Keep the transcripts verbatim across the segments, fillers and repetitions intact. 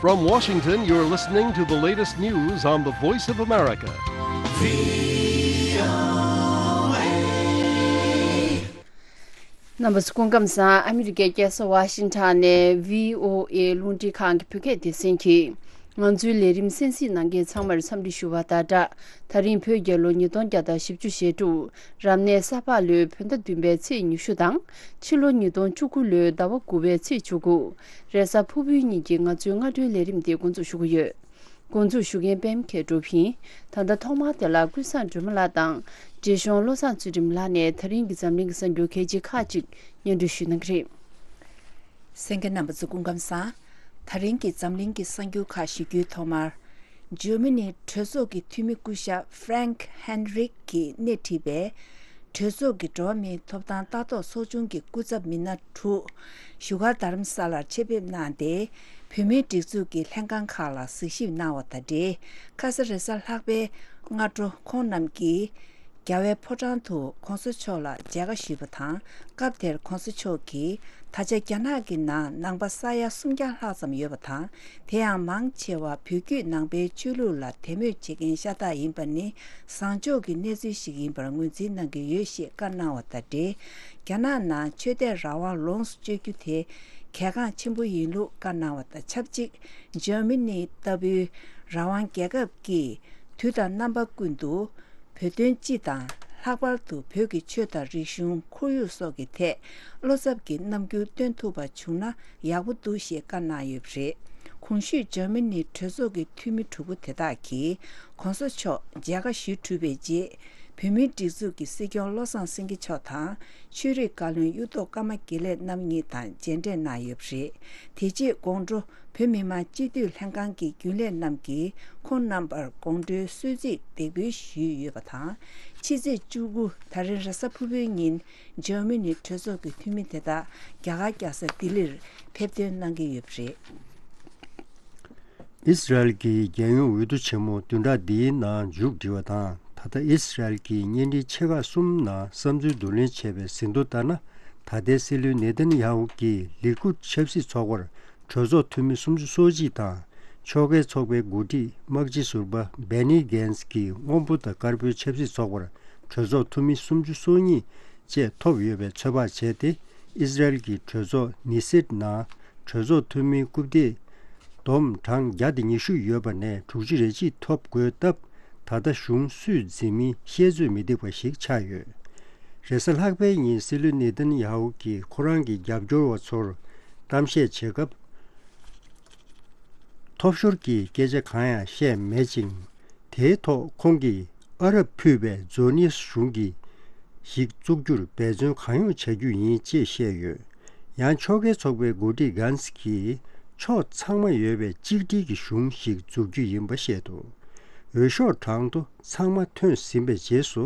From Washington, you're listening to the latest news on the Voice of America. རྣམ་པ་ཚོ་སྐུ་ཁམས་བཟང་། ཨ་མི་རི་ཀའི་རྒྱལ་ས་ཝ་ཤིང་ཊོན་ནས་བྷི་ཨོ་ཨེ་རླུང་འཕྲིན་ཁང་གི་བོད་སྐད་སྡེ་ཚན་གྱིས་ང་ཚོའི་ལས་རིམ་གསན་གཟིགས་གནང་མཁན་ཚང་མར་འཚམས་འདྲི་ཞུ་བ་དང་སྦྲགས། ད་རིང་བོད་རྒྱལ་ལོ་ཉིས་སྟོང་བརྒྱ་དང་བཞི་བཅུ་ཞེ་དྲུག་རབ་གནས་ས་ཕག་ལོའི་བོད་ཟླ་བདུན་པའི་ཚེས་ཉི་ཤུ་དང་། ཕྱི་ལོ་ཉིས་སྟོང་བཅུ་དགུ་ལོའི་ཟླ་བ་དགུ་པའི་ཚེས་བཅུ་དགུ། རེས་གཟའ་ཕུར་བུའི་ཉིན་གྱི་ང་ཚོའི་སྔ་དྲོའི་ལས་རིམ་དེ་འགོ་འཛུགས་ཞུ་གི་ཡོད། འགོ་འཛུགས་ཞུ་མཁན་པད་མ་མཁས་གྲུབ་ཡིན། ད་ལྟ་ཐོག་མར་དེ་ལ་ཀུན་བཟང་སྒྲོལ་མ་ལགས་དང་། འབྲས་གཞུང་བློ་བཟང་ཚུལ་ཁྲིམས་ལགས་ནས་ད་རིང་གི་འཛམ་གླིང་གི་གསར་འགྱུར་གལ་ཆེ་ཁག་ཅིག་སྙན་སྒྲོན་ཞུ་གནང་གི་རེད། གསན་མཁན་རྣམ་པ་ཚོ་སྐུ་ཁམས་བཟང་། ད་རིང་གི་འཛམ་གླིང་གི་གསར་འགྱུར་ཁག་ཞུ་རྒྱུའི་ཐོག་མར། འཇར་མ་ནི་གྲོས་ཚོགས་ཀྱི་འཐུས་མི་སྐུ་ཞབས་Frank Heinrich གིས་སྣེ་ཁྲིད་པའི་གྲོས་ཚོགས་ཀྱི་འགྲོ་བ་མིའི་ཐོབ་ཐང་ལྟ་རྟོག་ཚོགས་ཆུང་གི་སྐུ་ཚབ་མི་སྣ་དྲུག་བཞུགས་སྒར་རྡ་རམ་ས་ལར་ཆེད་ཕེབས་གནང་སྟེ། བོད་མིའི་སྒྲིག་འཛུགས་ཀྱི་ལྷན་ཁང་ཁག་ལ་གཟིགས་ཞིབ་གནང་བ་དང་འབྲེལ། ཁ་ས་རེས་གཟའ་ལྷག་པའི་སྔ་དྲོ་ཁོང་རྣམས་ཀྱིས་རྒྱལ་བའི་ཕོ་བྲང་དུ་གོང་ས་མཆོག་ལ་མཇལ་ཁ་ཞུས་པ་དང་། སྐབས་དེར་གོང་ས་མཆོག་གིས། ད་ཆ་རྒྱ་ནག་གི་ནང་ནང་པ་ས་ཡ་སུམ་བརྒྱ་ལྷག་ཙམ་ཡོད་པ་དང་། དེ་ཡང་མང་ཆེ་བ་བོད་བརྒྱུད་ནང་པའི་ཆོས་ལུགས་ལ་དད་མོས་བྱེད་མཁན་ཤ་སྟག་ཡིན་པ་ནི་བཟང་ཕྱོགས་ཀྱི་གནས་ཚུལ་ཞིག་ཡིན་པར་ངོས་འཛིན་གནང་གི་ཡོད་ཞེས་བཀའ་གནང་བ་དང་འབྲེལ། རྒྱ་ནག་ནང་ཆོས་དད་རང་དབང་ལོངས་སུ་སྤྱོད་རྒྱུ་དེ་གལ་འགངས་ཆེན་པོ་ཡིན་ལུགས་བཀའ་གནང་བ་དང་ཆབས་ཅིག་འཇར་མ་ནི་ལྟ་བུའི་རང་དབང་རྒྱལ་ཁབ་ཀྱིས་དུས་དང་རྣམ་པ་ཀུན་ཏུ། བོད་དོན་སྤྱི་དང་། ལྷག་པར་དུ་བོད་ཀྱི་ཆོས་དང་རིག་གཞུང་། ཁོར་ཡུག་སོགས་ཀྱི་ཐད་བློ་འཚབ་ཀྱི་རྣམ་འགྱུར་སྟོན་ཐུབ་པ་བྱུང་ན་ཡག་པོ་འདུག་ཞེས་བཀའ་གནང་ཡོད་པ་རེད། གོང་ཞུས་འཇར་མ་ནིའི་གྲོས་ཚོགས་ཀྱི་འཐུས་མི་དྲུག་པོ་དེ་དག་གིས་གོང་ས་མཆོག་མཇལ་ཁ་ཞུ་གྲུབ་པའི་རྗེས། བོད་མིའི་སྒྲིག་འཛུགས་ཀྱི་སྲིད་སྐྱོང་བློ་བཟང་སེང་གེ་མཆོག་དང་། ཆོས་རིག་བཀའ་བློན་གཡུ་ཐོག་ཀརྨ་དགེ་ལེགས་རྣམ་གཉིས་དང་མཇལ་འཕྲད་གནང་ཡོད་པ་རེད། དེ་རྗེས་དགོང་དྲོ། བོད་མི་མང་སྤྱི་འཐུས་ལྷན་ཁང་གི་རྒྱུན་ལས་རྣམས་ཀྱིས་ཁོང་རྣམ་པར་དགོང་དྲོའི་གསོལ་ཚིགས་འདེགས་འབུལ་ཞུས་ཡོད་པ་དང་། ཕྱི་ཚེས་བཅུ་དགུ་ད་རིང་རེས་གཟའ་ཕུར་བུའི་ཉིན་འཇར་མ་ནི་གྲོས་ཚོགས་ཀྱི་འཐུས་མི་དེ་དག་རྒྱ་གར་རྒྱལ་ས་ལྡི་ལིར་ཕེབས་ཐོན་གནང་གི་ཡོད་པ་རེད། ཨི་སི་རལ་གྱི་རྒྱལ་ཡོངས་འོས་བསྡུ་ཆེན་མོ་བདུན་ཕྲག་འདིའི་ནང་མཇུག་སྒྲིལ་བ་དང་། ད་ལྟ་ཨི་སི་རལ་གྱི་བརྙན་འཕྲིན་ཆེ་ཁག་གསུམ་ནང་བསམ་ཚུལ་བསྡུ་ལེན་བྱས་པའི་ཟིན་ཐོ་ལྟར་ན། ད་ལྟའི་སྲིད་བློན་ནེ་ཐན་ཡ་ཧུ་གྱིས་ལི་ཀུད་ཆབ་སྲིད་ཚོགས་པར། གྲོས་ཚོགས་འཐུས་མི་སུམ་ཅུ་སོ་གཅིག་དང་། ཕྱོགས་འགལ་ཚོགས་པའི་འགོ་ཁྲིད་དམག་སྤྱི་ཟུར་པ་བྷེ་ནི་གྷན་སི་གིས་སྔོན་པོ་དང་དཀར་པོའི་ཆབ་སྲིད་ཚོགས་པར་གྲོས་ཚོགས་འཐུས་མི་སུམ་ཅུ་སོ་གཉིས་བཅས་ཐོབ་ཡོད་པའི་ཚོད་དཔག་བྱས་ཏེ། ཨི་སི་རལ་གྱི་གྲོས་ཚོགས་ནི་སེད་ནང་གྲོས་ཚོགས་འཐུས་མིའི་རྐུབ་སྟེགས་བསྡོམས་གྲངས་བརྒྱ་དང་ཉི་ཤུ་ཡོད་པ་ནས་དྲུག་ཅུ་རེ་གཅིག་ཐོབ་དགོས་སྟབས། ད་ལྟ་གཞུང་སུས་འཛིན་མིན་བཤད་ཚོད་མི་ཐིག་པ་ཞིག་ཆགས་ཡོད། རེས་གཟའ་ལྷག་པའི་ཉིན་སྲིད་བློན་ནེ་ཐན་ཡ་ཧུ་གིས་ཁོ་རང་གི་རྒྱབ་སྐྱོར་བ་ཚོར་གཏམ་བཤད་བྱེད་སྐབས། ཐོབ་ཤོར་གྱི་སྐད་ཆ་གང་ཡང་བཤད་མེད་ཅིང་། དེའི་ཐོག་ཁོང་གིས་ཨ་རབ་ཕུད་པའི་ཛོ་ནིས་གཞུང་གི་ཞིག་བཙུགས་རྒྱུར་འབད་བརྩོན་གང་ཡོང་བྱ་རྒྱུ་ཡིན་ཅེས་བཤད་ཡོད། ཡང་ཕྱོགས་འགལ་ཚོགས་པའི་འགོ་ཁྲིད་གྷན་སི་གིས་ཕྱོགས་ཚང་མ་ཡོད་པའི་གཅིག་སྒྲིལ་གྱི་གཞུང་ཞིག་འཛུགས་རྒྱུ་ཡིན་པ་བཤད་འདུག་འོས་ཤོག་གྲངས་ཐོ་ཚང་མ་ཐོན་ཟིན་པའི་རྗེས་སུ།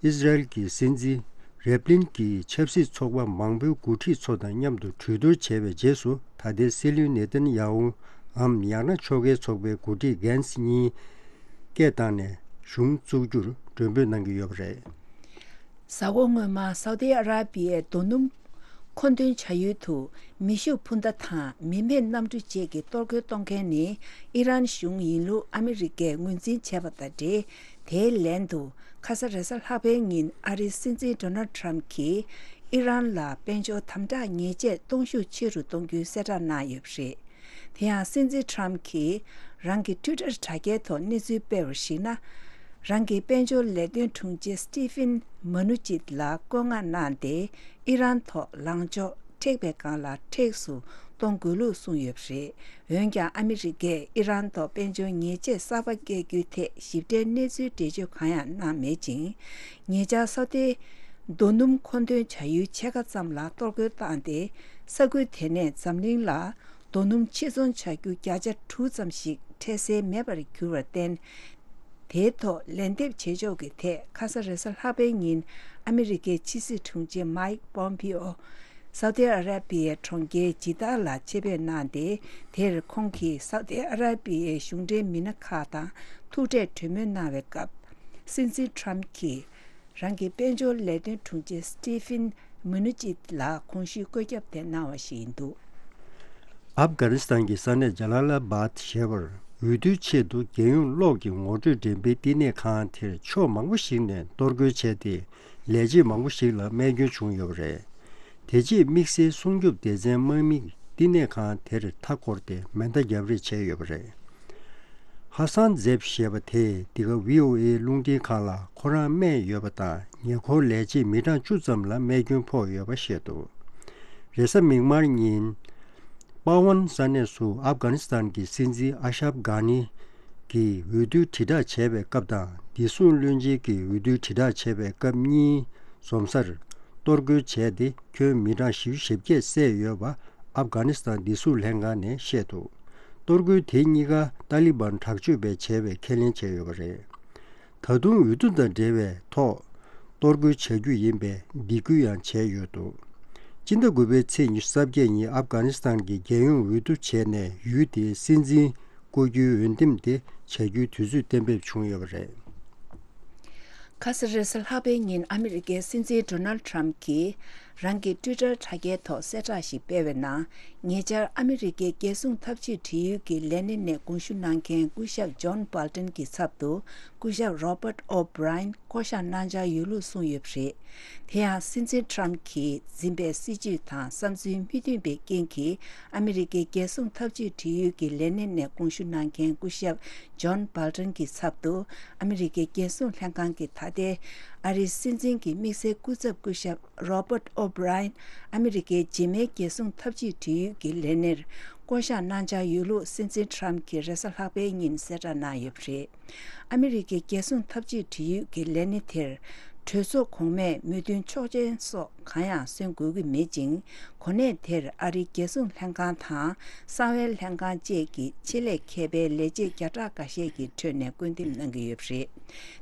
ཨི་སི་རལ་གྱི་སྲིད་འཛིན་རེབ་ལིན་གྱིས་ཆབ་སྲིད་ཚོགས་པ་མང་པོའི་འགོ་ཁྲིད་ཚོ་དང་མཉམ་དུ་གྲོས་བསྡུར་བྱས་པའི་རྗེས་སུ། ད་ལྟའི་སྲིད་བློན་ནེ་ཐན་ཡ་ཧུའམ་ཡང་ན་ཕྱོགས་འགལ་ཚོགས་པའི་འགོ་ཁྲིད་གྷན་སི་གཉིས་སྐད་བཏང་ནས་གཞུང་བཙུགས་རྒྱུར་མགྲོན་འབོད་གནང་གི་ཡོད་པ་རེད། གཟའ་འཁོར་སྔོན་མ་སའུ་ཏི་ཨ་ར་པི་ཡའི་རྡོ་སྣུམ་མཁོ་འདོན་བྱ་ཡུལ་དུ་མེ་ཤུགས་འཕུར་མདའ་དང་མི་མེད་གནམ་གྲུ་བཅས་ཀྱིས་གཏོར་རྒོལ་གཏོང་མཁན་ནི་ཨི་རན་གཞུང་ཡིན་ལུགས་ཨ་མི་རི་ཀས་ངོས་འཛིན་བྱས་པ་དང་འབྲེལ། དེའི་ལན་དུ་ཁ་ས་རེས་གཟའ་ལྷག་པའི་ཉིན་ཨ་རིའི་སྲིད་འཛིན་ཌོ་ནལ་ཊམ་གྱིས་ཨི་རན་ལ་དཔལ་འབྱོར་དམ་དྲག་ཉེས་ཆད་གཏོང་ཤུགས་ཆེ་རུ་གཏོང་རྒྱུའི་གསལ་བསྒྲགས་གནང་ཡོད་པ་རེད། དེ་ཡང་སྲིད་འཛིན་ཊམ་གྱིས་རང་གི་ཊུའི་ཊར་དྲ་རྒྱའི་ཐོག་གནས་ཚུལ་སྤེལ་བར་གཞིགས་ན། རང་གི་དཔལ་འབྱོར་ལས་དོན་དྲུང་ཆེ་སི་ཊི་ཕིན་མ་ནུ་ཅིད་ལ་བཀོད་མངགས་གནང་སྟེ་ཨི་རན་ཐོག་ལངས་ཕྱོགས་མཁྲེགས་པའི་སྒང་ལ་མཁྲེགས་སུ་གཏོང་དགོས་ལུགས་གསུངས་ཡོད་པ་རེད། འོན་ཀྱང་ཨ་མི་རི་ཀས་ཨི་རན་ཐོག་དཔལ་འབྱོར་ཉེས་ཆད་གསར་པ་བཀལ་རྒྱུའི་ཐད་ཞིབ་ཕྲའི་གནས་ཚུལ་འགྲེལ་བརྗོད་གང་ཡང་གནང་མེད་ཅིང་། ཉེ་ཆར་སའུ་ཏི་རྡོ་སྣུམ་མཁོ་འདོན་བྱ་ཡུལ་ཕྱེད་ཀ་ཙམ་ལ་གཏོར་རྒོལ་བཏང་སྟེ། ས་ཁུལ་དེ་ནས་འཛམ་གླིང་ལ་རྡོ་སྣུམ་ཕྱིར་ཚོང་བྱ་རྒྱུ་བརྒྱ་ཆ་དྲུག་ཙམ་ཞིག་འཕྲལ་སེལ་མེད་པར་གྱུར་བར་བརྟེན། དེའི་ཐོག་ལན་འདེབས་བྱེད་ཕྱོགས་ཀྱི་ཐད་ཁ་ས་རེས་གཟའ་ལྷག་པའི་ཉིན་ཨ་མི་རི་ཀའི་ཕྱི་སྲིད་དྲུང་ཆེ་མའིག་པོམ་པི་ཨོ། སའུ་ཏི་ཨ་ར་པི་ཡའི་གྲོང་ཁྱེར་ཇི་ཏཱ་ལ་ཆེད་ཕེབས་གནང་སྟེ། དེར་ཁོང་གིས་སའུ་ཏི་ཨ་ར་པི་ཡའི་གཞུང་འབྲེལ་མི་སྣ་ཁག་དང་ཐུག་འཕྲད་གྲོས་མོལ་གནང་བའི་སྐབས། སྲིད་འཛིན་ཊམ་གྱིས་རང་གི་དཔལ་འབྱོར་ལས་དོན་དྲུང་ཆེ་སི་ཊི་ཕིན་མུ་ནུ་ཅིད་ལ་གོང་ཞུས་བཀོད་ཁྱབ་དེ་གནང་བ་ཞིག་ཡིན་འདུག་ཨབ་གྷ་ནི་སི་ཐན་གྱི་ས་གནས་ཇ་ལ་ལ་བཱད་ཞེས་པར་འོས་བསྡུའི་ཆེད་དུ་རྒྱལ་ཡོངས་གློག་གི་ངོ་སྤྲོད་འགྲེམས་སྤེལ་བསྟི་གནས་ཁང་དེར་ཕྱོགས་མང་པོ་ཞིག་ནས་གཏོར་རྒོལ་བྱས་ཏེ། ལས་བྱེད་མང་པོ་ཞིག་ལ་རྨས་སྐྱོན་བྱུང་ཡོད་པ་རེད། དེ་རྗེས་དམིགས་བསལ་སྲུང་སྐྱོབ་སྡེ་ཚན་དམག་མིས་བསྟི་གནས་ཁང་དེར་མཐའ་བསྐོར་ཏེ་མེ་མདའ་རྒྱབ་རེས་བྱས་ཡོད་པ་རེད། ཧ་སན་ཛེབ་ཞེས་པ་དེས་འདི་ག་བྷི་ཨོ་ཨེ་རླུང་འཕྲིན་ཁང་ལ་ཁོ་རང་རྨས་ཡོད་པ་དང་། ཉེ་འཁོར་ལས་བྱེད་མི་གྲངས་བཅུ་ཙམ་ལ་རྨས་སྐྱོན་ཕོག་ཡོད་པ་བཤད་འདུག་རེས་གཟའ་མིག་དམར་ཉིན། པ་ཝན་ས་གནས་སུ་ཨབ་གྷ་ནི་སི་ཐན་གྱི་སྲིད་འཛིན་ཨ་ཤབ་གྷ་ནི་གྱི་འོས་བསྡུའི་དྲིལ་བསྒྲགས་བྱས་པའི་སྐབས་དང་། བདེ་སྲུང་བློན་ཆེན་གྱི་འོས་བསྡུའི་དྲིལ་བསྒྲགས་བྱས་པའི་སྐབས་གཉིས་འཛོམས་སར་གཏོར་རྒོལ་བྱས་ཏེ། ཁྱོན་མི་གྲངས་བཞི་བཅུ་ཞེ་བརྒྱད་བསད་ཡོད་པ་ཨབ་གྷ་ནི་སི་ཐན་བདེ་སྲུང་ལྷན་ཁང་ནས་བཤད་འདུག་གཏོར་རྒོལ་དེ་གཉིས་ཀ་ཏཱ་ལི་བན་དྲག་སྤྱོད་པས་བྱས་པའི་ཁས་ལེན་བྱས་ཡོད་པ་རེད། ད་དུང་འོས་བསྡུ་དང་འབྲེལ་བའི་ཐོག་གཏོར་རྒོལ་བྱ་རྒྱུ་ཡིན་པའི་སྡིགས་སྐུལ་ཡང་བྱས་ཡོད་འདུག་སྤྱི་ཟླ་དགུ་པའི་ཚེས་ཉི་ཤུ་རྩ་བརྒྱད་ཉིན་ཨབ་གྷ་ནི་སི་ཐན་གྱི་རྒྱལ་ཡོངས་འོས་བསྡུ་བྱས་ནས། ཡུལ་དེའི་སྲིད་འཛིན་བསྐོ་རྒྱུའི་འོས་འདེམས་དེ་བྱ་རྒྱུའི་དུས་ཚོད་གཏན་འབེབས་བྱུང་ཡོད་པ་རེད། ཁ་ས་རེས་གཟའ་ལྷག་པའི་ཉིན་ཨ་མི་རི་ཀའི་སྲིད་འཛིན་ཌོ་ནལ་ཌི་ཊརམ་ཕི་གྱིས་རང་གི་ཊུའི་ཊར་དྲ་རྒྱའི་ཐོག་གསལ་བསྒྲགས་ཤིག་སྤེལ་བའི་ནང་། ཉེ་ཆར་ཨ་མི་རི་ཀའི་རྒྱལ་སྲུང་འཐབ་ཇུས་འབྲེལ་ཡོད་ཀྱི་ལས་སྣེ་ནས་དགོངས་ཞུ་གནང་མཁན་སྐུ་ཞབས་ཇོན་སྦལ་ཊོན་གྱི་ཚབ་ཏུ་སྐུ་ཞབས་རོ་བྷར་ཊི་ཨོ་བྷི་རའི་ཡན་བསྐོ་གཞག་གནང་འཆར་ཡོད་ལུགས་གསུངས་ཡོད་པ་རེད། དེ་ཡང་སྲིད་འཛིན་ཊརམ་ཕི་གྱིས་འཛིན་པའི་སྲིད་བྱུས་དང་བསམ་ཚུལ་མི་མཐུན་པའི་རྐྱེན་གྱིས། ཨ་མི་རི་ཀའི་རྒྱལ་སྲུང་འཐབ་ཇུས་འབྲེལ་ཡོད་ཀྱི་ལས་སྣེ་ནས་དགོངས་ཞུ་གནང་མཁན་སྐུ་ཞབས་ཇོན་སྦལ་ཊོན་གྱི་ཚབ་ཏུ། ཨ་མི་རི་ཀའི་རྒྱལ་སྲུང་ལྷན་ཁང་གི་ད་ལྟའི་ཨ་རིའི་སྲིད་འཛིན་གྱི་དམིགས་བསལ་སྐུ་ཚབ་སྐུ་ཞབས་རོ་བྷར་ཊི་ཨོ་བྷི་རའི་ཡན། ཨ་མི་རི་ཀའི་རྗེས་མའི་རྒྱལ་སྲུང་འཐབ་ཇུས་འབྲེལ་ཡོད་ཀྱི་ལས་སྣེར་བསྐོ་གཞག་གནང་འཆར་ཡོད་ལུགས་སྲིད་འཛིན་ཊརམ་ཕི་གྱིས་རེས་གཟའ་ལྷག་པའི་ཉིན་གསལ་བསྒྲགས་གནང་ཡོད་པ་རེད། ཨ་མི་རི་ཀའི་རྒྱལ་སྲུང་འཐབ་ཇུས་འབྲེལ་ཡོད་ཀྱི་ལས་སྣེ་དེར། གྲོས་ཚོགས་གོང་མས་མོས་མཐུན་ཆོག་མཆན་སོགས་གང་ཡང་སོན་དགོས་ཀྱི་མེད་ཅིང་། གོ་གནས་དེར་ཨ་རིའི་རྒྱལ་སྲུང་ལྷན་ཁང་དང་། གསང་བའི་ལྷན་ཁང་བཅས་ཀྱི་ཆེད་ལས་མཁས་པའི་ལས་བྱེད་བརྒྱ་ཕྲག་འགའ་ཤས་ཀྱི་ཁྲོད་ནས་བསྐོ་འདེམས་གནང་གི་ཡོད་པ་རེད།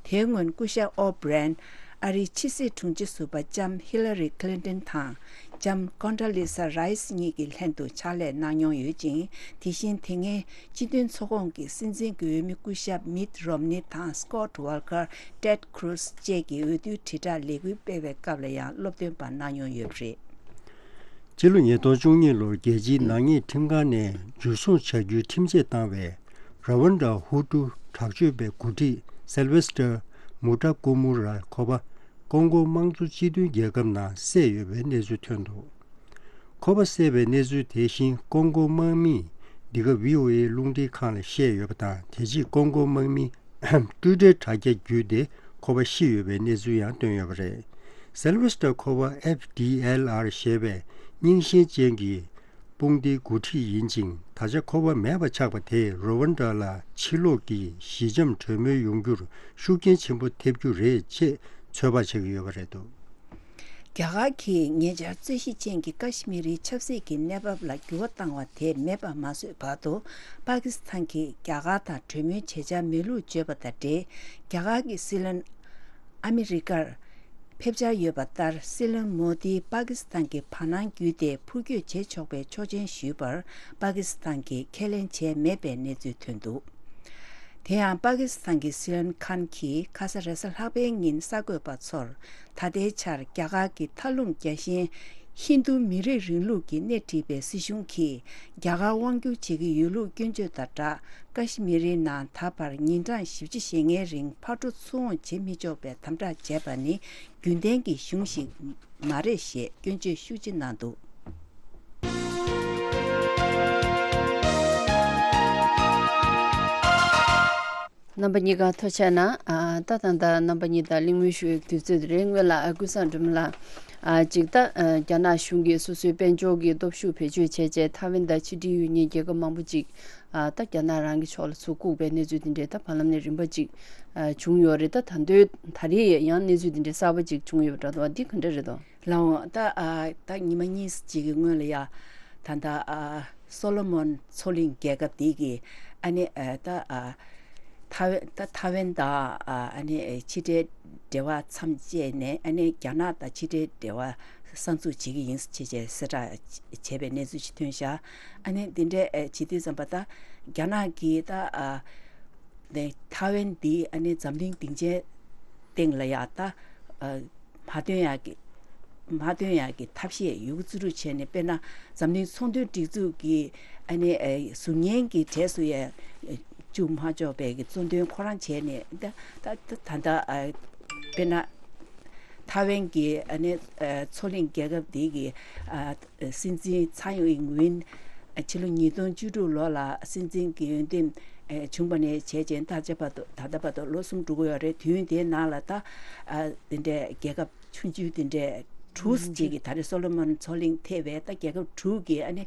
དེའི་སྔོན་སྐུ་ཞབས་ཨོ་བྷི་རའི་ཡན། ཨ་རིའི་ཕྱི་སྲིད་དྲུང་ཆེ་ཟུར་པ་ལྕམ་ཧི་ལ་རི་ཁི་ལིན་ཏོན་དང་། ལྕམ་ཀོན་ཌོ་ལི་ས་རའི་སི་གཉིས་ཀྱི་ལྷན་དུ་ཕྱག་ལས་གནང་མྱོང་ཡོད་ཅིང་། དེ་བཞིན་དེ་སྔའི་སྤྱི་མཐུན་ཚོགས་ཁོངས་ཀྱི་སྲིད་འཛིན་གྱི་འོས་མི་སྐུ་ཞབས་མིད་རོམ་ནི་དང་སྐོད་ཝོལ་ཀར། ཊེད་ཀྲུ་ཛི་བཅས་ཀྱིས་འོས་བསྡུའི་དྲིལ་བསྒྲགས་ལས་འགུལ་སྤེལ་བའི་སྐབས་ལ་ཡང་སློབ་སྟོན་པ་གནང་མྱོང་ཡོད་པ་རེད། སྤྱི་ལོ་ཉིས་སྟོང་བཅུ་གཉིས་ལོར་རྒྱལ་སྤྱིའི་ནག་ཉེས་ཁྲིམས་ཁང་ནས་འཇུ་བཟུང་བྱ་རྒྱུའི་ཁྲིམས་ཆད་བཏང་བའི་ར་ཝན་ཌ་ཧུ་ཊུ་དྲག་སྤྱོད་པའི་འགོ་ཁྲིད་སེལ་ཝེ་སི་ཊར་མུ་ཊ་ཀུ་མུ་ར་ཁོ་པ། ཀོང་གོ་དམངས་གཙོ་སྤྱི་མཐུན་རྒྱལ་ཁབ་ནང་བསད་ཡོད་པའི་གནས་ཚུལ་ཐོན་འདུག་ཁོ་པ་བསད་པའི་གནས་ཚུལ་དེ་བཞིན་ཀོང་གོ་དམག་མིས་འདི་ག་བྷི་ཨོ་ཨེ་རླུང་འཕྲིན་ཁང་ལ་བཤད་ཡོད་པ་དང་། དེ་རྗེས་ཀོང་གོ་དམག་མིས་ཊུའི་ཊར་དྲ་རྒྱ་བརྒྱུད་དེ་ཁོ་པ་ཤི་ཡོད་པའི་གནས་ཚུལ་ཡང་བཏོན་ཡོད་པ་རེད། སེལ་ཝེ་སི་ཊར་ཁོ་པ་ཨེཕ་ཌི་ཨེལ་ཨར་ཞེས་པའི་རྙིང་ཞེན་ཅན་གྱི་དཔུང་སྡེའི་འགོ་ཁྲིད་ཡིན་ཅིང་། ད་ཆ་ཁོ་པ་མེད་པ་ཆགས་པ་དེས་རུ་ཝན་ཌ་ལ་ཕྱི་ལོགས་ཀྱི་ཞི་འཇམ་གྲོས་མོལ་ཡོང་རྒྱུར་ཤུགས་རྐྱེན་ཆེན་པོ་ཐེབས་རྒྱུ་རེད་ཅེས་ཚོད་དཔག་བྱེད་ཀྱི་ཡོད་པ་རེད་འདུག་རྒྱ་གར་གྱིས་ཉེ་ཆར་རྩོད་གཞི་ཅན་གྱི་ཀ་ཤི་མི་རིའི་ཆབ་སྲིད་ཀྱི་གནས་བབ་ལ་འགྱུར་བ་བཏང་བ་དེ་མེད་པར་མ་བཟོས་བར་དུ། པ་ཀི་སི་ཐན་གྱིས་རྒྱ་གར་དང་གྲོས་མོལ་བྱེད་འཆར་མེད་ལུགས་བརྗོད་པ་དང་འབྲེལ། རྒྱ་གར་གྱི་སྲིད་བློན་ཨ་མི་རི་ཀར་ཕེབས་འཆར་ཡོད་པ་ལྟར། སྲིད་བློན་མོ་དིས་པ་ཀི་སི་ཐན་གྱི་བར་སྣང་བརྒྱུད་དེ་འཕུར་སྐྱོད་བྱེད་ཆོག་པའི་ཆོག་མཆན་ཞུས་པར། པ་ཀི་སི་ཐན་གྱིས་ཁས་ལེན་བྱས་མེད་པའི་གནས་ཚུལ་ཐོན་འདུག་དེ་ཡང་པ་ཀི་སི་ཐན་གྱི་སྲིད་བློན་ཁཱན་གྱིས་ཁ་ས་རེས་གཟའ་ལྷག་པའི་ཉིན་གསར་འགོད་པ་ཚོར། ད་ལྟའི་ཆར་རྒྱ་གར་གྱི་མཐའ་ལྷུང་རྒྱལ་ཞེན་ཧིན་རྡུ་མི་རིགས་རིང་ལུགས་ཀྱིས་སྣེ་ཁྲིད་པའི་སྲིད་གཞུང་གིས་རྒྱ་གར་དབང་བསྒྱུར་བྱེད་ཀྱི་ཡོད་ལུགས་སྐྱོན་བརྗོད་དང་སྦྲགས། ཀ་ཤི་མི་རིའི་ནང་ད་བར་ཉིན་གྲངས་བཞི་བཅུ་ཞེ་ལྔའི་རིང་ཕར་འགྲོ་ཚུར་འོང་བྱེད་མི་ཆོག་པའི་དམ་དྲག་བྱས་པ་ནི་རྒྱུན་ལྡན་གྱི་གཞུང་ཞིག་མ་རེད་ཞེས་སྐྱོན་བརྗོད་ཤུགས་ཆེ་གནང་འདུག་རྣམ་པ་གཉིས་ཀ་ཐུགས་རྗེ་གནང་། ཨ། ད་ད་ལྟ་རྣམ་པ་གཉིས་དང་གླེང་མོལ་ཞུ་ཡག་དུས་ཚོད་རེད། སྔོན་ལ་ཨ་ཀུན་བཟང་སྒྲོལ་མ་ལགས། ཨ། ཅིག་ད་ཨ་རྒྱ་ནག་གཞུང་གིས་སོ་སོའི་དཔལ་འབྱོར་གྱི་སྟོབས་ཤུགས་བེད་སྤྱོད་བྱས་རྗེས་ཐའེ་ཝན་དང་ཕྱི་འབྲེལ་ཡོད་མཁན་རྒྱལ་ཁབ་མང་པོ་ཅིག་ཨ། ད་རྒྱ་ནག་རང་གི་ཕྱོགས་ལ་ཚུར་བཀུག་པའི་གནས་ཚུལ་དེ་འདྲས་ད་བར་ལམ་ནས་རིམ་པ་ཅིག་ཨ། བྱུང་ཡོད་རེད། ད་ད་དུང་ད་རེས་ཡང་གནས་ཚུལ་དེ་འདྲས་གསར་པ་ཅིག་བྱུང་ཡོད་པ་འདྲ་འདུག་འདི་ག་འདྲ་རེད་དོ། ལགས་འོང་། ད་ཨ་ད་ཉི་མ་གཉིས་ཅིག་གི་སྔོན་ལ་ཡ། ད་ད་ཨ་སོ་ལོ་མོན་མཚོ་གླིང་རྒྱལ་ཁབ་འདི་གི་ཨ་ནི་ཨ་ད་ཨ་ཐའེ་ཝན་ད་ཐའེ་ཝན་དང་ཨ་ནི་ཕྱི་འབྲེལ་འབྲེལ་བ་མཚམས་བཅད་ནས། ཨ་ནི་རྒྱ་ནག་དང་ཕྱི་འབྲེལ་འབྲེལ་བ་གསར་འཛུགས་བྱེད་ཀྱི་ཡིན་ཞེས་གསལ་བསྒྲགས་བྱས་པའི་གནས་ཚུལ་ཞིག་ཐོན་ཤག་ཨ་ནི་འདི་འདྲའི་ཨ་བྱེད་དུས་ཙམ་པ་ད་རྒྱ་ནག་གིས་ད་ཨ་ནི་ཐའེ་ཝན་འདི་ཨ་ནི་འཛམ་གླིང་སྡིངས་ཆའི་སྟེང་ལ་ཡ་ད་ཨ་མ་ཐོན་ཡག་གི་ མ་ཐོན་ཡག་གི་ཐབས་ཤེས་ཡོད་རྒུ་ཙི་རུ་བྱས་ནས། དཔེར་ན་འཛམ་གླིང་ཚོང་དོན་སྒྲིག་འཛུགས་ཀྱི་ཨ་ནི་ཨ་ཟུར་ཉན་གྱི་གྲས་སུ་ཡང་བཅུག་མ་ཆོག་པའི་གི་གཙོ་འདོན་ཁོ་རང་བྱས་ནས། ད་ད་ད་ད་ཨ་དཔེར་ན་ཐའེ་ཝན་གྱི་ཨ་ནི་ཨ་མཚོ་གླིང་རྒྱལ་ཁབ་འདི་གི་ཨ་སྲིད་འཛིན་ཚའེ་ཨིན་ཝིན་ཨ་ཕྱི་ལོ་ཉིས་སྟོང་བཅུ་དྲུག་ལོ་ལ་སྲིད་འཛིན་གྱི་འོས་འདེམས་ཨ་བྱུང་བ་ནས་བྱས་རྗེས་ད་ཆ་བར་དུ། ད་ལྟ་བར་དུ་ལོ་གསུམ་འགྲོ་གི་ཡོད་རེད། དུས་ཡུན་དེའི་ནང་ལ་ད་ཨ་དེ་འདྲའི་རྒྱལ་ཁབ་ཆུང་ཆུང་དེ་འདྲའི་དྲུག་ཅིག་གིས། ད་རེས་སོ་ལོ་མོན་མཚོ་གླིང་ཐེ་བའི་ད་རྒྱལ་ཁབ་དྲུག་གིས་ཨ་ནི་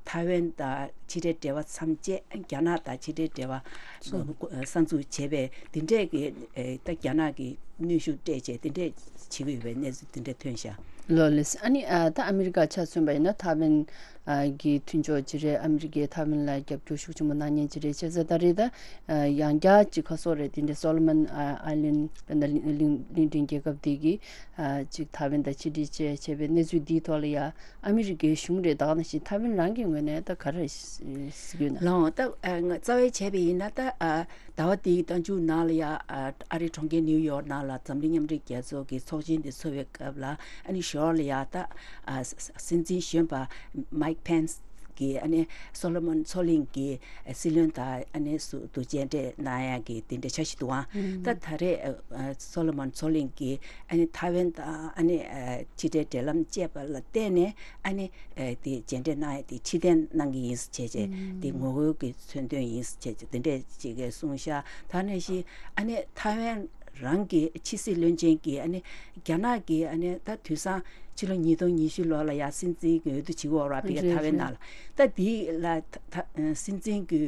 ཐའེ་ཝན་དང་ཕྱི་འབྲེལ་འབྲེལ་བ་མཚམས་བཅད། རྒྱ་ནག་དང་ཕྱི་འབྲེལ་འབྲེལ་བ་གསར་འཛུགས་བྱས་པའི་དེ་འདྲས་ཀྱི་ཨེ་ད་རྒྱ་ནག་གི་གནོན་ཤུགས་སྤྲད་བྱས་དེ་འདྲས་བྱེད་ཀྱི་ཡོད་པའི་གནས་ཚུལ་དེ་འདྲས་ཐོན་ཤག་ལགས་ལགས། ཨ་ནི་ཨ་ད་ཨ་མི་རི་ཀ་ཆ་མཚོན་པ་ཡིན་ན་ཐའེ་ཝན་ཨ་གི་མཐུན་ཕྱོགས་ཅིག་རེད། ཨ་མི་རི་ཀས་ཐའེ་ཝན་ལ་རྒྱབ་སྐྱོར་ཤུགས་ཆེན་པོ་གནང་མཁན་ཅིག་རེད། བྱས་ཙང་ད་རེས་ད་ཨ་ཡང་བསྐྱར་ཅིག་ཁ་སོ་རེད། དེ་འདྲའི་སོ་ལོ་མོན་ཨ་ཨའི་ལན་དཔེར་ན་གླིང་གླིང་གླིང་ཕྲན་རྒྱལ་ཁབ་དེ་གིས་ཨ་ཅིག་ཐའེ་ཝན་དང་ཕྱི་འབྲེལ་བཅས་བྱས་པའི་གནས་ཚུལ་འདིའི་ཐོག་ལ་ཡ་ཨ་མི་རི་ཀའི་གཞུང་རེད། ད་ག་ནང་བཞིན་ཐའེ་ཝན་རང་གི་ངོས་ནས་ད་ག་རེ་གཟིགས་ཡོད་ན། ལགས་འོང་། ད་ཨ་ང་རྩ་བའི་བྱས་པ་ཡིན་ན་ད་ཨ་ཟླ་བ་འདིའི་མདང་མཇུག་ནང་ལ་ཡ་ཨ་ཨ་རིའི་གྲོང་ཁྱེར་ནིའུ་ཡོག་ནང་ལ་འཛམ་གླིང་མཉམ་འབྲེལ་རྒྱལ་ཚོགས་ཀྱི་ཚོགས་ཆེན་དེ་ཚོགས་པའི་སྐབས་ལ། ཨ་ནི་ཞོར་ལ་ཡ་ད་ཨ་སྲིད་འཛིན་གཞོན་པ་མའིག་ཕེན་སི་གིས་ཨ་ནི་སོ་ལོ་མོན་མཚོ་གླིང་གི་སྲིད་བློན་དང་ཨ་ནི་སུ་དུ་མཇལ་འཕྲད་གནང་ཡག་གི་དེ་འདྲ་འཆར་གཞི་འདུག་ཨང་། ད་ད་རེས་ཨ་སོ་ལོ་མོན་མཚོ་གླིང་གིས་ཨ་ནི་ཐའེ་ཝན་དང་ཨ་ནི་ཨ་ཕྱི་འབྲེལ་འབྲེལ་ལམ་བཅད་པ་ལ་བརྟེན་ནས་ཨ་ནི་ཨ་དེ་མཇལ་འཕྲད་གནང་ཡག་དེ་ཕྱིར་འཐེན་གནང་གི་ཡིན་ཟེར་བྱས་བྱས། དེ་ངོ་རྒོལ་གྱི་མཚོན་དོན་ཡིན་ཟེར་བྱས་བྱས་དེ་འདྲས་ཅིག་གིས་གསུངས་ཤག་ད་ནང་བཞིན་ཨ་ནི་ཐའེ་ཝན་རང་གི་ཕྱི་སྲིད་བློན་ཆེན་གྱིས་ཨ་ནི་རྒྱ་ནག་གིས་ཨ་ནི་ད་དུས་སང་ཕྱི་ལོ་ཉིས་སྟོང་ཉི་ཤུ་ལོ་ལ་ཡ་སྲིད་འཛིན་གྱི་འོས་བསྡུ་བྱེད་ཀྱི་ཡོད་རེད་བ། ཕ་གི་རེད་ཐའེ་ཝན་རེད། ནང་ལ། ད་འདི་ལ་ད་ད་སྲིད་འཛིན་གྱི་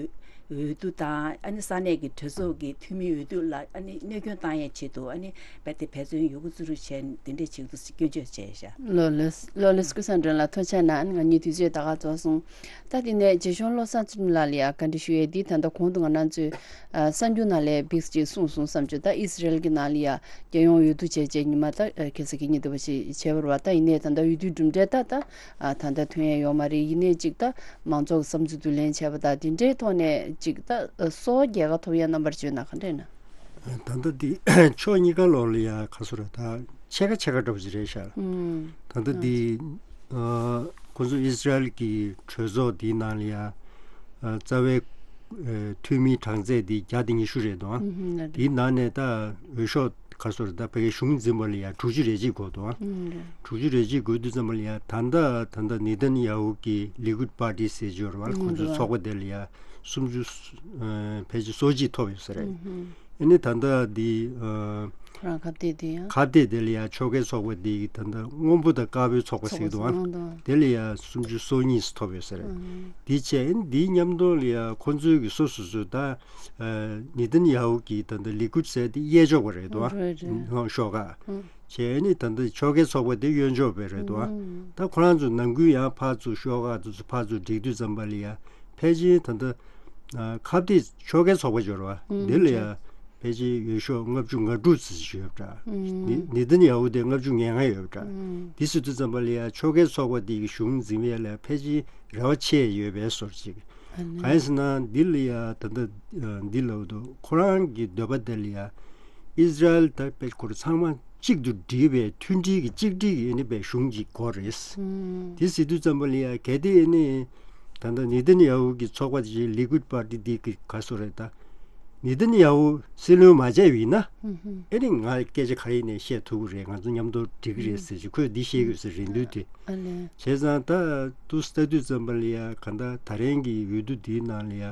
འོས་བསྡུ་དང་ཨ་ནི་ས་གནས་ཀྱི་གྲོས་ཚོགས་ཀྱི་འཐུས་མིའི་འོས་བསྡུ་ལ་ཨ་ནི་གནོད་སྐྱོན་བཏང་ཡའི་ཆེད་དུ་ཨ་ནི་རྦད་དེ་འབད་བརྩོན་ཡོད་རྒུ་ཙི་རུ་བྱས་ནས་འདི་འདྲས་བྱེད་དུ་སྐྱོན་བརྗོད་བྱས་ཤག་ལགས་ལགས། ལགས་ལགས། ཀུན་བཟང་སྒྲོན་ལགས་ཐུགས་རྗེ་གནང་། ང་གཉིས་དུས་ཚོད་ད་ག་རྫོགས་སོང་། ད་དེ་ནས་རྗེ་གཞུང་བློ་བཟང་ཚུལ་ཁྲིམས་ལགས་ལ་ཡང་བཀའ་འདྲི་ཞུ་ཡས་འདི། ད་ལྟ་གོང་དུ་ང་རང་ཚོས་ཨ་གསར་འགྱུར་ནང་ལ་འབིགས་ཅིག་གསུངས་སོང་བསམ་བྱུང་། ད་ཨི་སི་རེལ་གྱི་ནང་ལ་ཡང་རྒྱལ་ཡོངས་འོས་བསྡུ་བྱས་རྗེས་ཉི་མ་ད་ཨ་ཁ་སང་གི་ཉིན་དེ་བ་ཞིག་བྱས་པ་རེད་བ། ད་ཡིན་ནའི་ད་ལྟ་འོས་བསྡུའི་གྲུབ་འབྲས་ད་ད་ཨ་ད་ལྟ་ཐོན་ཡས་ཡོད་མ་རེད། ཡིན་ནའི་ཅིག་ད་མང་ཚོགས་ཀྱི་བསམ་ཚུལ་བསྡུ་ལེན་བྱས་པ་དང་དེ་འདྲའི་ཐོག་ནས་ཅིག་ད་ཨ་སོ་རྒྱལ་ཁ་ཐོབ་ཡས་རྣམ་པར་བརྗོད་ན་ག་འདྲས་ན། ད་ལྟ་འདི་ཕྱོགས་གཉིས་ཀ་ལོག་ལ་ཡ་ག་ཚོད་རེད། ད་ཕྱེད་ཀ་ཕྱེད་ཀ་འདྲ་པོ་ཅིག་རེད་ཤག་ཨུམ། ད་ལྟ་འདི་ཨ་ཁོ་ཚོ་ཨི་སི་རལ་གྱི་གྲོས་ཚོགས་འདིའི་ནང་ལ་ཡ་ཨ་རྩ་བའི་ཨ་འཐུས་མིའི་གྲངས་ཚད་འདི་བརྒྱ་དང་ཉི་ཤུ་རེད་འདུག་ཨ། ཨུམ་ཧུམ། ལགས་འདི་རེད། ནང་ནས་ད་འོས་ཤོག་ག་ཚོད་རེད། ད་ཕ་གིའི་གཞུང་འཛིན་པ་ལ་ཡ་དྲུག་ཅུ་རེ་གཅིག་དགོས་འདུག་ཨ། ཨུམ་རེད། དྲུག་ཅུ་རེ་གཅིག་དགོས་དུས་ཙམ་པ་ལ་ཡ་ད་ལྟ་ད་ལྟ་ནེ་ཐན་ཡ་ཧུ་གི་ལི་ཀུད་པར་ཏི་ཟེར་གྱི་ཡོད་རེད་བ། ཨུམ་ཁོ་ཚོའི་རེད། ཚོགས་པ་དེ་ལ་ཡ་སུམ་ཅུ་ཨ་ཕལ་ཆེར་སོ་གཅིག་ཐོབ་ཡོད་ས་རེད། ཨུམ་ཧུམ། ཨ་ནི་ད་ལྟ་འདི་ཨ་ཁོ་རང་ཁ་གཏད་དེ་ཡང་ཁ་གཏད་དེ་ལ་ཡང་ཕྱོགས་འགལ་ཚོགས་པ་འདི་ད་ལྟ་སྔོན་པོ་དང་དཀར་པོའི་ཚོགས་པ་ཟེར་གྱི་འདུག་ཨང་། ཚོགས་པ་ཟེར་གྱི་འདུག་དེ་ལ་ཡང་སུམ་ཅུ་སོ་གཉིས་ཐོབ་ཡོད་ས་རེད། ཨང་། འདི་བྱས་ཨ་ནི་འདིའི་མཉམ་དུ་ལ་ཡང་ཁོ་ཚོའི་གི་སོ་སོ་སོ་ད་ཨ་ནེ་ཐན་ཡ་ཧུ་གི་ད་ལྟ་ལི་ཀུད་ཟེར་དེ་གཡས་ཕྱོགས་པ་རེད་འདུག་ཨ། རེད་རེད། ཨང་ཤོག་ཁག་ཨང་། བྱས་ཨ་ནི་ད་ལྟ་ཕྱོགས་འགལ་ཚོགས་པ་དེ་གཡོན་ཕྱོགས་པ་རེད་འདུག་ཨ། ཨང་། ད་ཁོ་རང་ཚོ་ནང་ཁུལ་ཡང་ཕར་ཚུར་ཤོག་ཁག་དེ་ཚོ་ཕར་ཚུར་སྒྲིག་དུས་ཙམ་པ་ལ་ཡང་ཕལ་ཆེར་ད་ལྟ་ཨ་ཁ་གཏད་ཕྱོགས་འགལ་ཚོགས་པ་འབྱོར་བ་ཨུམ་འདི་ལ་ཡང་ཕལ་ཆེར་འོས་ཤོག་ལྔ་བཅུ་ང་དྲུག་ཙམ་ཞིག་ཡོད་འདྲ། ཨུམ་ནི་ནེ་ཐན་ཡ་ཧུ་དེ་ལྔ་བཅུ་ང་ལྔ་ཡོད་འདྲ། ཨུམ་འདི་ཟེར་དུས་ཙམ་པ་ལ་ཡང་ཕྱོགས་འགལ་ཚོགས་པ་འདི་གི་གཞུང་འཛིན་པའི་ལ་ཕལ་ཆེར་རེ་བ་ཆེ་ཡོད་པའི་བཟོ་འདྲ་ཅིག་ཨ་ནི་གང་ཡིན་ཟེར་ན་འདི་ལ་ཡང་ད་ལྟ་ཨ་འདི་ལབ་འདུག་ཁོ་རང་གི་འདོད་པ་དེ་ལ་ཡང་ཨི་སི་རལ་དང་དཔེ་ཁོ་རང་ཚང་མ་གཅིག་ཏུ་སྒྲིལ་བའི་མཐུན་སྒྲིལ་གྱི་གཅིག་སྒྲིལ་གྱི་ཨ་ནི་པའི་གཞུང་གཅིག་དགོས་རེད། ཨུམ་དེ་ཟེར་དུས་ཙམ་པ་ལ་ཡང་གལ་ཏེ་ཨ་ནི་ད་ལྟ་ནེ་ཐན་ཡ་ཧུ་གི་ཚོགས་པ་དེ་ལི་ཀུད་པར་ཏི་འདི་གི་ག་ཚོད་རེད་ད། ནེ་ཐན་ཡ་ཧུ་སྲིད་བློན་མ་བྱས་པ་ཡིན་ན། ཨུམ་ཧུམ། ཨེ་ནི་ང་སྐད་ཆ་ག་རེ་ཡིན་ནའི་བཤད་ཐུབ་ཀྱི་རེད། ང་ཚོ་མཉམ་དུ་འགྲིག་གི་རེད་ཟེར་གྱི་ཁོས་འདི་བཤད་ཀྱི་ཡོད་ཟེར་རེད་འདུག་དེ། ཨ་ལས། བྱས་ཙང་ད་དུ་ལྟ་དུས་ཙམ་པ་ལ་ཡ་ག་ད་ད་རེང་གི་འོས་བསྡུ་འདིའི་ནང་ལ་ཡ་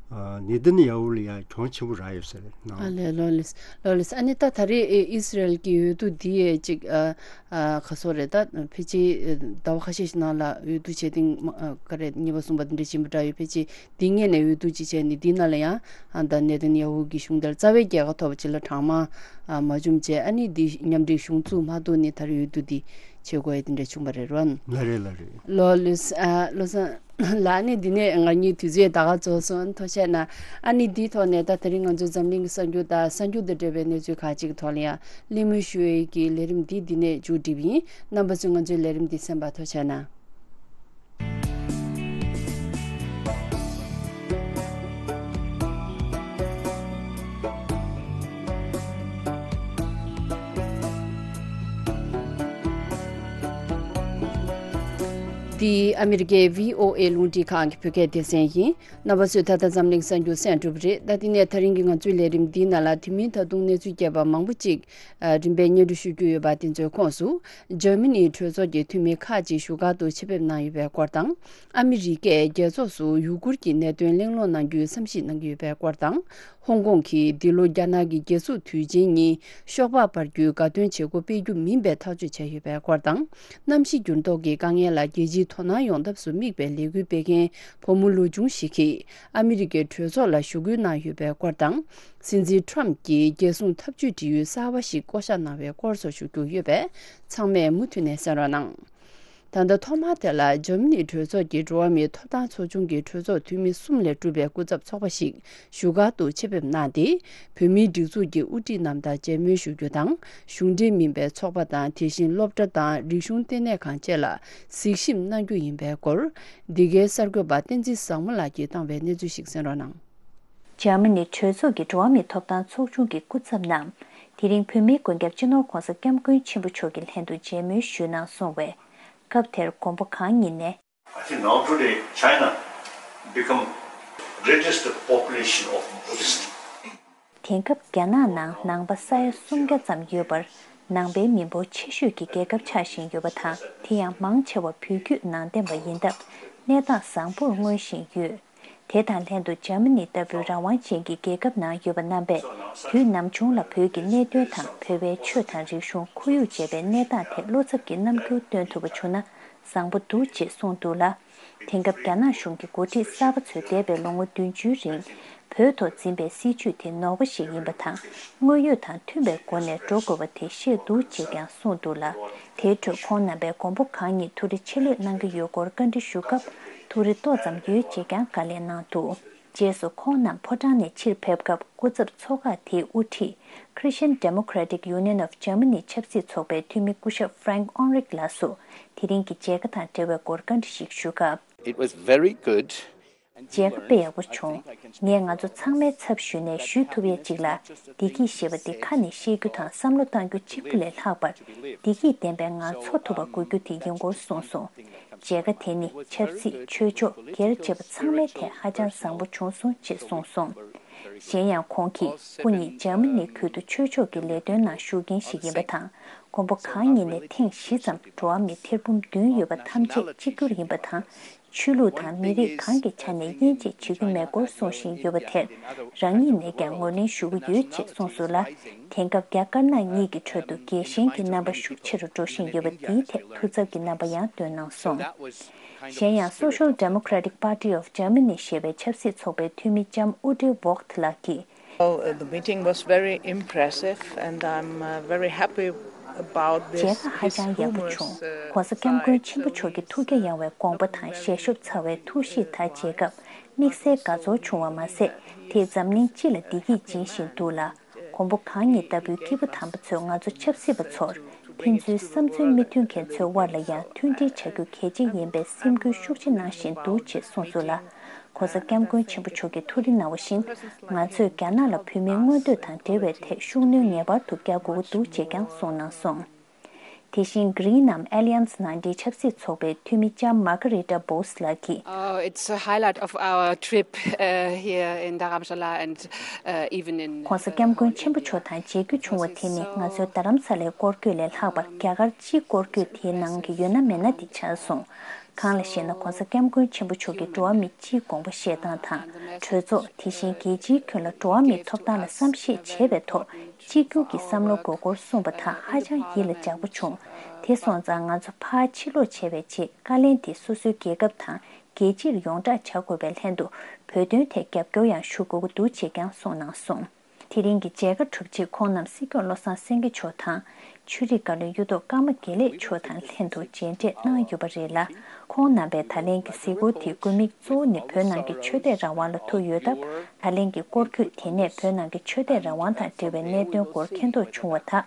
ཨ་ནེ་ཐན་ཡ་ཧུ་ལ་ཡ་གྱོང་ཆེན་པོ་རག་ཡོད་ས་རེད་ནང་། ཨ་ལས། ལགས་ལགས་ལགས་ལགས། ཨ་ནི་ད་ད་རེས་ཨི་སི་རལ་གྱི་འོས་བསྡུ་འདི་ཡ་ཅིག་ཨ་ཨ་ག་ཚོད་རེད་ད། ཕལ་ཆེར་ཟླ་བ་ཁ་ཤས་ཤིག་ནང་ལ་འོས་བསྡུ་བྱས་ཏེ་ཨ་ག་རེ་གཉིས་པ་གསུམ་པ་འདི་འདྲ་ཕྱིན་པ་འདྲ་ཡོད། ཕལ་ཆེར་འདི་སྔོན་ནས་འོས་བསྡུ་ཅིག་བྱས་ནས་འདི་ནང་ལ་ཡང་ཨ་ད་ནེ་ཐན་ཡ་ཧུ་གི་གཞུང་དེར་རྩ་བའི་རྒྱལ་ཁ་ཐོབ་པ་ཅིག་ལ་གྲངས་མང་ཨ་མ་བྱུང་བྱས། ཨ་ནི་འདི་མཉམ་འབྲེལ་གཞུང་བཙུགས་མ་ཐུབ་ནས་ད་རེས་འོས་བསྡུ་འདི་བྱེད་དགོས་ཡ་འདི་འདྲ་བྱུང་བ་རེད་རོན། ལགས་རེད་ལགས་རེད། ལགས་ལགས་ཨ་ལགས་སོ། ལགས་ཨ་ནི་འདི་ནས་ང་གཉིས་དུས་ཚོད་ད་ག་རྫོགས་སོང་། ཐུགས་རྗེ་གནང་། ཨ་ནི་འདིའི་ཐོག་ནས་ད་དེ་རིང་ང་ཚོའི་འཛམ་གླིང་གི་གསར་འགྱུར་དང་གསར་འགྱུར་དང་འབྲེལ་བའི་གནས་ཚུལ་ཁག་ཅིག་གི་ཐོག་ལ་ཡང་གླེང་མོལ་ཞུ་བའི་གི་ལས་རིམ་འདི་འདི་ནས་མཇུག་སྒྲིལ་བ་ཡིན། རྣམ་པ་ཚོས་ང་ཚོའི་ལས་རིམ་འདི་གསན་པར་ཐུགས་རྗེ་གནང་། འདི་ཨ་མི་རི་ཀའི་བྷི་ཨོ་ཨེ་རླུང་འཕྲིན་ཁང་གི་བོད་སྐད་སྡེ་ཚན་ཡིན། རྣམ་པ་ཚོས་ད་ལྟ་འཛམ་གླིང་གསར་འགྱུར་གསན་གྲུབ་རེད། ད་དེ་ནས་ད་རིང་གི་ང་ཚོའི་ལས་རིམ་འདིའི་ནང་ལ་དེ་མིན་ད་དུང་གནས་ཚུལ་རྒྱས་པ་མང་པོ་ཅིག་རིམ་པས་སྙན་སྒྲོན་ཞུ་རྒྱུ་ཡོད་པ། དེ་ཚོའི་ཁོངས་སུ། འཇར་མ་ནིའི་གྲོས་ཚོགས་ཀྱི་འཐུས་མི་ཁག་ཅིག་བཞུགས་སྒར་དུ་ཆེད་ཕེབས་གནང་ཡོད་པའི་སྐོར་དང་། ཨ་མི་རི་ཀས་རྒྱལ་ཚོགས་སུ་ཡུ་གུར་གྱི་གནད་དོན་གླེང་སློང་གནང་རྒྱུའི་བསམ་གཞིག་གནང་གི་ཡོད་པའི་སྐོར་དང་། ཧོང་ཀོང་གིས་འདི་ལོ་རྒྱ་ནག་གི་རྒྱལ་འཛུགས་དུས་ཆེན་ཉིན་ཤོག་སྦག་སྤར་རྒྱུའི་དགའ་སྟོན་བྱེད་སྒོ་སྤེལ་རྒྱུ་མིན་པའི་ཐག་གཅོད་བྱས་ཡོད་པའི་སྐོར་དང་། གནམ་གཤིས་འགྱུར་ལྡོག་གི་དཀའ་ངལ་ལ་རྒྱལ་སྤྱིའི་དོ་སྣང་ཡོང་ཐབས་སུ་དམིགས་པའི་ལས་འགུལ་སྤེལ་མཁན་བུ་མོ་ལོ་ཆུང་ཞིག་གིས་ཨ་མི་རི་ཀའི་གྲོས་ཚོགས་ལ་ཞུ་སྐུལ་གནང་ཡོད་པའི་སྐོར་དང་། སྲིད་འཛིན་ཊམ་གྱིས་རྒྱལ་སྲུང་འཐབ་ཇུས་འབྲེལ་ཡོད་གསར་བ་ཞིག་བསྐོ་གཞག་གནང་བའི་སྐོར་སོགས་ཞུ་རྒྱུ་ཡོད་པས། ཚང་མས་མུ་མཐུད་ནས་གསན་རོགས་གནང་། ད་ལྟ་ཐོག་མར་དེ་ལ་འཇར་མ་ནིའི་གྲོས་ཚོགས་ཀྱི་འགྲོ་བ་མིའི་ཐོབ་ཐང་ཚོགས་ཆུང་གི་གྲོས་ཚོགས་འཐུས་མི་གསུམ་ལས་གྲུབ་པའི་སྐུ་ཚབ་ཚོགས་པ་ཞིག་བཞུགས་སྒར་དུ་ཆེད་ཕེབས་གནང་སྟེ། བོད་མིའི་སྒྲིག་འཛུགས་ཀྱི་དབུ་ཁྲིད་རྣམས་དང་མཇལ་མོལ་ཞུ་རྒྱུ་དང་། གཞུང་འབྲེལ་མིན་པའི་ཚོགས་པ་དང་། དེ་བཞིན་སློབ་གྲྭ་དང་རིག་གཞུང་ལྟེ་གནས་ཁང་བཅས་ལ་གཟིགས་ཞིབ་གནང་རྒྱུ་ཡིན་པའི་སྐོར། འདི་གའི་གསར་འགོད་པ་བསྟན་འཛིན་བཟང་མོ་ལགས་ཀྱིས་བཏང་བའི་གནས་ཚུལ་ཞིག་གསན་རོགས་གནང་། འཇར་མ་ནི་གྲོས་ཚོགས་ཀྱི་འགྲོ་བ་མིའི་ཐོབ་ཐང་ཚོགས་ཆུང་གི་སྐུ་ཚབ་རྣམས། དེ་རིང་བོད་མིའི་མགོན་སྐྱབས་སྤྱི་ནོར་༸གོང་ས་༸སྐྱབས་མགོན་ཆེན་པོ་མཆོག་གི་ལྷན་དུ་མཇལ་མོལ་ཞུས་གནང་སོང་བས། སྐབས་དེར་མགོན་པོ་གང་ཉིད་ནས། I think now today China become richest population of Buddhist. དེང་སྐབས་རྒྱ་ནག་ནང་ནང་པ་ས་ཡ་སུམ་བརྒྱ་ཙམ་ཡོད་པར། ནང་པའི་མི་འབོར་ཆེ་ཤོས་ཀྱི་རྒྱལ་ཁབ་ཆགས་བཞིན་ཡོད་པ་དང་། དེ་ཡང་མང་ཆེ་བ་བོད་བརྒྱུད་ནང་བསྟན་པ་ཡིན་སྟབས། གནས་སྟངས་བཟང་པོར་མངོན་བཞིན་ཡོད། དེ་དང་ལྷན་དུ་འཇར་མ་ནི་ལྟ་བུའི་རང་དབང་ཅན་གྱི་རྒྱལ་ཁབ་ནང་ཡོད་པ་རྣམ་པས། དུས་ནམ་བྱུང་ལ་བོད་ཀྱི་གནད་དོན་དང་། བོད་པའི་ཆོས་དང་རིག་གཞུང་། ཁོར་ཡུག་བཅས་པའི་གནས་སྟངས་ཐད་བློ་འཚབ་ཀྱི་རྣམ་འགྱུར་སྟོན་ཐུབ་པ་བྱུང་ན་བཟང་པོ་འདུག་ཅེས་གསུངས་འདུག་ལ། དེང་སྐབས་རྒྱ་ནག་གཞུང་གི་འགོ་ཁྲིད་གསར་པ་ཚོས་འདས་པའི་ལོ་ངོ་བདུན་ཅུའི་རིང་བོད་ཐོག་འཛིན་པའི་སྲིད་བྱུས་དེ་ནོར་བ་ཞིག་ཡིན་པ་དང་། དངོས་ཡོད་དང་མཐུན་པའི་སྒོ་ནས་འགྲོ་དགོས་པ་དེ་ཤེས་འདུག་ཅེས་ཀྱང་གསུངས་འདུག་ལ། དེའི་ཁྲོད་ཁོང་རྣམ་པས་མགོན་པོ་གང་ཉིད་ཐུགས་རེ་ཆེ་ལེགས་གནང་གི་ཡོད་སྐོར་བཀའ་འདྲི་ཞུ་སྐབས། ཐུགས་རེ་ཏོག་ཙམ་ཡོད་ཅེས་ཀྱང་བཀའ་ལན་གནང་འདུག་རྗེས་སུ་ཁོང་རྣམས་ཕོ་བྲང་ནས་ཕྱིར་ཕེབས་སྐབས། སྐུ་ཚབ་ཚོགས་ཁག་དེའི་དབུ་ཁྲིད། Christian Democratic Union of Germany ཆབ་སྲིད་ཚོགས་པའི་འཐུས་མི་སྐུ་ཞབས་Frank Ulrich ལགས་སུ། དེ་རིང་གི་མཇལ་ཁ་དང་འབྲེལ་བའི་སྐོར་བཀའ་འདྲི་ཞིག་ཞུ་སྐབས། It was very good. མཇལ་ཁ་དཔེ་ཡག་པོ་བྱུང་། ངས་ང་ཚོ་ཚང་མའི་ཚབ་ཞུས་ནས་ཞུ་ཐུབ་ཡས་ཅིག་ལ། བདེ་སྐྱིད་ཞེས་པ་འདི་ཁ་ནས་བཤད་རྒྱུ་དང་བསམ་བློ་གཏང་རྒྱུ་གཅིག་པུ་ལས་ལྷག་པར། བདེ་སྐྱིད་ལྡན་པའི་ངང་འཚོ་ཐུབ་པ་དགོས་རྒྱུ་དེ་ཡིན་སྐོར་གསུངས་སོང་། མཇལ་ཁ་དེ་ནི་ཆབ་སྲིད། ཆོས་ཕྱོགས། སྒེར་བཅས་པ་ཚང་མའི་ཐད་ཧ་ཅང་བཟང་པོ་བྱུང་སོང་ཅེས་གསུངས་སོང་། གཞན་ཡང་ཁོང་གིས། སྐུ་ཉིད་འཇར་མ་ནི་ཁུལ་དུ་ཆོས་ཕྱོགས་ཀྱི་ལས་དོན་ནང་ཞུགས་མཁན་ཞིག་ཡིན་པ་དང་། མགོན་པོ་གང་ཉིད་ནས་ཐེངས་བཞི་ཙམ་འགྲོ་བ་མི་ཐེར་འབུམ་བདུན་ཡོད་པ་ཐམས་ཅད་གཅིག་གྱུར་ཡིན་པ་དང་། ཆོས་ལུགས་དང་མི་རིགས་གང་གི་ཆ་ནས་དབྱེ་འབྱེད་བྱེད་ཀྱི་མེད་སྐོར་གསུང་བཞིན་ཡོད་པ་དེར། རང་ཉིད་ནས་ཀྱང་ངོས་ལེན་ཞུ་གི་ཡོད་ཅེས་གསུངས་སོང་ལ། དེང་སྐབས་རྒྱ་དཀར་ནག་གཉིས་ཀྱི་ཁྲོད་དུ་རྒྱལ་ཞེན་གྱི་རྣམ་པ་ཤུགས་ཆེ་རུ་འགྲོ་བཞིན་ཡོད་པ་འདིའི་ཐད་ཐུགས་འཚབ་ཀྱི་རྣམ་པ་ཡང་བཏོན་གནང་སོང་། གཞན་ཡང་། Social Democratic Party of Germany ཞེས་པའི་ཆབ་སྲིད་ཚོགས་པའི་འཐུས་མི་ལྕམ་ཨུ་ཌི་ཝོག་ཐི་ལགས་ཀྱིས། Well, uh, the meeting was very impressive, and I'm uh, very happy about this. མཇལ་ཁ་ཧ་ཅང་ཡག་པོ་བྱུང་། ཨ། ༸གོང་ས་༸སྐྱབས་མགོན་ཆེན་པོ་མཆོག་གི་ཐུགས་རྒྱ་ཡངས་པའི་དགོངས་པ་དང་། ཞལ་ཤོབ་ཚ་བའི་ཐུགས་གཤིས་དག་མཇལ་སྐབས། དམིགས་བསལ་དགའ་ཚོར་བྱུང་བ་མ་ཟད། དེས་འཛམ་གླིང་སྤྱི་ལ་བདེ་སྐྱིད་སྦྱིན་བཞིན་འདུག་ལ། མགོན་པོ་གང་ཉིད་ལྟ་བུའི་སྐྱེས་བུ་དམ་པ་ཚོས་ང་ཚོ་ཆབ་སྲིད་པ་ཚོར། ཕན་ཚུན་བསམ་ཚུལ་མི་མཐུན་མཁན་ཚོའི་དབར་ལ་ཡང་མཐུན་སྒྲིལ་བྱ་རྒྱུ་གལ་ཆེ་ཡིན་པའི་སེམས་འགུལ་ཤུགས་ཆེ་གནང་བཞིན་འདུག་ཅེས་གསུངས་སོང་ལ། ༸གོང་ས་༸སྐྱབས་མགོན་ཆེན་པོ་མཆོག་གིས་ཐུགས་རེ་གནང་བ་བཞིན། ང་ཚོས་རྒྱ་ནག་ལ་བོད་མིའི་མངོན་འདོད་དང་འབྲེལ་བའི་ཐད་ཤུགས་སྣོན་ངེས་པར་དུ་རྒྱག་དགོས་ཀྱི་འདུག་ཅེས་ཀྱང་གསུངས་གནང་སོང་། དེ་བཞིན། Green ནམ་Alliance ནང་འདྲེན་ཆབ་སྲིད་ཚོགས་པའི་འཐུས་མི་ལྕམ་Margarita Bose ལགས་ཀྱིས། Oh, it's a highlight of our trip, uh, here in Dharamshala and, uh, even in, ༸གོང་ས་༸སྐྱབས་མགོན་ཆེན་པོ་མཆོག་དང་མཇལ་རྒྱུ་བྱུང་བ་དེ་ནི་ང་ཚོའི་རྡ་རམ་ས་ལའི་སྐོར་སྐྱོད་ལས་ལྷག་པར་རྒྱ་གར་སྤྱིའི་སྐོར་སྐྱོད་དེའི་ནང་གི་ཡོད་ན་མེད་ན་དེ་ཆགས་སོང་། གང་ལ་ཞེ་ན། ༸གོང་ས་༸སྐྱབས་མགོན་ཆེན་པོ་མཆོག་གིས་འགྲོ་བ་མི་སྤྱིའི་དགོངས་པ་བཞེས་སྟངས་དང་། གྲོས་ཚོགས། དེ་བཞིན་རྒྱལ་སྤྱིའི་ཁྱོན་ལ་འགྲོ་བ་མིའི་ཐོབ་ཐང་ལ་བསམ་ཤེས་བྱེད་པའི་ཐོག་གཅིག་གྱུར་གྱི་བསམ་བློ་དགོས་སྐོར་གསུངས་པ་དག་ཧ་ཅང་ཡིད་ལ་འཇགས་པོ་བྱུང་། དེ་སོང་ཙང་ང་ཚོ་ཕར་ཕྱིར་ལོག་བྱས་པའི་རྗེས། བཀའ་ལན་དེ་སོ་སོའི་རྒྱལ་ཁབ་དང་རྒྱལ་སྤྱིར་ཡོངས་བསྒྲགས་བྱ་དགོས་པའི་ལྷན་དུ། བོད་དོན་ཐད་རྒྱབ་སྐྱོར་ཡང་ཞུ་དགོས་ཀྱི་འདུག་ཅེས་ཀྱང་གསུངས་གནང་སོང་། དེ་རིང་གི་མཇལ་ཁ་གྲུབ་རྗེས་ཁོང་རྣམས་སྲིད་སྐྱོང་བློ་བཟང་སེང་གེ་མཆོག་དང་། ཆོས་རིག་བཀའ་བློན་གཡུ་ཐོག་ཀརྨ་དགེ་ལེགས་མཆོག་དང་ལྷན་དུ་མཇལ་འཕྲད་གནང་ཡོད་པ་རེད་ལ། ཁོང་རྣམ་པས་ད་ལན་གྱི་གཟིགས་སྐོར་དེའི་དགོས་དམིགས་གཙོ་བོ་ནི་བོད་ནང་གི་ཆོས་དད་རང་དབང་ལ་ཐུག་ཡོད་སྟབས། ད་ལན་གྱི་སྐོར་སྐྱོད་དེ་ནས་བོད་ནང་གི་ཆོས་དད་རང་དབང་དང་འབྲེལ་བའི་གནད་དོན་སྐོར་མཁྱེན་རྟོགས་བྱུང་བ་དག་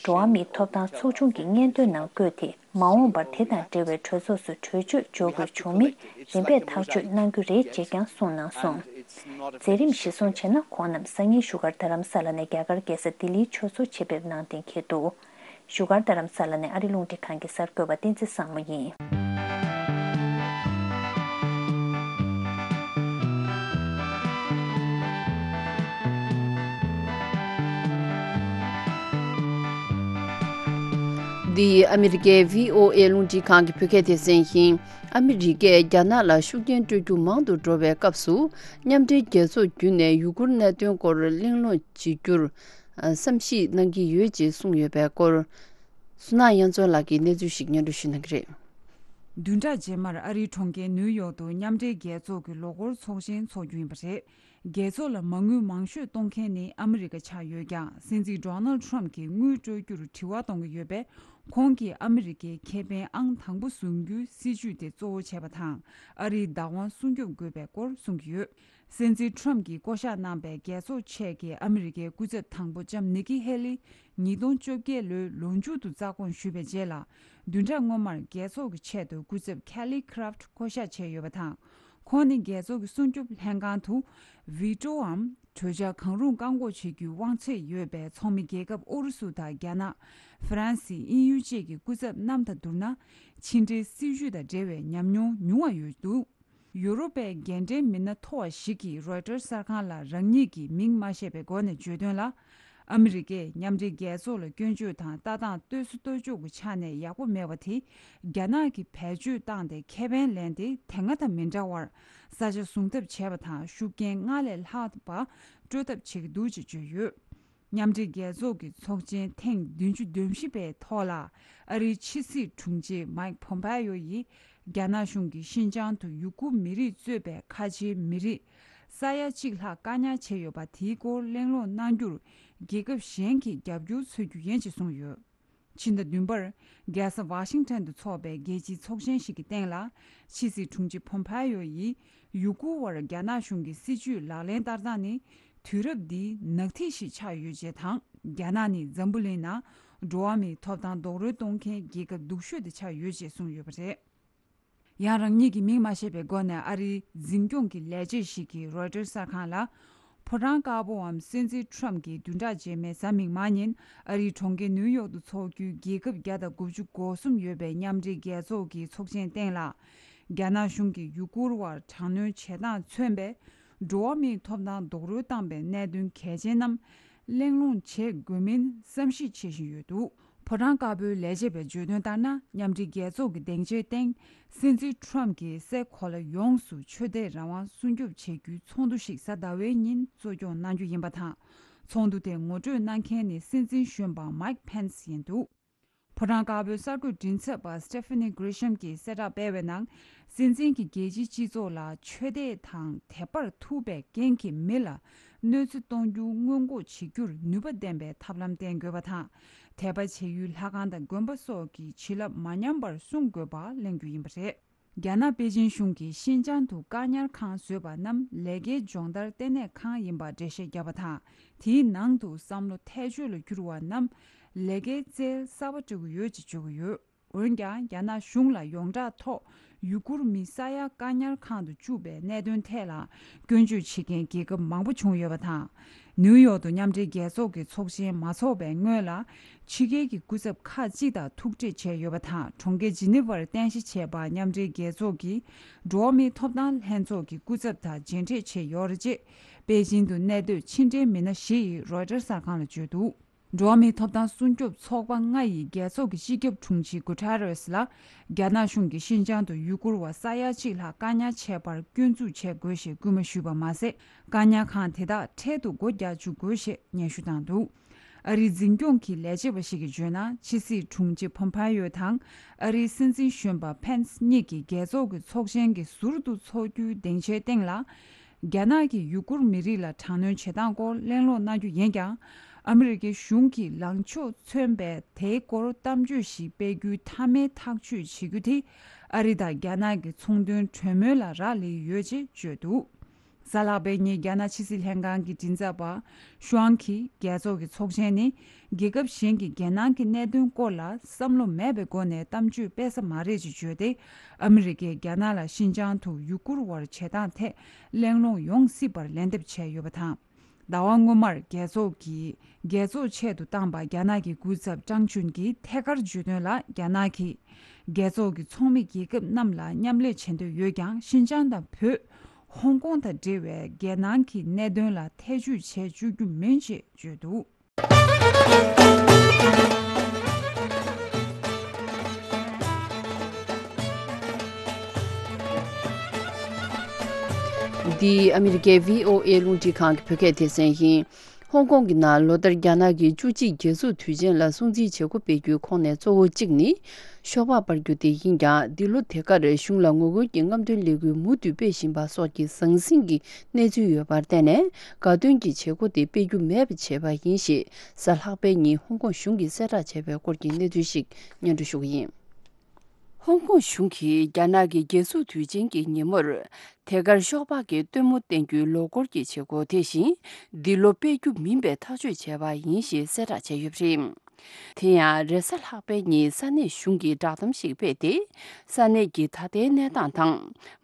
འགྲོ་བ་མིའི་ཐོབ་ཐང་ཚོགས་ཆུང་གི་སྙན་ཐོའི་ནང་བཀོད་དེ། མ་འོངས་པར་དེ་དང་འབྲེལ་བའི་གྲོས་ཚོགས་སུ་གྲོས་ཆོད་འཇོག་དགོས་བྱུང་མིན་རིམ་པས་ཐག་གཅོད་གནང་རྒྱུ་རེད་ཅེས་ཀྱང་གསུངས་གནང་སོང་། མཛད་རིམ་གཞི་བཟུང་བྱས་ན། ཁོང་རྣམས་སང་ཉིན་བཞུགས་སྒར་རྡ་རམ་ས་ལ་ནས་རྒྱ་གར་རྒྱལ་ས་ལྡི་ལིའི་ཆོས་ཚོགས་ཆེད་ཕེབས་གནང་གཏན་འཁེལ་འདུག་བཞུགས་སྒར་རྡ་རམ་ས་ལ་ནས་ཨ་རི་རླུང་འཕྲིན་ཁང་གི་གསར་འགོད་པ་བསྟན་འཛིན་བཟང་མོ་ཡིན། འདི་ཨ་མི་རི་ཀའི་བྷི་ཨོ་ཨེ་རླུང་འཕྲིན་ཁང་གི་བོད་སྐད་སྡེ་ཚན་ཡིན། ཨ་མི་རི་ཀས་རྒྱ་ནག་ལ་ཤུགས་རྐྱེན་སྤྲོད་རྒྱུ་མང་དུ་འགྲོ་བའི་སྐབས་སུ། མཉམ་འབྲེལ་རྒྱལ་ཚོགས་བརྒྱུད་ནས་ཡུ་གུར་གནད་དོན་སྐོར་གླེང་སློང་བྱེད་རྒྱུར་བསམ་གཞིག་གནང་གི་ཡོད་ཅེས་གསུངས་ཡོད་པའི་སྐོར། བསོད་ནམས་དབྱངས་མཚོ་ལགས་ཀྱིས་གནས་ཚུལ་ཞིག་སྙན་སྒྲོན་ཞུ་གནང་གི་རེད། བདུན་ཕྲག་རྗེས་མར་ཨ་རིའི་གྲོང་ཁྱེར་ནིའུ་ཡོག་ཏུ་མཉམ་འབྲེལ་རྒྱལ་ཚོགས་ཀྱི་ལོ་འཁོར་ཚོགས་ཆེན་འཚོགས་རྒྱུ་ཡིན་པ་རེད། རྒྱལ་ཚོགས་ལ་མ་དངུལ་མང་ཤོས་གཏོང་མཁན་ནི་ཨ་མི་རི་ཀ་ཆགས་ཡོད་ཀྱང་། སྲིད་འཛིན་ཌོ་ནལ་ཌི་ཊརམ་ཕི་གྱིས་དངུལ་སྤྲོད་རྒྱུར་དྲི་བ་གཏོང་གི་ཡོད་པས། ཁོང་གིས་ཨ་མི་རི་ཀའི་ཁེ་ཕན་ཨང་དང་པོ་བཟུང་རྒྱུའི་སྲིད་ཇུས་དེ་གཙོ་བོ་བྱས་པ་དང་། ཨ་རིའི་བདག་དབང་སྲུང་སྐྱོབ་དགོས་པའི་སྐོར་གསུང་གི་ཡོད། སྲིད་འཛིན་ཊརམ་ཕི་གྱིས་བསྐོ་གཞག་གནང་པའི་རྒྱལ་ཚོགས་ཆེད་ཀྱི་ཨ་མི་རི་ཀའི་སྐུ་ཚབ་དང་པོ་ལྕམ་ནི་ཀི་ཧེ་ལི། ཉིས་སྟོང་བཅོ་བརྒྱད་ལོའི་ལོ་མཇུག་ཏུ་རྩ་དགོངས་ཞུས་པའི་རྗེས་ལ། བདུན་ཕྲག་སྔོན་མར་རྒྱལ་ཚོགས་ཀྱི་ཆེད་དུ་སྐུ་ཚབ་ཁེ་ལི་ཁི་རབ་ཊི་བསྐོ་གཞག་བྱས་ཡོད་པ་དང་། ཁོང་ནི་རྒྱལ་ཚོགས་ཀྱི་སྲུང་སྐྱོབ་ལྷན་ཁང་དུ་ཝི་ཊོའམ་གྲོས་འཆར་གང་རུང་བཀག་འགོག་བྱེད་རྒྱུའི་དབང་ཚད་ཡོད་པའི་ཚོགས་མི་རྒྱལ་ཁབ་ཨུ་རུ་སུ་དང་རྒྱ་ནག་ཧྥ་རན་སི། དབྱིན་ཡུལ་བཅས་ཀྱི་སྐུ་ཚབ་རྣམས་དང་བསྡུར་ན། ཕྱི་འབྲེལ་སྲིད་ཇུས་དང་འབྲེལ་བའི་ཉམས་མྱོང་ཉུང་བ་ཡོད་འདུག་ཡུ་རོབ་པའི་འགན་འཁྲིའི་མི་སྣ་མཐོ་བ་ཞིག་གིས་རོའི་ཊར་གསར་ཁང་ལ་རང་ཉིད་ཀྱི་མིང་མ་བཤད་པའི་སྒོ་ནས་བརྗོད་དོན་ལ། ཨ་མི་རི་ཀས་མཉམ་འབྲེལ་རྒྱལ་ཚོགས་ལ་སྐྱོན་བརྗོད་དང་ལྟ་སྟངས་ལྟོས་སུ་ལྟོས་འཇོག་གི་ཆ་ནས་ཡག་པོ་མེད་པ་དེ། རྒྱ་ནག་གིས་བེད་སྤྱོད་བཏང་སྟེ་ཁེ་ཕན་ལེན་ཏེ་དེ་སྔ་དང་མི་འདྲ་བར་ས་ཆ་བཟུང་ཐབས་བྱས་པ་དང་། ཤུགས་རྐྱེན་སྔར་ལས་ལྷག་པ་སྤྲོད་ཐབས་བྱེད་ཀྱི་འདུག་ཅེས་བརྗོད་ཡོད། མཉམ་འབྲེལ་རྒྱལ་ཚོགས་ཀྱི་ཚོགས་ཆེན་ཐེངས་བདུན་ཅུ་དོན་བཞི་པའི་ཐོག་ལ། ཨ་རིའི་ཕྱི་སྲིད་དྲུང་ཆེ་མཱིག་ཕོམ་པ་ཡོ་ཡིས། རྒྱ་ནག་གཞུང་གིས་ཤིན་ཅང་དུ་ཡུ་གུར་མི་རིགས་གཙོས་པའི་ཁ་ཆེའི་མི་རིགས་ས་ཡ་གཅིག་ལྷག་བཀག་ཉར་བྱས་ཡོད་པ་དེའི་སྐོར་གླེང་སློང་གནང་རྒྱུར། རྒྱལ་ཁབ་གཞན་གྱིས་རྒྱབ་སྐྱོར་འཚོལ་རྒྱུ་ཡིན་ཅེས་གསུངས་ཡོད། ཕྱི་ཟླ་བདུན་པར། རྒྱལ་ས་ཝ་ཤིང་ཊོན་དུ་འཚོགས་པའི་རྒྱལ་སྤྱིའི་ཚོགས་ཆེན་ཞིག་གི་སྟེང་ལ། ཕྱི་སྲིད་དྲུང་ཆེ་ཕོམ་པ་ཡོ་ཡིས། ཡུ་གུར་བར་རྒྱ་ནག་གཞུང་གི་སྲིད་ཇུས་ལག་ལེན་བསྟར་སྟངས་ནི། དུས་རབས་འདིའི་ནག་ཐིག་ཞིག་ཆགས་ཡོད་ཅེས་དང་། རྒྱ་ནག་ནི་འཛམ་བུ་གླིང་ནང་འགྲོ་བ་མིའི་ཐོབ་ཐང་རྡོག་རོལ་གཏོང་མཁན་རྒྱལ་ཁབ་སྡུག་ཤོས་དེ་ཆགས་ཡོད་ཅེས་གསུངས་ཡོད་པ་རེད། ཡང་། རང་ཉིད་ཀྱི་མིང་མ་བཤད་པའི་སྒོ་ནས་ཨ་རིའི་འཛིན་སྐྱོང་གི་ལས་བྱེད་ཞིག་གིས་རོའི་ཊར་གསར་ཁང་ལ། ཕོ་བྲང་དཀར་པོའམ་སྲིད་འཛིན་ཊརམ་ཕི་གྱིས་བདུན་ཕྲག་རྗེས་མའི་གཟའ་མིག་དམར་ཉིན་ཨ་རིའི་གྲོང་ཁྱེར་ནིའུ་ཡོག་ཏུ་འཚོགས་རྒྱུའི་རྒྱལ་ཁབ་བརྒྱ་དང་དགུ་བཅུ་གོ་གསུམ་ཡོད་པའི་མཉམ་འབྲེལ་རྒྱལ་ཚོགས་ཀྱི་ཚོགས་ཆེན་སྟེང་ལ། རྒྱ་ནག་གཞུང་གིས་ཡུ་གུར་བར་དྲག་གནོན་བྱེད་སྟངས་མཚོན་པའི་འགྲོ་བ་མིའི་ཐོབ་ཐང་རྡོག་རོལ་བཏང་པའི་གནད་དོན་གལ་ཆེན་རྣམས་གླེང་སློང་བྱེད་དགོས་མིན་བསམ་གཞིག་བྱེད་བཞིན་ཡོད་འདུག་ཕོ་བྲང་དཀར་པོའི་ལས་བྱེད་པས་བརྗོད་དོན་ལྟར་ན། མཉམ་འབྲེལ་རྒྱལ་ཚོགས་ཀྱི་སྡིངས་ཆའི་སྟེང་སྲིད་འཛིན་ཊརམ་ཕི་གྱིས་སའི་གོ་ལ་ཡོངས་སུ་ཆོས་དད་རང་དབང་སྲུང་སྐྱོབ་བྱེད་རྒྱུའི་ཚོགས་འདུ་ཞིག་གཟའ་ཟླ་བའི་ཉིན་གཙོ་སྐྱོང་གནང་རྒྱུ་ཡིན་པ་དང་། ཚོགས་འདུ་དེ་ངོ་སྤྲོད་གནང་མཁན་ནི་སྲིད་འཛིན་གཞོན་པ་མཱིག་ཕེན་སི་ཡིན་འདུག་ཕོ་བྲང་དཀར་པོའི་གསར་འགོད་མགྲིན་ཚབ་པ་སི་ཊེ་ཕི་ནི་གྷི་རི་ཤམ་གྱིས་གསལ་བསྒྲགས་སྤེལ་བའི་ནང་། སྲིད་འཛིན་གྱིས་རྒྱལ་སྤྱིའི་སྤྱི་ཚོགས་ལ་ཆོས་དད་དང་དད་པར་ཐུག་པའི་རྐྱེན་གྱིས་མི་ལ་གནོད་འཚེ་གཏོང་རྒྱུ་སྔོན་འགོག་བྱེད་རྒྱུར་ནུས་པ་ལྡན་པའི་ཐབས་ལམ་བསྟེན་དགོས་པ་དང་། དད་པ་བྱེད་ཡུལ་ལྷ་ཁང་དང་དགོན་པ་སོགས་ཀྱི་བྱིན་རླབས་མ་ཉམས་པར་སྲུང་དགོས་པ་གླེང་རྒྱུ་ཡིན་པ་རེད། རྒྱ་ནག་པེ་ཅིན་གཞུང་གིས་ཤིན་ཅང་དུ་བཀག་ཉར་ཁང་བཟོས་པ་རྣམས་ལས་ཀའི་སྦྱོང་བརྡར་ལྟེ་གནས་ཁང་ཡིན་པར་འགྲེལ་བཤད་བརྒྱབ་པ་དང་། དེའི་ནང་དུ་བསམ་བློ་ཐལ་ཆོས་ལ་གྱུར་བ་རྣམས་ལས་ཀའི་རྩལ་གསར་པ་སྤྲད་ཀྱི་ཡོད་ཅེས་བརྗོད་ཀྱི་ཡོད། འོན་ཀྱང་། རྒྱ་ནག་གཞུང་ལ་ཡོངས་གྲགས་ཐོག་ཡུ་གུར་མི་ས་ཡ་བཀག་ཉར་ཁང་དུ་བཅུག་པའི་གནད་དོན་ཐད་ལ་སྐྱོན་བརྗོད་བྱེད་མཁན་རྒྱལ་ཁབ་མང་པོ་བྱུང་ཡོད་པ་དང་། ནིའུ་ཡོག་ཏུ་མཉམ་འབྲེལ་རྒྱལ་ཚོགས་ཀྱི་ཚོགས་ཆེན་མ་འཚོགས་པའི་སྔོན་ལ། ཕྱི་རྒྱལ་གྱི་སྐུ་ཚབ་ཁག་ཅིག་དང་ཐུག་འཕྲད་བྱས་ཡོད་པ་དང་། གྲོང་ཁྱེར་ཇི་ནི་ཝར་རྟེན་གཞི་བྱས་པ་མཉམ་འབྲེལ་རྒྱལ་ཚོགས་ཀྱི་འགྲོ་བ་མིའི་ཐོབ་ཐང་ལྷན་ཚོགས་ཀྱི་སྐུ་ཚབ་དང་མཇལ་འཕྲད་བྱས་ཡོད་རེད། ཅེས་པེ་ཅིང་དུ་གནས་སྡོད་ཕྱི་འབྲེལ་མི་སྣ་བཞི་ཡིས་རོའི་ཊར་གསར་ཁང་ལ་བརྗོད་འདུག་འགྲོ་བ་མིའི་ཐོབ་ཐང་སྲུང་སྐྱོབ་ཚོགས་པ་ལྔ་ཡི་རྒྱལ་ཚོགས་ཀྱི་སྤྱི་ཁྱབ་དྲུང་ཆེ་གུ་ཐེ་རེས་ལ། རྒྱ་ནག་གཞུང་གིས་ཤིན་ཅང་དུ་ཡུ་གུར་བ་ས་ཡ་གཅིག་ལྷག་བཀག་ཉར་བྱས་པར་སྐྱོན་འཛུགས་བྱེད་དགོས་ཞེས་སྐུལ་མ་ཞུས་པ་མ་ཟད། བཀག་ཉར་ཁང་དེ་དག་འཕྲལ་དུ་སྒོ་རྒྱག་བཅུག་དགོས་ཞེས་སྙན་ཞུ་བཏང་འདུག་ཨ་རིའི་འཛིན་སྐྱོང་གི་ལས་བྱེད་པ་ཞིག་གིས་བརྗོད་ན། ཕྱི་སྲིད་དྲུང་ཆེ་ཕོམ་ཕ་ཡོ་དང་ཨ་རིའི་སྲིད་འཛིན་གཞོན་པ་ཕེན་སི་གཉིས་ཀྱིས་རྒྱལ་ཚོགས་ཀྱི་ཚོགས་ཆེན་གྱི་ཟུར་དུ་འཚོགས་རྒྱུའི་སྡིངས་ཆའི་སྟེང་ལ། རྒྱ་ནག་གིས་ཡུ་གུར་མི་རིགས་ལ་དྲག་གནོན་བྱེད་སྟངས་སྐོར་གླེང་སློང་གནང་རྒྱུ་ཡིན་ཀྱང་། ཨ་མི་རི་ཀའི་གཞུང་གིས་ལངས་ཕྱོགས་མཚོན་པའི་དེའི་སྐོར་གཏམ་བརྗོད་ཞིག་སྤེལ་རྒྱུའི་མཐའ་མའི་ཐག་གཅོད་བྱེད་རྒྱུ་དེ། ཨ་རི་དང་རྒྱ་ནག་གི་ཚོང་དོན་གྲོས་མོལ་ལ་རག་ལས་ཡོད་ཅེས་བརྗོད་འདུག་གཟའ་ལྷག་པའི་ཉིན་རྒྱ་ནག་ཕྱི་སྲིད་ལྷན་ཁང་གི་མགྲིན་ཚབ་པ་ཤུའང་གིས། རྒྱལ་ཚོགས་ཀྱི་ཚོགས་ཆེན་ནི་རྒྱལ་ཁབ་གཞན་གྱི་རྒྱལ་ནང་གི་གནད་དོན་སྐོར་ལ་བསམ་བློ་མེད་པའི་སྒོ་ནས་གཏམ་བརྗོད་སྤེལ་ས་མ་རེད་ཅེས་བརྗོད་དེ། ཨ་མི་རི་ཀས་རྒྱ་ནག་ལ་ཤིན་ཅང་དུ་ཡུ་གུར་བར་བྱེད་སྟངས་ཐད་གླེང་སློང་ཡོང་སྲིད་པར་ལན་འདེབས་བྱས་ཡོད་པ་དང་། ཟླ་བ་སྔོན་མར་རྒྱལ་ཚོགས་ཀྱི་རྒྱལ་ཚོགས་ཆེད་དུ་བཏང་པ་རྒྱ་ནག་གི་སྐུ་ཚབ་ཀྲང་ཅུན་གྱིས་ཐད་ཀར་བརྗོད་དོན་ལ། རྒྱ་ནག་གིས་རྒྱལ་ཚོགས་ཀྱི་ཚོགས་མི་རྒྱལ་ཁབ་རྣམས་ལ་མཉམ་ལས་བྱེད་འདོད་ཡོད་ཀྱང་། ཤིན་ཅང་དང་བོད། ཧོང་ཀོང་དང་འབྲེལ་བའི་རྒྱལ་ནང་གི་གནད་དོན་ལ་ཐེ་བྱུས་བྱེད་བཅུག་རྒྱུ་མིན་ཅེས་བརྗོད་འདུག་འདི་ཨ་མི་རི་ཀའི་བྷི་ཨོ་ཨེ་རླུང་འཕྲིན་ཁང་གི་བོད་སྐད་སྡེ་ཚན་ཡིན། ཧོང་ཀོང་གི་ནང་ལོ་ལྟར་རྒྱ་ནག་གི་བཅུ་གཅིག་རྒྱལ་འཛུགས་དུས་ཆེན་ལ་སྲུང་བརྩིའི་བྱེད་སྒོ་སྤེལ་རྒྱུའི་ཁོངས་ནས་གཙོ་བོ་གཅིག་ནི། ཤོག་སྦག་སྤར་རྒྱུ་དེ་ཡིན་ཀྱང་། འདི་ལོ་དེ་གར་གཞུང་ལ་ངོ་རྒོལ་གྱི་རྔམ་སྟོན་ལས་འགུལ་མུ་མཐུད་སྤེལ་བཞིན་པ་སོགས་ཀྱི་ཟང་ཟིང་གི་གནས་ཚུལ་ཡོད་པར་བརྟེན་ནས། དགའ་སྟོན་གྱི་བྱེད་སྒོ་དེ་སྤེལ་རྒྱུ་མེད་པ་བྱས་པ་ཡིན་ཞེས་གཟའ་ལྷག་པའི་ཉིན་ཧོང་ཀོང་གཞུང་གིས་གསལ་བསྒྲགས་བྱས་པའི་སྐོར་གྱི་གནས་ཚུལ་ཞིག་སྙན་སྒྲོན་ཞུ་གི་ཡིན། ཧོང་ཀོང་གཞུང་གིས་རྒྱ་ནག་གི་རྒྱལ་འཛུགས་དུས་ཆེན་གྱི་ཉིན་མོར། དེ་གར་ཤོག་སྦག་གི་སྟོན་མོ་བསྟན་རྒྱུའི་ལོ་འཁོར་གྱི་བྱེད་སྒོ་དེ་བཞིན། འདི་ལོ་སྤེལ་རྒྱུ་མིན་པའི་ཐག་གཅོད་བྱས་པ་ཡིན་ཞེས་གསལ་བསྒྲགས་བྱས་ཡོད་པ་རེད། དེ་ཡང་རེས་གཟའ་ལྷག་པའི་ཉིན་ས་གནས་གཞུང་གིས་བསྒྲགས་གཏམ་ཞིག་སྤེལ་ཏེ། ས་གནས་ཀྱི་ད་ལྟའི་གནས་སྟངས་དང་།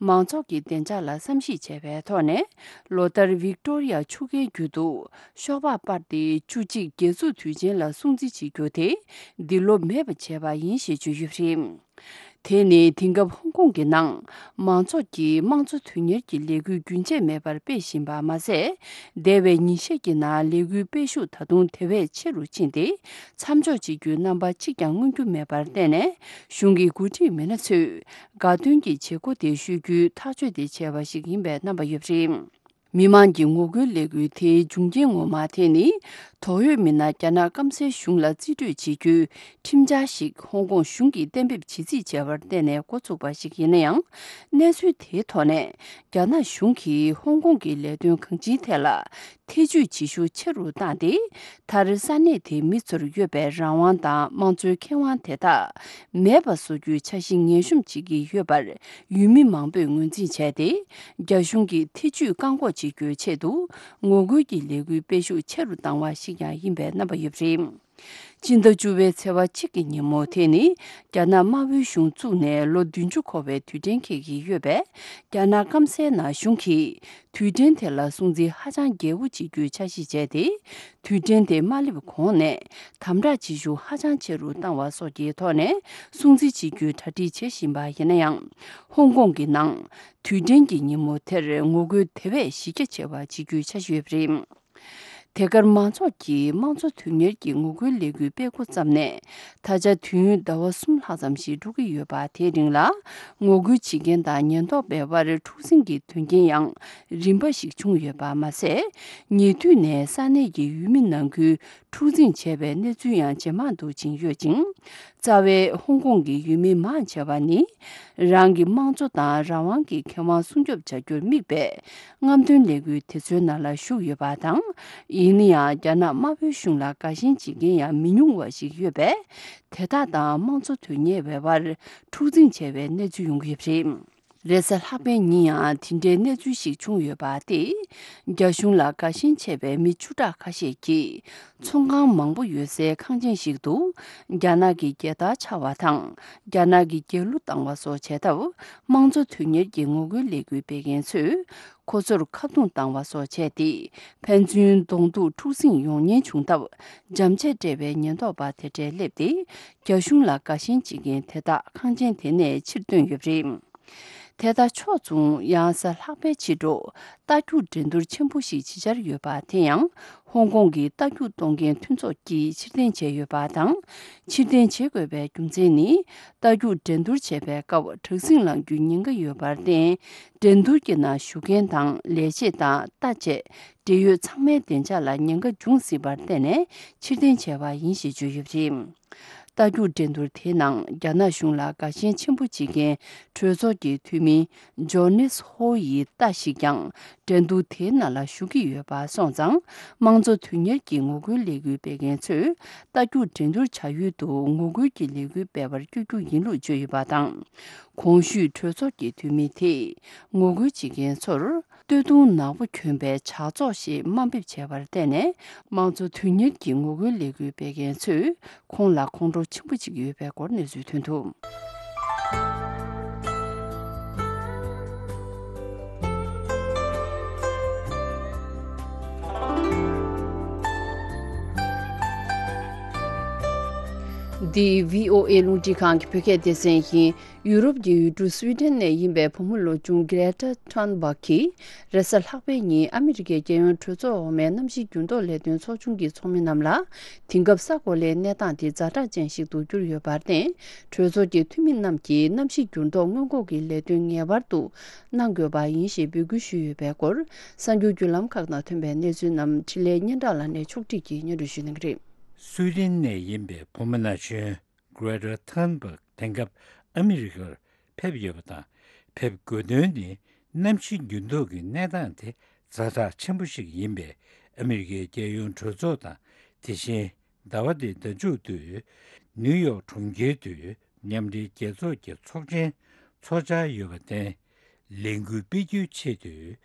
མང་ཚོགས་ཀྱི་བདེ་འཇགས་ལ་བསམ་གཞིག་བྱས་པའི་ཐོག་ནས། ལོ་ལྟར་ཝིག་ཏོ་རི་ཡ་ཆུ་རྐའི་རྒྱུད་དུ་ཤོག་སྦག་སྤར་ཏེ། བཅུ་གཅིག་རྒྱལ་འཛུགས་དུས་ཆེན་ལ་སྲུང་བརྩི་བྱེད་རྒྱུ་དེ་འདི་ལོ་མེད་པ་བྱས་པ་ཡིན་ཞེས་བརྗོད་ཡོད་པ་རེད། དེ་ནི་དེང་སྐབས་ཧོང་ཀོང་གི་ནང་མང་ཚོགས་ཀྱིས་དམངས་གཙོ་དོན་གཉེར་གྱི་ལས་འགུལ་རྒྱུན་ཆད་མེད་པར་སྤེལ་བཞིན་པ་མ་ཟད། འདས་པའི་ཉིན་ཤས་ཀྱི་ནང་ལས་འགུལ་སྤེལ་ཤུགས་ད་དུང་དེ་བས་ཆེ་རུ་ཕྱིན་ཏེ། མཚམས་འཇོག་བྱེད་རྒྱུའི་རྣམ་པ་གཅིག་ཀྱང་མངོན་རྒྱུ་མེད་པར་བརྟེན་ནས། གཞུང་གི་འགོ་ཁྲིད་མི་སྣ་ཚོས་དགའ་སྟོན་གྱི་བྱེད་སྒོ་དེ་ཤོད་རྒྱུའི་ཐག་གཅོད་དེ་བྱས་པ་ཞིག་ཡིན་པའི་རྣམ་པ་ཡོད་པ་རེད། མི་མང་གི་ངོ་རྒོལ་ལས་འགུལ་དེའི་འབྱུང་རྐྱེན་ངོ་མ་དེ་ནི། དོགས་ཡོད་མི་སྣ་རྒྱ་ནག་སྐམ་སའི་གཞུང་ལ་རྩིས་སྤྲོད་བྱེད་རྒྱུའི་ཁྲིམས་འཆར་ཞིག་ཧོང་ཀོང་གཞུང་གིས་གཏན་འབེབས་བྱེད་རྩིས་བྱས་པར་བརྟེན་ནས་འགོ་ཚུགས་པ་ཞིག་ཡིན་ན་ཡང་། གནས་ཚུལ་དེའི་ཐོག་ནས་རྒྱ་ནག་གཞུང་གིས་ཧོང་ཀོང་གི་ལས་དོན་གང་ཅིའི་ཐད་ལ་ཐེ་ཇུས་བྱེད་ཤུགས་ཆེ་རུ་བཏང་སྟེ། མཐར་ས་གནས་དེའི་མི་ཚོར་ཡོད་པའི་རང་དབང་དང་དམངས་གཙོའི་ཁེ་དབང་དེ་དག་མེད་པ་བཟོ་རྒྱུའི་འཆར་གཞི་ངན་ཤོམ་བྱེད་ཀྱི་ཡོད་པར། ཡུལ་མི་མང་པོས་ངོས་འཛིན་བྱས་ཏེ། རྒྱ་གཞུང་གིས་ཐེ་ཇུས་བཀག་འགོག་བྱེད་རྒྱུའི་ཆེད་དུ། ངོ་རྒོལ་གྱི་ལས་འགུལ་སྤེལ་ཤུགས་ཆེ་རུ་བཏང་བ་ཞིག་ཀྱང་ཡིན་པའི་རྣམ་པ་ཡོད་པ་རེད། སྤྱི་ཟླ་བཅུ་པའི་ཚེས་པ་གཅིག་གི་ཉིན་མོ་དེ་ནི། རྒྱ་ནག་དམར་པོའི་གཞུང་བཙུགས་ནས་ལོ་བདུན་ཅུ་འཁོར་བའི་དུས་དྲན་འཁེལ་གྱི་ཡོད་པས། རྒྱ་ནག་སྐམ་སའི་ནང་གཞུང་གིས། དུས་དྲན་དེ་ལ་སྲུང་བརྩི་ཧ་ཅང་རྒྱས་པོ་བྱེད་རྒྱུའི་འཆར་གཞི་བྱས་ཏེ། དུས་དྲན་དེ་མ་སླེབས་གོང་ནས་དམ་དྲག་བྱེད་ཤུགས་ཧ་ཅང་ཆེ་རུ་བཏང་བ་སོགས་ཀྱི་ཐོག་ནས་སྲུང་བརྩི་བྱེད་རྒྱུའི་གྲ་སྒྲིག་བྱེད་བཞིན་པ་ཡིན་ན་ཡང་། ཧོང་ཀོང་གི་ནང་དུས་དྲན་གྱི་ཉིན་མོ་དེར་ངོ་རྒོལ་དེ་བས་གཞི་རྒྱ་ཆེ་བ་བྱེད་རྒྱུའི་འཆར་གཞི་ཡོད་པ་རེད། དེ་གར་མང་ཚོགས་ཀྱིས་དམངས་གཙོ་དོན་གཉེར་གྱི་ངོ་རྒོལ་ལས་འགུལ་སྤེལ་འགོ་བརྩམས་ནས། ད་ཆ་དུས་ཡུན་ཟླ་བ་གསུམ་ལྷག་ཙམ་ཞིག་འགྲོ་གི་ཡོད་པ། དེའི་རིང་ལ་ངོ་རྒོལ་བྱེད་མཁན་དང་ཉེན་རྟོག་པའི་དབར་འཁྲུག་ཟིང་གི་དོན་རྐྱེན་ཡང་རིམ་པ་ཞིག་བྱུང་ཡོད་པ་མ་ཟད། ཉེ་དུས་ནས་ས་གནས་ཀྱི་ཡུལ་མི་ནང་ཁུལ་འཁྲུག་འཛིང་བྱས་པའི་གནས་ཚུལ་ཡང་ཇེ་མང་དུ་ཕྱིན་ཡོད་ཅིང་། རྩ་བའི་ཧོང་ཀོང་གི་ཡུལ་མི་མང་ཆེ་བ་ནི། རང་གི་དམངས་གཙོ་དང་རང་དབང་གི་ཁེ་དབང་སྲུང་སྐྱོབ་བྱ་རྒྱུར་དམིགས་པའི་རྔམ་སྟོན་ལས་འགུལ་དེ་ཚོའི་ནང་ལ་ཞུགས་ཡོད་པ་དང་། ཡིན་ན་ཡང་། རྒྱ་ནག་དམར་པོའི་གཞུང་ལ་དགའ་ཞེན་བྱེད་མཁན་ཡང་མི་ཉུང་བ་ཞིག་ཡོད་པས། དེ་དག་དང་དམངས་གཙོ་དོན་གཉེར་བའི་དབར་འཁྲུག་འཛིང་བྱས་པའི་གནས་ཚུལ་ཡོང་གི་ཡོད་པ་རེད། རེས་གཟའ་ལྷག་པའི་ཉིན་ཡང་དེ་འདྲའི་གནས་ཚུལ་ཞིག་བྱུང་ཡོད་པ་སྟེ། རྒྱ་གཞུང་ལ་དགའ་ཞེན་ཆེ་བའི་མི་བཅུ་ཕྲག་ཁ་ཤས་ཀྱིས། ཚོང་ཁང་མང་པོ་ཡོད་སའི་ཁང་ཆེན་ཞིག་ཏུ། རྒྱ་ནག་གི་རྒྱལ་དར་འཕྱར་བ་དང་། རྒྱ་ནག་གི་རྒྱལ་གླུ་བཏང་བ་སོགས་བྱས་སྟབས། དམངས་གཙོ་དོན་གཉེར་གྱི་ངོ་རྒོལ་ལས་འགུལ་སྤེལ་མཁན་ཚོས། ཁོ་ཚོར་ཁ་རྡུང་བཏང་བ་སོགས་བྱས་ཏེ། ཕན་ཚུན་གདོང་ཐུག་འཁྲུག་ཟིང་ཡོང་ཉེན་བྱུང་སྟབས། འཇམ་ཆས་སྤྲས་པའི་ཉེན་རྟོག་པ་དེ་འདྲས་སླེབས་ཏེ། རྒྱ་གཞུང་ལ་དགའ་ཞེན་བྱེད་མཁན་དེ་དག་ཁང་ཆེན་དེ་ནས་ཕྱིར་བཏོན་ཡོད་པ་རེད། དེ་དག་ཕྱོགས་མཚུངས། ཡང་གཟའ་ལྷག་པའི་ཕྱི་དྲོ། རྟ་རྒྱུག་འགྲན་བསྡུར་ཆེན་པོ་ཞིག་བྱེད་འཆར་ཡོད་པ། དེ་ཡང་ཧོང་ཀོང་གི་རྟ་རྒྱུག་གཏོང་མཁན་མཐུན་ཚོགས་ཀྱིས་ཕྱིར་འཐེན་བྱས་ཡོད་པ་དང་། ཕྱིར་འཐེན་བྱེད་དགོས་པའི་རྒྱུ་མཚན་ནི། རྟ་རྒྱུག་འགྲན་བསྡུར་བྱེད་པའི་སྐབས་དྲག་ཟིང་ལངས་རྒྱུའི་ཉེན་ཁ་ཡོད་པར་བརྟེན། འགྲན་བསྡུར་གྱི་ནང་ཞུགས་མཁན་དང་ལས་བྱེད་དང་། རྟ་བཅས་འབྲེལ་ཡོད་ཚང་མའི་བདེ་འཇགས་ལ་ཉེན་ཁ་འབྱུང་སྲིད་པར་བརྟེན་ནས་ཕྱིར་འཐེན་བྱས་པ་ཡིན་ཞེས་བརྗོད་ཡོད་པ་རེད། རྟ་རྒྱུག་འགྲན་བསྡུར་དེའི་ནང་རྒྱ་ནག་གཞུང་ལ་དགའ་ཞེན་ཆེན་པོ་བྱེད་མཁན་གྲོས་ཚོགས་ཀྱི་འཐུས་མི་ཇོ་ནེས་ཧོ་ཡི་རྟ་ཞིག་ཀྱང་འགྲན་བསྡུར་དེའི་ནང་ལ་ཞུགས་ཀྱི་ཡོད་པ་སོང་ཙང་། དམངས་གཙོ་དོན་གཉེར་གྱི་ངོ་རྒོལ་ལས་འགུལ་སྤེལ་མཁན་ཚོས་རྟ་རྒྱུག་འགྲན་བསྡུར་བྱ་ཡུལ་དུ་ངོ་རྒོལ་གྱི་ལས་འགུལ་སྤེལ་བར་བསྐྱོད་རྒྱུ་ཡིན་ལུགས་བརྗོད་ཡོད་པ་དང་། གོང་ཞུས་གྲོས་ཚོགས་ཀྱི་འཐུས་མི་དེས་ངོ་རྒོལ་བྱེད་མཁན་ཚོར། སྟོད་ཐུང་ནག་པོ་གྱོན་པའི་ཇག་ཚོགས་ཞེས་དམའ་འབེབས་བྱས་པར་བརྟེན་ནས། དམངས་གཙོ་དོན་གཉེར་གྱི་ངོ་རྒོལ་ལས་འགུལ་སྤེལ་མཁན་ཚོས་ཁོང་ལ་ཁོང་ཁྲོ་ཆེན་པོ་བྱེད་ཀྱི་ཡོད་པའི་སྐོར་གནས་ཚུལ་ཐོན་འདུག། འདི་བྷི་ཨོ་ཨེ་རླུང་འཕྲིན་ཁང་གི་བོད་སྐད་སྡེ་ཚན་ཡིན། ཡུ་རོབ་ཀྱི་ཡུལ་གྲུ་སུའི་ཌེན་ནས་ཡིན་པའི་བུ་མོ་ལོ་ཆུང་གྷི་རེ་ཊ་ཐོན་སྦག་གིས་རེས་གཟའ་ལྷག་པའི་ཉིན་ཨ་མི་རི་ཀའི་རྒྱལ་ཡོངས་གྲོས་ཚོགས་འོག་མའི་གནམ་གཤིས་འགྱུར་ལྡོག་ལས་དོན་ཚོགས་ཆུང་གི་ཚོགས་མི་རྣམས་ལ། དེང་སྐབས་ས་གོ་ལའི་གནས་སྟངས་དེ་ཛ་དྲག་ཅན་ཞིག་ཏུ་གྱུར་ཡོད་པར་བརྟེན། གྲོས་ཚོགས་ཀྱི་འཐུས་མི་རྣམས་ཀྱིས་གནམ་གཤིས་འགྱུར་ལྡོག་སྔོན་འགོག་གི་ལས་དོན་ངེས་པར་དུ་གནང་དགོས་པ་ཡིན་ཞེས་འབོད་སྐུལ་ཞུས་ཡོད་པའི་སྐོར། གསར་འགྱུར་བརྒྱུད་ལམ་ཁག་ནང་ཐོན་པའི་གནས་ཚུལ་རྣམས་འཕྲིན་ལས་སྙན་གྲགས་ལགས་ནས་ཕྱོགས་སྒྲིག་གིས་སྙན་སྒྲོན་ཞུ་གནང་གི་རེད། སུའི་ཌེན་ནས་ཡིན་པའི་བུ་མོ་ན་གཞོན་Greta Thunberg དེང་སྐབས་ཨ་མི་རི་ཀར་ཕེབས་ཡོད་པ་དང་། ཕེབས་དགོས་དོན་ནི་གནམ་གཤིས་འགྱུར་ལྡོག་གི་གནས་སྟངས་དེ་ཛ་དྲག་ཆེན་པོ་ཞིག་ཡིན་པས། ཨ་མི་རི་ཀའི་རྒྱལ་ཡོངས་གྲོས་ཚོགས་དང་། དེ་བཞིན་ཟླ་བ་འདིའི་ཟླ་མཇུག་ཏུ་ནིའུ་ཡོག་གྲོང་ཁྱེར་དུ་མཉམ་འབྲེལ་རྒྱལ་ཚོགས་ཀྱི་ཚོགས་ཆེན་འཚོགས་འཆར་ཡོད་པར་བརྟེན། ལས་འགུལ་སྤེལ་རྒྱུའི་ཆེད་དུ་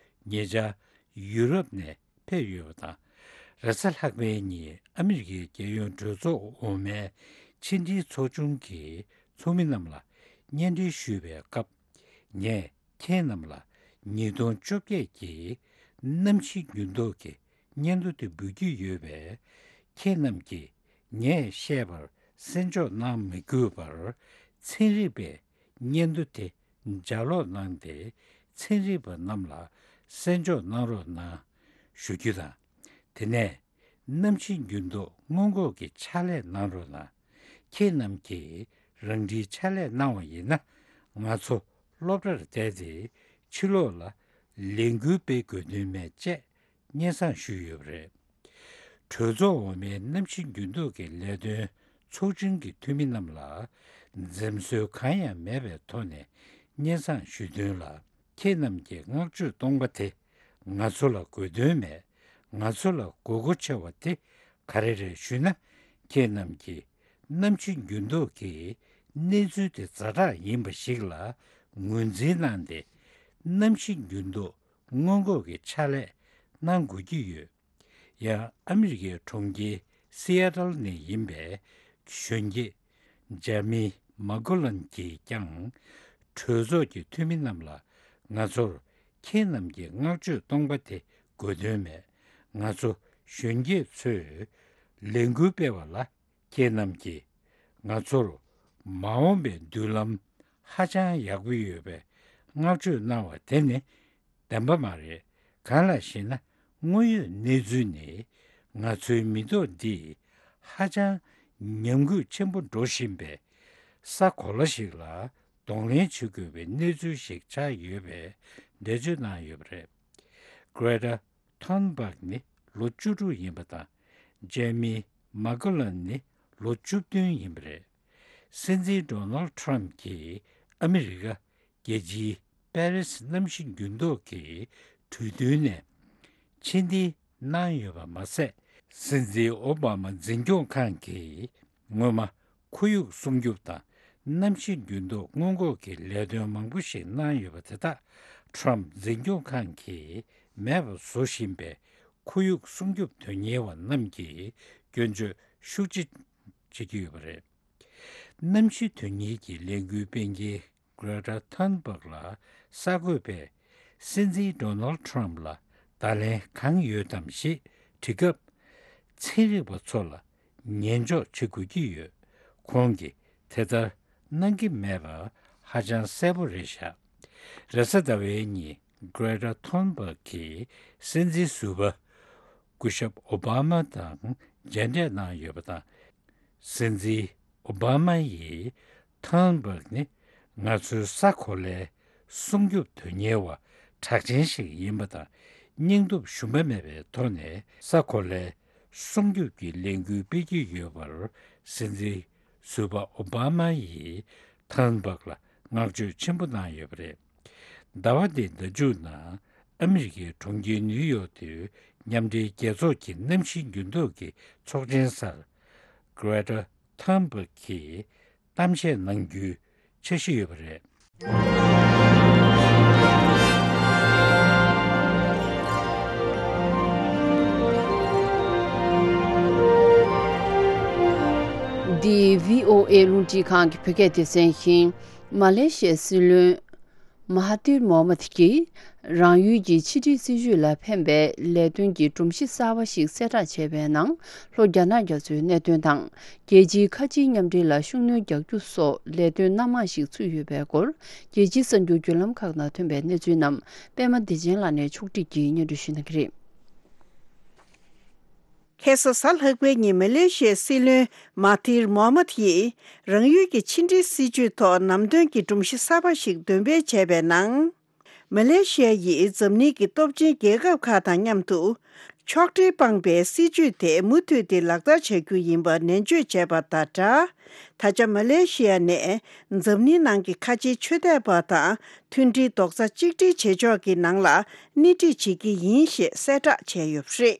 ཉེ་ཆར་ཡུ་རོབ་ནས་ཕེབས་ཡོད་པ་དང་། རེས་གཟའ་ལྷག་པའི་ཉིན་ཨ་མི་རི་ཀའི་རྒྱལ་ཡོངས་གྲོས་ཚོགས་འོག་མའི་ཕྱི་འབྲེལ་ཚོགས་ཆུང་གི་ཚོགས་མི་རྣམས་ལ་སྙན་སྒྲོན་ཞུས་པའི་སྐབས། ངས་ཁྱེད་རྣམས་ལ་ཉིས་སྟོང་བཅོ་བརྒྱད་ཀྱི་གནམ་གཤིས་འགྱུར་ལྡོག་གི་སྙན་ཐོ་དེ་འབུལ་རྒྱུ་ཡོད་པས། ཁྱེད་རྣམས་ཀྱིས་ངས་བཤད་པར་གསན་འཇོག་གནང་མི་དགོས་པར། ཚན་རིག་པའི་སྙན་ཐོ་དེ་ལྗགས་ཀློག་གནང་སྟེ། ཚན་རིག་པ་རྣམས་ལ་གསན་འཇོག་གནང་རོགས་གནང་ཞུ་རྒྱུ་དང་། དེ་ནས་གནམ་གཤིས་འགྱུར་ལྡོག་སྔོན་འགོག་གི་ཕྱག་ལས་གནང་རོགས་གནང་། ཁྱེད་རྣམས་ཀྱིས་རང་འཁྲིའི་ཕྱག་ལས་གནང་བ་ཡིན་ན། ང་ཚོ་སློབ་གྲྭར་བསྡད་དེ་ཕྱི་ལོགས་ལ་ལས་འགུལ་སྤེལ་དགོས་དོན་མེད་ཅེས་སྙན་སེང་ཞུས་ཡོད་པ་རེད། གྲོས་ཚོགས་འོག་མའི་གནམ་གཤིས་འགྱུར་ལྡོག་གི་ལས་དོན་ཚོགས་ཆུང་གི་འཐུས་མི་རྣམས་ལ་འཛེམ་ཟོན་གང་ཡང་མེད་པའི་ཐོག་ནས་སྙན་སེང་ཞུས་དོན་ལ། ཁྱེད་རྣམས་ཀྱི་བསྔགས་བརྗོད་སྟོང་པ་དེ་ང་ཚོ་ལ་དགོས་དོན་མེད། ང་ཚོ་ལ་དགོས་མཁོ་ཆེ་བ་དེ་ག་རེ་རེད་ཞུས་ན། ཁྱེད་རྣམས་ཀྱིས་གནམ་གཤིས་འགྱུར་ལྡོག་གི་གནས་ཚུལ་དེ་ཛ་དྲག་ཡིན་པ་ཞིག་ལ་ངོས་འཛིན་གནང་སྟེ། གནམ་གཤིས་འགྱུར་ལྡོག་སྔོན་འགོག་གི་ཕྱག་ལས་གནང་དགོས་ཀྱི་ཡོད། ཡང་ཨ་མི་རི་ཀའི་གྲོང་ཁྱེར་སི་ཨེ་ཏལ་ནས་ཡིན་པའི་གཞོན་སྐྱེས་ཇེ་མི་མ་ཀོ་ལན་གྱིས་ཀྱང་གྲོས་ཚོགས་ཀྱི་འཐུས་མི་རྣམས་ལ། ང་ཚོར་ཁྱེད་རྣམས་ཀྱི་བསྔགས་བརྗོད་སྟོང་པ་དེ་དགོས་དོན་མེད། ང་ཚོ་གཞོན་སྐྱེས་ཚོས་ལས་འགུལ་སྤེལ་བ་ལ་ཁྱེད་རྣམས་ཀྱིས་ང་ཚོར་མ་འོངས་པའི་མདུན་ལམ་ཧ་ཅང་ཡག་པོ་ཡོད་པའི་བསྔགས་བརྗོད་གནང་བ་དེ་ནི་བདེན་པ་མ་རེད། གང་ལགས་ཤེ་ན། དངོས་ཡོད་གནས་ཚུལ་ནི། ང་ཚོའི་མི་ཐོག་འདི་ཧ་ཅང་ཉམས་རྒུད་ཆེན་པོ་འགྲོ་བཞིན་པའི་ས་གོ་ལ་ཞིག་ལ་གདོང་ལེན་བྱེད་དགོས་པའི་གནས་ཚུལ་ཞིག་ཆགས་ཡོད་པའི་འགྲེལ་བརྗོད་གནང་ཡོད་པ་རེད། Greta Thunberg ནི་ལོ་བཅུ་དྲུག་ཡིན་པ་དང་། Jamie McGovern ནི་ལོ་བཅུ་བདུན་ཡིན་པ་རེད། སྲིད་འཛིན་Donald Trump གྱིས་ཨ་མི་རི་ཀ་རྒྱལ་སྤྱིའི་པེ་རིས་གནམ་གཤིས་འགྱུར་ལྡོག་གི་གྲོས་མཐུན་ནས་ཕྱིར་འཐེན་གནང་ཡོད་པ་མ་ཟད། སྲིད་འཛིན་ཨོ་བྷ་མ་འཛིན་སྐྱོང་ཁང་གིས་སྔོན་མ་ཁོར་ཡུག་སྲུང་སྐྱོབ་དང་གནམ་གཤིས་འགྱུར་ལྡོག་སྔོན་འགོག་གི་ལས་དོན་མང་པོ་ཞིག་གནང་ཡོད་པ་དེ་དག་Trump འཛིན་སྐྱོང་ཁང་གིས་མེད་པ་བཟོ་བཞིན་པའི་ཁོར་ཡུག་སྲུང་སྐྱོབ་དོན་གཉེར་བ་རྣམས་ཀྱིས་སྐྱོན་བརྗོད་ཤུགས་ཆེ་བྱེད་ཀྱི་ཡོད་པ་རེད། གནམ་གཤིས་དོན་གཉེར་གྱི་ལས་འགུལ་སྤེལ་མཁན་Greta Thunberg ལ་གསར་འགོད་པས་སྲིད་འཛིན་Donald Trump ལ་བརྡ་ལན་གང་ཡོད་དམ་ཞེས་དྲིས་སྐབས། ཚན་རིག་པ་ཚོ་ལ་ཉན་འཇོག་བྱེད་དགོས་ཀྱི་ཡོད། ཁོང་གིས་དེ་ལྟར་གནང་གི་མེད་པ་ཧ་ཅང་གསལ་པོ་རེད་བཞག་རེས་གཟའ་ཟླ་བའི་ཉིན་Greta Thunberg གིས་སྲིད་འཛིན་ཟུར་པ་སྐུ་ཞབས་ཨོ་བྷ་མ་དང་མཇལ་འཕྲད་གནང་ཡོད་པ་དང་། སྲིད་འཛིན་ཨོ་བྷ་མ་ཡིས། Thunberg ནི་ང་ཚོའི་ས་གོ་ལའི་སྲུང་སྐྱོབ་དོན་གཉེར་བ་གྲགས་ཅན་ཞིག་ཡིན་པ་དང་། སྙིང་སྟོབས་ཞུམ་པ་མེད་པའི་ཐོག་ནས་ས་གོ་ལའི་སྲུང་སྐྱོབ་ཀྱི་ལས་འགུལ་སྤེལ་གྱི་ཡོད་པར། སྲིད་འཛིན་ཟུར་པ་ཨོ་བྷ་མ་ཡིས་Thunberg ལ་བསྔགས་བརྗོད་ཆེན་པོ་གནང་ཡོད་པ་རེད། ཟླ་བ་འདིའི་ཟླ་མཇུག་ནང་ཨ་མི་རི་ཀའི་གྲོང་ཁྱེར་ནིའུ་ཡོག་ཏུ་མཉམ་འབྲེལ་རྒྱལ་ཚོགས་ཀྱི་གནམ་གཤིས་འགྱུར་ལྡོག་གི་ཚོགས་ཆེན་སར་Greta Thunberg གིས་གཏམ་བཤད་གནང་རྒྱུའི་འཆར་གཞི་ཡོད་པ་རེད། འདི་བྷི་ཨོ་ཨེ་རླུང་འཕྲིན་ཁང་གི་བོད་སྐད་སྡེ་ཚན་ཡིན། མ་ལེ་ཤི་ཡའི་སྲིད་བློན་ མ་ཧ་ཏིར་མོ་ཧ་མད་ཀྱིས་རང་ཡུལ་གྱི་ཕྱི་འབྲེལ་སྲིད་ཇུས་ལ་ཕན་པའི་ལས་དོན་གྱི་སྒྲོམ་གཞི་གསར་པ་ཞིག་གསལ་བསྒྲགས་བྱས་པའི་ནང་། ལྷོ་རྒྱ་ནག་རྒྱ་མཚོའི་གནད་དོན་དང་། རྒྱལ་སྤྱིའི་ཁ་ཆེའི་མཉམ་འབྲེལ་ལ་ཤུགས་སྣོན་རྒྱག་རྒྱུ་སོགས་ལས་དོན་སྣ་མང་ཞིག་ཚུད་ཡོད་པའི་སྐོར། རྒྱལ་སྤྱིའི་གསར་འགྱུར་བརྒྱུད་ལམ་ཁག་ནང་ཐོན་པའི་གནས་ཚུལ་རྣམས་པད་མ་བདེ་ཆེན་ལགས་ནས་ཕྱོགས་སྒྲིག་གིས་སྙན་སྒྲོན་ཞུ་གནང་གི་རེད། ཁ་སང་གཟའ་ལྷག་པའི་ཉིན་མ་ལེ་ཤི་ཡའི་སྲིད་བློན་མ་ཧ་ཐིར་མོ་ཧ་མད་ཡིས་རང་ཡུལ་གྱི་ཕྱི་འབྲེལ་སྲིད་ཇུས་ཐོག་ནམ་དོན་གྱི་སྒྲོམ་གཞི་གསར་པ་ཞིག་འདོན་སྤེལ་བྱས་པའི་ནང་། མ་ལེ་ཤི་ཡ་ཡིས་འཛམ་གླིང་གི་སྟོབས་ཆེན་རྒྱལ་ཁབ་ཁག་དང་མཉམ་དུ་ཕྱོགས་འབྲེལ་སྤངས་པའི་སྲིད་ཇུས་དེ་མུ་མཐུད་དེ་ལག་བསྟར་བྱ་རྒྱུ་ཡིན་པ་ནན་བརྗོད་བྱས་པ་དང་སྦྲགས། ད་ཆ་མ་ལེ་ཤི་ཡ་ནས་འཛམ་གླིང་ནང་གི་ཁ་ཆེའི་ཆོས་དད་པ་དང་མཐུན་སྒྲིལ་རྡོག་རྩ་གཅིག་སྒྲིལ་བྱེད་ཕྱོགས་ཀྱི་ནང་ལ་སྣེ་ཁྲིད་བྱེད་ཀྱི་ཡིན་ཞེས་གསལ་བསྒྲགས་བྱས་ཡོད་པ་རེད།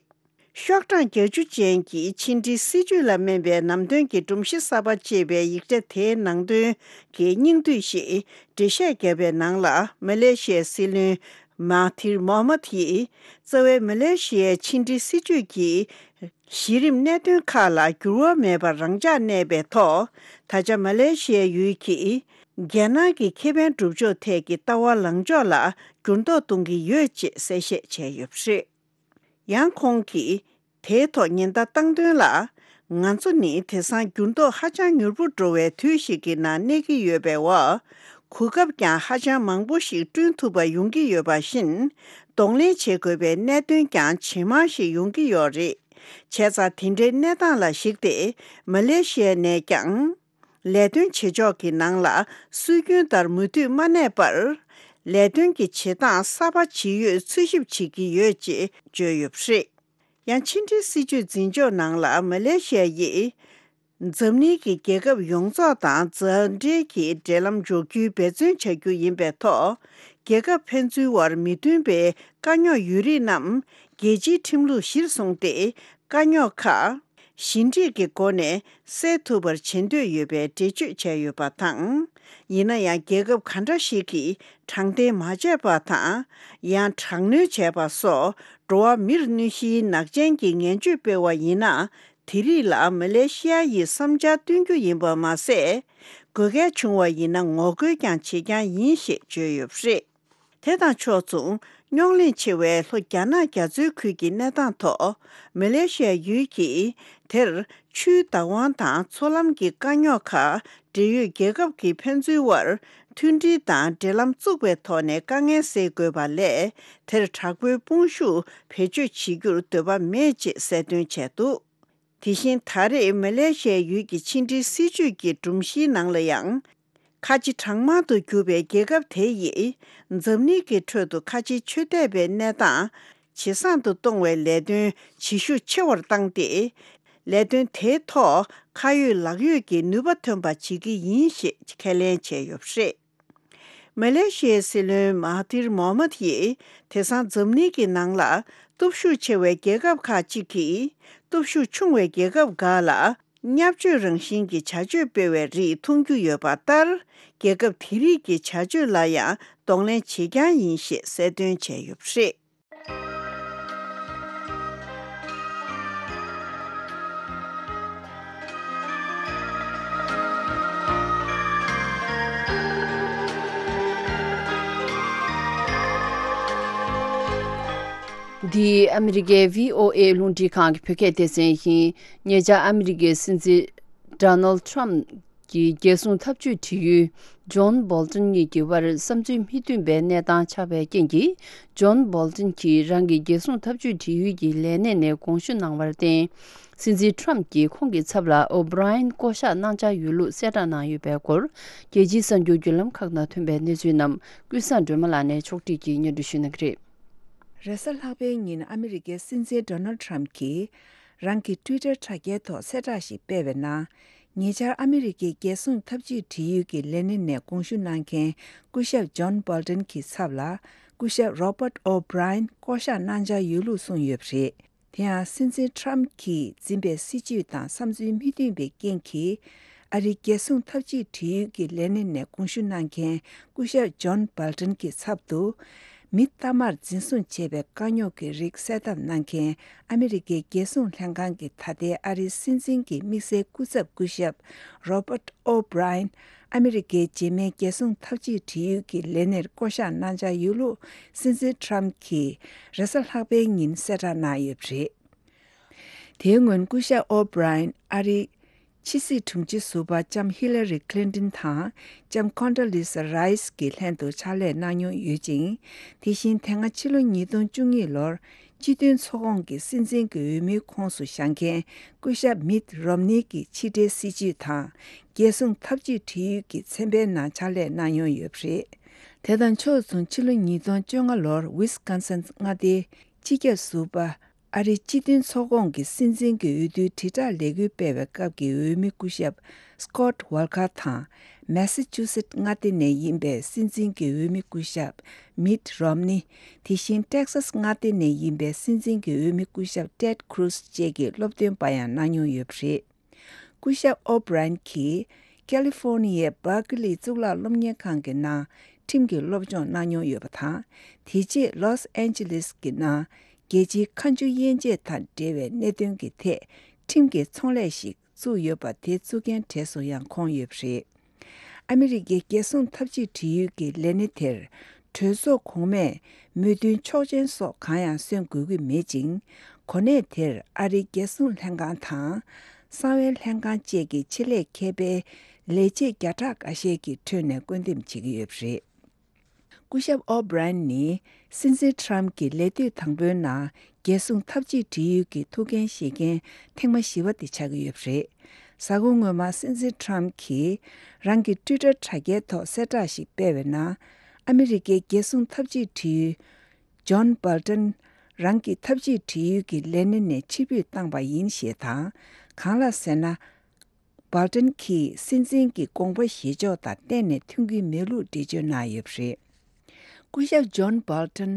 ཤོག་གྲངས་བརྒྱད་ཅུ་ཅན་གྱི་ཕྱི་འབྲེལ་སྲིད་ཇུས་ལ་སྨན་པའི་ནམ་དོན་གྱི་སྒྲོམ་གཞི་གསར་པ་ཅེས་པའི་ཡིག་ཆ་དེའི་ནང་དོན་གྱི་སྙིང་བསྡུས་ཤིག་འགྲེལ་བཤད་བརྒྱབ་པའི་ནང་ལ། མ་ལེ་ཤི་ཡའི་སྲིད་བློན་མ་ཧ་ཐིར་མོ་ཧ་མད་ཡིས་རྩ་བའི་མ་ལེ་ཤི་ཡའི་ཕྱི་འབྲེལ་སྲིད་ཇུས་ཀྱི་གཞི་རིམ་གནད་དོན་ཁག་ལ་འགྱུར་བ་མེད་པར་རང་འཇགས་གནས་པའི་ཐོག་ད་ཆ་མ་ལེ་ཤི་ཡའི་ཡུལ་གྱིས་རྒྱལ་ནང་གི་ཁེ་ཕན་སྒྲུབ་ཕྱོགས་ཐད་ཀྱི་ལྟ་བ་ལངས་ཕྱོགས་ལ་འགྱུར་ལྡོག་གཏོང་གི་ཡོད་ཅེས་གསལ་བཤད་བྱས་ཡོད་པ་རེད། ཡང་ཁོང་གིས་དེའི་ཐོག་ཉེན་བརྡ་བཏང་དོན་ལ། ང་ཚོ་ནི་དེང་སང་འགྱུར་ལྡོག་ཧ་ཅང་མྱུར་པོ་འགྲོ་བའི་དུས་ཤིག་གི་ནང་གནས་ཀྱི་ཡོད་པའི་འོག་གོ་སྐབས་ཀྱང་ཧ་ཅང་མང་པོ་ཞིག་བསྐྲུན་ཐུབ་པ་ཡོང་གི་ཡོད་པ་བཞིན། གདོང་ལེན་བྱེད་དགོས་པའི་གནད་དོན་ཀྱང་ཇེ་མང་ཞིག་ཡོང་གི་ཡོད་རེད། བྱས་ཙང་དེ་འདྲའི་གནས་སྟངས་ལ་གཞིགས་ཏེ། མ་ལེ་ཤི་ཡ་ནས་ཀྱང་། ལས་དོན་བྱེད་ཕྱོགས་ཀྱི་ནང་ལ་སྲོལ་རྒྱུན་ལྟར་མུ་མཐུད་མ་གནས་པར། ལས་དོན་གྱི་བྱེད་སྟངས་གསར་པ་ཇི་ཡོད་འཚོལ་ཞིབ་བྱེད་ཀྱི་ཡོད་ཅེས་བརྗོད་ཡོད་པ་རེད། ཡང་ཕྱི་འབྲེལ་སྲིད་ཇུས་འཛིན་ཕྱོགས་ནང་ལ་མ་ལེ་ཤི་ཡ་ཡིས། འཛམ་གླིང་གི་རྒྱལ་ཁབ་ཡོངས་རྫོགས་དང་མཛའ་འབྲེལ་གྱི་འབྲེལ་ལམ་འཇོག་རྒྱུའི་འབད་བརྩོན་བྱ་རྒྱུ་ཡིན་པའི་ཐོག་རྒྱལ་ཁབ་ཕན་ཚུན་དབར་མི་མཐུན་པའི་དཀའ་རྙོག་ཡོད་རིགས་རྣམས་རྒྱལ་སྤྱིའི་ཁྲིམས་ལུགས་གཞིར་བཟུང་སྟེ། དཀའ་རྙོག་ཁག་ཞི་འགྲིག་གི་སྒོ་ནས་སེལ་ཐུབ་པར་བྱེད་འདོད་ཡོད་པའི་འགྲེལ་བརྗོད་བྱས་ཡོད་པ་དང་། ཡིན་ན་ཡང་རྒྱལ་ཁབ་ག་འདྲ་ཞིག་གིས་དྲང་བདེན་མ་བྱས་པ་དང་། ཡང་དྲག་གནོན་བྱས་པ་སོགས་འགྲོ་བ་མིར་གནོད་གཞིའི་ནག་ཅན་གྱི་ངན་བྱུས་སྤེལ་བ་ཡིན་ན། དེ་རིགས་ལ་མ་ལེ་ཤི་ཡ་ཡིས་བསམ་འཆར་བཏོན་རྒྱུ་ཡིན་པ་མ་ཟད། དགོས་གལ་བྱུང་བ་ཡིན་ན་ངོ་རྒོལ་ཀྱང་བྱེད་རྐྱང་ཡིན་ཞེས་བརྗོད་ཡོད་པ་རེད། དེ་དང་ཕྱོགས་མཚུངས། རྙོག་གླེང་ཆེ་བའི་ལྷོ་རྒྱ་ནག་རྒྱ་མཚོའི་ཁུལ་གྱི་གནས་སྟངས་ཐོག་མ་ལེ་ཤི་ཡ་ཡུལ་གྱིས་དེར་ཆུའི་བདག་དབང་དང་མཚོ་ལམ་གྱི་དཀའ་རྙོག་ཁག་འབྲེལ་ཡོད་རྒྱལ་ཁབ་ཀྱི་ཕན་ཚུན་དབར་མཐུན་སྒྲིལ་དང་འབྲེལ་ལམ་བཙུགས་པའི་ཐོག་ནས་དཀའ་ངལ་སེལ་དགོས་པ་ལས། དེར་དྲག་པོའི་དཔུང་ཤུགས་བེད་སྤྱོད་བྱེད་རྒྱུར་འདོད་པ་མེད་ཅེས་གསལ་སྟོན་བྱས་འདུག་དེ་བཞིན་ད་རེས་མ་ལེ་ཤི་ཡའི་ཡུལ་གྱི་ཕྱི་འབྲེལ་སྲིད་ཇུས་ཀྱི་སྒྲོམ་གཞིའི་ནང་ལ་ཡང་། ཁ་ཆེ་གྲངས་མང་དུ་གྱུར་པའི་རྒྱལ་ཁབ་དེ་ཡིས་འཛམ་གླིང་གི་ཁྲོད་དུ་ཁ་ཆེའི་ཆོས་དད་པའི་གནས་སྟངས་ཇེ་བཟང་དུ་གཏོང་བའི་ལས་དོན་ཇེ་ཤུགས་ཆེ་བར་བཏང་སྟེ། ལས་དོན་དེའི་ཐོག་ཁ་ཡོད་ལག་ཡོད་ཀྱི་ནུས་པ་ཐོན་པ་བྱེད་ཀྱི་ཡིན་ཞེས་ཁས་ལེན་བྱས་ཡོད་པ་རེད། མ་ལེ་ཤི་ཡའི་སྲིད་བློན་མ་ཧ་ཐིར་མོ་ཧ་མད་ཡིས་དེང་སང་འཛམ་གླིང་གི་ནང་ལ་སྟོབས་ཤུགས་ཆེ་བའི་རྒྱལ་ཁབ་ཁག་ཅིག་གིས་སྟོབས་ཤུགས་ཆུང་བའི་རྒྱལ་ཁབ་འགའ་ལ་བརྙས་བཅོས་རང་བཞིན་གྱི་བྱ་སྤྱོད་སྤེལ་བའི་རིགས་མཐོང་རྒྱུ་ཡོད་པ་ལྟར། རྒྱལ་ཁབ་དེ་རིགས་ཀྱི་བྱ་སྤྱོད་ལ་ཡང་གདོང་ལེན་བྱེད་རྐྱང་ཡིན་ཞེས་གསལ་སྟོན་བྱས་ཡོད་པ་རེད། འདི་ཨ་མི་རི་ཀའི་བྷི་ཨོ་ཨེ་རླུང་འཕྲིན་ཁང་གི་བོད་སྐད་སྡེ་ཚན་ཡིན། ཉེ་ཆར་ཨ་མི་རི་ཀའི་སྲིད་འཛིན་ཌོ་ནལ་ཌི་ཊརམ་གྱི་རྒྱལ་སྲུང་འཐབ་ཇུས་དྲི་ཡུལ་ཇོན་སྦོལ་ཏོན་གཉིས་ཀྱི་དབར་བསམ་ཚུལ་མི་མཐུན་པའི་གནས་སྟངས་ཆགས་པའི་རྐྱེན་གྱིས། ཇོན་སྦོལ་ཏོན་གྱིས་རང་གི་རྒྱལ་སྲུང་འཐབ་ཇུས་དྲི་ཡུལ་གྱི་ལས་གནས་ནས་དགོངས་ཞུ་གནང་བར་བརྟེན། སྲིད་འཛིན་ཊརམ་གྱིས་ཁོང་གི་ཚབ་ལ་ཨོ་བྷི་རའི་ཡན་བསྐོ་གཞག་གནང་འཆར་ཡོད་ལུགས་གསལ་བསྒྲགས་གནང་ཡོད་པའི་སྐོར། རྒྱལ་སྤྱིའི་གསར་འགྱུར་བརྒྱུད་ལམ་ཁག་ནང་ཐོན་པའི་གནས་ཚུལ་རྣམས་ཀུན་བཟང་སྒྲོལ་མ་ལགས་ནས་ཕྱོགས་སྒྲིག་གིས་སྙན་སྒྲོན་ཞུ་གནང་གི་རེད། རེས་གཟའ་ལྷག་པའི་ཉིན་ཨ་མི་རི་ཀའི་སྲིད་འཛིན་ཌོ་ནལ་ཌི་ཊརམ་གྱིས་རང་གི་ཊུའི་ཊར་དྲ་རྒྱའི་ཐོག་གསལ་བསྒྲགས་ཤིག་སྤེལ་བའི་ནང་། ཉེ་ཆར་ཨ་མི་རི་ཀའི་རྒྱལ་སྲུང་འཐབ་ཇུས་འབྲེལ་ཡོད་ཀྱི་ལས་སྣེ་ནས་དགོངས་ཞུ་གནང་མཁན་སྐུ་ཞབས་ཇོན་སྦོལ་ཏོན་གྱི་ཚབ་ལ་སྐུ་ཞབས་རོ་བྷར་ཊི་ཨོ་བྷི་རའི་ཡན་བསྐོ་གཞག་གནང་འཆར་ཡོད་ལུགས་གསུངས་ཡོད་པ་རེད། དེ་ཡང་སྲིད་འཛིན་ཊརམ་གྱིས་འཛིན་པའི་སྲིད་བྱུས་དང་བསམ་ཚུལ་མི་མཐུན་པའི་རྐྱེན་གྱིས། ཨ་རིའི་རྒྱལ་སྲུང་འཐབ་ཇུས་འབྲེལ་ཡོད་ཀྱི་ལས་སྣེ་ནས་དགོངས་ཞུ་གནང་མཁན་སྐུ་ཞབས་ཇོན་སྦོལ་ཏོན་གྱི་ཚབ་ཏུ། མི་གཏའ་མར་འཛིན་བཟུང་བྱས་པའི་དཀའ་རྙོག་གི་རིགས་གསལ་བསྡམས་གནང་མཁན་ཨ་མི་རི་ཀའི་རྒྱལ་སྲུང་ལྷན་ཁང་གི་ད་ལྟའི་ཨ་རིའི་སྲིད་འཛིན་གྱི་དམིགས་བསལ་སྐུ་ཚབ་སྐུ་ཞབས་Robert O'Brien། ཨ་མི་རི་ཀའི་རྗེས་མའི་རྒྱལ་སྲུང་འཐབ་ཇུས་དྲི་ཡུལ་གྱི་ལས་སྣེར་བསྐོ་གཞག་གནང་འཆར་ཡོད་ལུགས་སྲིད་འཛིན་ཊམ་གྱིས་རེས་གཟའ་ལྷག་པའི་ཉིན་གསལ་བསྒྲགས་གནང་ཡོད་པ་རེད། དེའི་སྔོན་སྐུ་ཞབས་ཨོ་བྷི་རའེན་ཨ་རིའི་ཕྱི་སྲིད་དྲུང་ཆེ་ཟུར་པ་ལྕམ་ཧི་ལ་རི་ཁི་ལིན་ཏིན་དང་ལྕམ་ཁོན་ཌོ་ལི་ས་རའི་སི་གི་ལྷན་དུ་ཕྱག་ལས་གནང་མྱོང་ཡོད་ཅིང་། དེ་བཞིན་དེ་སྔ་ཕྱི་ལོ་ཉིས་སྟོང་བཅུ་གཉིས་ལོར་སྤྱི་མཐུན་ཚོགས་ཁོངས་ཀྱི་སྲིད་འཛིན་གྱི་འོས་མིའི་ཁོངས་སུ་བཞེངས་མཁན་སྐུ་ཞབས་མིད་རོམ་ནི་གི་ཕྱི་འབྲེལ་སྲིད་བྱུས་དང་རྒྱལ་སྲུང་འཐབ་ཇུས་དྲི་ཡུལ་གྱི་ཚན་པའི་ནང་ཕྱག་ལས་གནང་མྱོང་ཡོད་པ་རེད། དེ་དང་ཕྱོགས་མཚུངས་ཕྱི་ལོ་ཉིས་སྟོང་བཅོ་ལྔ་ལོར་ཝི་སི་ཀོན་སིན་མངའ་སྡེའི་སྤྱི་ཁྱབ་ཟུར་པ། ཨ་རིའི་སྤྱི་མཐུན་ཚོགས་ཁོངས་ཀྱི་སྲིད་འཛིན་གྱི་འོས་བསྡུའི་དྲིལ་བསྒྲགས་ལས་འགུལ་སྤེལ་བའི་སྐབས་ཀྱི་འོས་མི་སྐུ་ཞབས་སི་ཀོད་ཝལ་ཀར་དང་། མེ་ས་ཅུ་སེད་མངའ་སྡེ་ནས་ཡིན་པའི་སྲིད་འཛིན་གྱི་འོས་མི་སྐུ་ཞབས་མིད་རོམ་ནི། དེ་བཞིན་ཏེག་སཱས་མངའ་སྡེ་ནས་ཡིན་པའི་སྲིད་འཛིན་གྱི་འོས་མི་སྐུ་ཞབས་ཏེད་ཁུ་རུ་སི་བཅས་ཀྱི་སློབ་སྟོན་པ་ཡང་གནང་མྱོང་ཡོད་པ་རེད། སྐུ་ཞབས་ཨོ་བྷི་རན་གྱིས་ཀ་ལི་ཧྥོ་ནི་ཡའི་སྦར་ཀི་ལི་གཙུག་ལག་སློབ་གཉེར་ཁང་གི་ནང་ཁྲིམས་ཀྱི་སློབ་སྦྱོང་གནང་མྱོང་ཡོད་པ་དང་། དེ་རྗེས་ལོས་ཨན་ཇི་ལིས་ཀྱི་ནང་རྒྱལ་སྤྱིའི་མཁའ་འགྲུལ་དབྱེ་འབྱེད་དང་འབྲེལ་བའི་གནད་དོན་གྱི་ཐད་ཁྲིམས་ཀྱི་ཚོང་ལས་ཤིག་བཙུགས་ཡོད་པ་དེ་བཙུགས་མཁན་གྲས་སུ་ཡང་ཁོང་ཡོད་པ་རེད། ཨ་མི་རི་ཀའི་རྒྱལ་སྲུང་འཐབ་ཇུས་དྲི་ཡུལ་གྱི་ལས་སྣེ་དེར་གྲོས་ཚོགས་གོང་མས་མོས་མཐུན་ཆོག་མཆན་སོགས་གང་ཡང་སོན་དགོས་ཀྱི་མེད་ཅིང་། གོ་གནས་དེར་ཨ་རིའི་རྒྱལ་སྲུང་ལྷན་ཁང་དང་། གསང་བའི་ལྷན་ཁང་བཅས་ཀྱི་ཆེད་ལས་མཁས་པའི་ལས་བྱེད་བརྒྱ་ཕྲག་འགའ་ཤས་ཀྱི་ཁྲོད་ནས་བསྐོ་འདེམས་བྱེད་ཀྱི་ཡོད་པ་རེད། སྐུ་ཞབས་ཨོ་བྷི་རན་ནི་སྲིད་འཛིན་ཊམ་གྱི་ལས་དུས་དང་པོའི་ནང་རྒྱལ་སྲུང་འཐབ་ཇུས་དྲི་ཡུལ་གྱི་ཐུགས་འགན་བཞེས་མཁན་ཐེངས་མ་བཞི་པ་དེ་ཆགས་ཀྱི་ཡོད་པ་རེད། གཟའ་འཁོར་སྔོན་མ་སྲིད་འཛིན་ཊམ་གྱིས་རང་གི་ཊུའི་ཊར་དྲ་རྒྱའི་ཐོག་གསལ་བསྒྲགས་ཤིག་སྤེལ་བའི་ནང་། ཨ་མི་རི་ཀའི་རྒྱལ་སྲུང་འཐབ་ཇུས་དྲི་ཡུལ་ཇོན་སྦལ་ཏན་རང་གི་འཐབ་ཇུས་དྲི་ཡུལ་གྱི་ལས་སྣེ་ནས་ཕྱིར་འབུད་བཏང་པ་ཡིན་ཞེས་དང་། གང་ལགས་ཟེར་ན། སྦལ་ཏན་གྱིས་སྲིད་འཛིན་གྱི་དགོངས་པ་བཞེས་ཕྱོགས་དང་གཏན་ནས་མཐུན་གྱི་མེད་ལུགས་འགྲེལ་བརྗོད་གནང་ཡོད་པ་རེད། སྐུ་ཞབས་ཇོན་སྦལ་ཏན་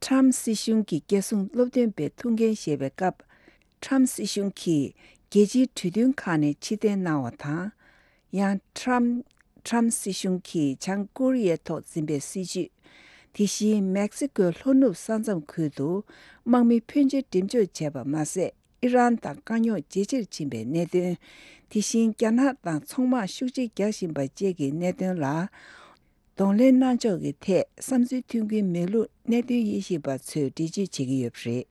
ཊམ་སྲིད་གཞུང་གི་རྒྱལ་སྲུང་སློབ་སྟོན་པའི་ཐུགས་འགན་བཞེས་པའི་སྐབས། ཊམ་སྲིད་གཞུང་གིས་རྒྱལ་སྤྱིའི་གྲོས་མཐུན་ཁག་ནས་ཕྱིར་འཐེན་གནང་བ་དང་། ཡང་ཊམ་ཊམ་སྲིད་གཞུང་གིས་བྱང་ཀོ་རི་ཡའི་ཐོག་འཛིན་པའི་སྲིད་བྱུས། དེ་བཞིན་མེག་སི་ཀོའི་ལྷོ་ནུབ་ས་མཚམས་ཁུལ་དུ་དམག་མི་ཕོན་ཆེ་འགྲེམས་འཇོག་བྱས་པ་མ་ཟད། ཨི་རན་དང་དཀའ་རྙོག་ཇེ་ཆེར་ཕྱིན་པའི་གནད་དོན། དེ་བཞིན་རྒྱ་ནག་དང་ཚོང་དམག་ཤུགས་ཆེ་རྒྱག་བཞིན་པ་བཅས་ཀྱི་གནད་དོན་ལ་གདོང་ལེན་གནང་ཕྱོགས་ཀྱི་ཐད་བསམ་ཚུལ་མཐུན་གྱི་མེད་ལུགས་གནད་དོན་དབྱེ་ཞིབ་པ་ཚོས་འགྲེལ་བརྗོད་བྱེད་ཀྱི་ཡོད་པ་རེད།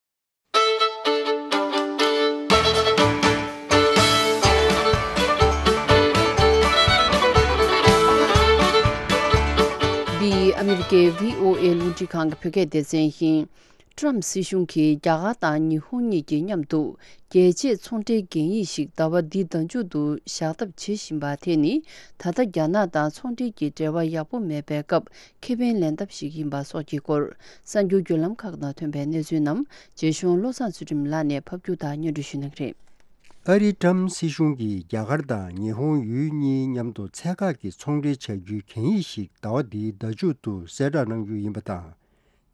འདི་ཨ་མི་རི་ཀའི་བྷི་ཨོ་ཨེ་རླུང་འཕྲིན་ཁང་གི་བོད་སྐད་སྡེ་ཚན་ཡིན། ཀྲམ་སྲིད་གཞུང་གིས་རྒྱ་གར་དང་ཉི་ཧོང་གཉིས་ཀྱིས་མཉམ་དུ་རྒྱལ་ཆེའི་ཚོང་འབྲེལ་གན་ཡིག་ཞིག་ཟླ་བ་འདིའི་ཟླ་མཇུག་ཏུ་བཞག་ཐབས་བྱེད་བཞིན་པ་དེ་ནི། ད་ལྟ་རྒྱ་ནག་དང་ཚོང་འབྲེལ་གྱི་འབྲེལ་བ་ཡག་པོ་མེད་པའི་སྐབས་ཁེ་ཕན་ལེན་ཐབས་ཤིག་ཡིན་པ་སོགས་ཀྱི་སྐོར། གསར་འགྱུར་བརྒྱུད་ལམ་ཁག་ནང་ཐོན་པའི་གནས་ཚུལ་རྣམས་རྗེ་གཞུང་བློ་བཟང་ཚུལ་ཁྲིམས་ལགས་ནས་ཕབ་སྒྱུར་དང་སྙན་སྒྲོན་ཞུ་གནང་གི་རེད། ཨ་རིའི་ཀྲམ་སྲིད་གཞུང་གིས་རྒྱ་གར་དང་ཉི་ཧོང་ཡུལ་གཉིས་མཉམ་དུ་ཚད་བཀག་གི་ཚོང་འབྲེལ་བྱ་རྒྱུའི་གན་ཡིག་ཞིག་ཟླ་བ་འདིའི་ཟླ་མཇུག་ཏུ་གསལ་བསྒྲགས་གནང་རྒྱུ་ཡིན་པ་དང་།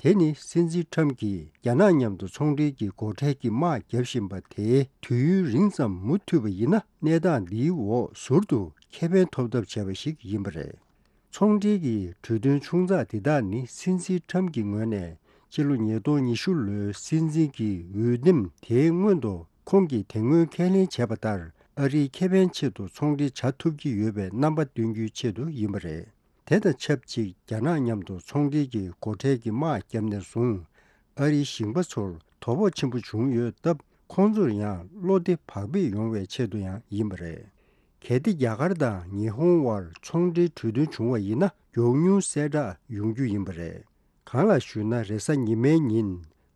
དེ་ནི་སྲིད་འཛིན་ཁྲམ་གྱིས་རྒྱ་ནག་མཉམ་དུ་ཚོང་འབྲེལ་གྱི་སྒོ་ཁྲལ་གྱི་དམག་བརྒྱབ་བཞིན་པ་དེ་དུས་ཡུན་རིང་ཙམ་མུ་མཐུད་པ་ཡིན་ན། གནས་སྟངས་འདིའི་འོག་ཟུར་དུ་ཁེ་ཕན་ཐོབ་ཐབས་བྱས་པ་ཞིག་ཡིན་པ་རེད། ཚོང་འབྲེལ་གྱི་གྲོས་མཐུན་ཆུང་ཙག་འདི་དག་ནི་སྲིད་འཛིན་ཁྲམ་གྱི་ངོས་ནས་ཕྱི་ལོ་ཉིས་སྟོང་ཉི་ཤུ་ལོའི་སྲིད་འཛིན་གྱི་འོས་འདེམས་དེའི་སྔོན་དུ་ཁོང་གིས་དེ་སྔོན་ཁས་ལེན་བྱས་པ་ལྟར། ཨ་རིའི་ཁེ་ཕན་ཆེད་དུ་ཚོང་འབྲེལ་བྱ་ཐུབ་ཀྱི་ཡོད་པའི་རྣམ་པ་སྟོན་རྒྱུའི་ཆེད་དུ་ཡིན་པ་རེད། དེ་དང་ཆབས་ཅིག་རྒྱ་ནག་མཉམ་དུ་ཚོང་འབྲེལ་གྱི་སྒོ་ཁྲལ་གྱི་དམག་བརྒྱབ་ནས་བཟུང་། ཨ་རིའི་ཞིང་པ་ཚོར་དོ་ཕོག་ཆེན་པོ་བྱུང་ཡོད་སྟབས། ཁོང་ཚོར་ཡང་བློ་བདེ་བག་ཕེབས་ཡོང་བའི་ཆེད་དུ་ཡང་ཡིན་པ་རེད། གལ་ཏེ་རྒྱ་གར་དང་ཉི་ཧོང་དབར་ཚོང་འབྲེལ་གྲོས་མཐུན་བྱུང་བ་ཡིན་ན། མགྱོགས་མྱུར་གསལ་བསྒྲགས་ཡོང་རྒྱུ་ཡིན་པ་རེད། གང་ལགས་ཞུས་ན། རེས་གཟའ་ཉི་མའི་ཉིན།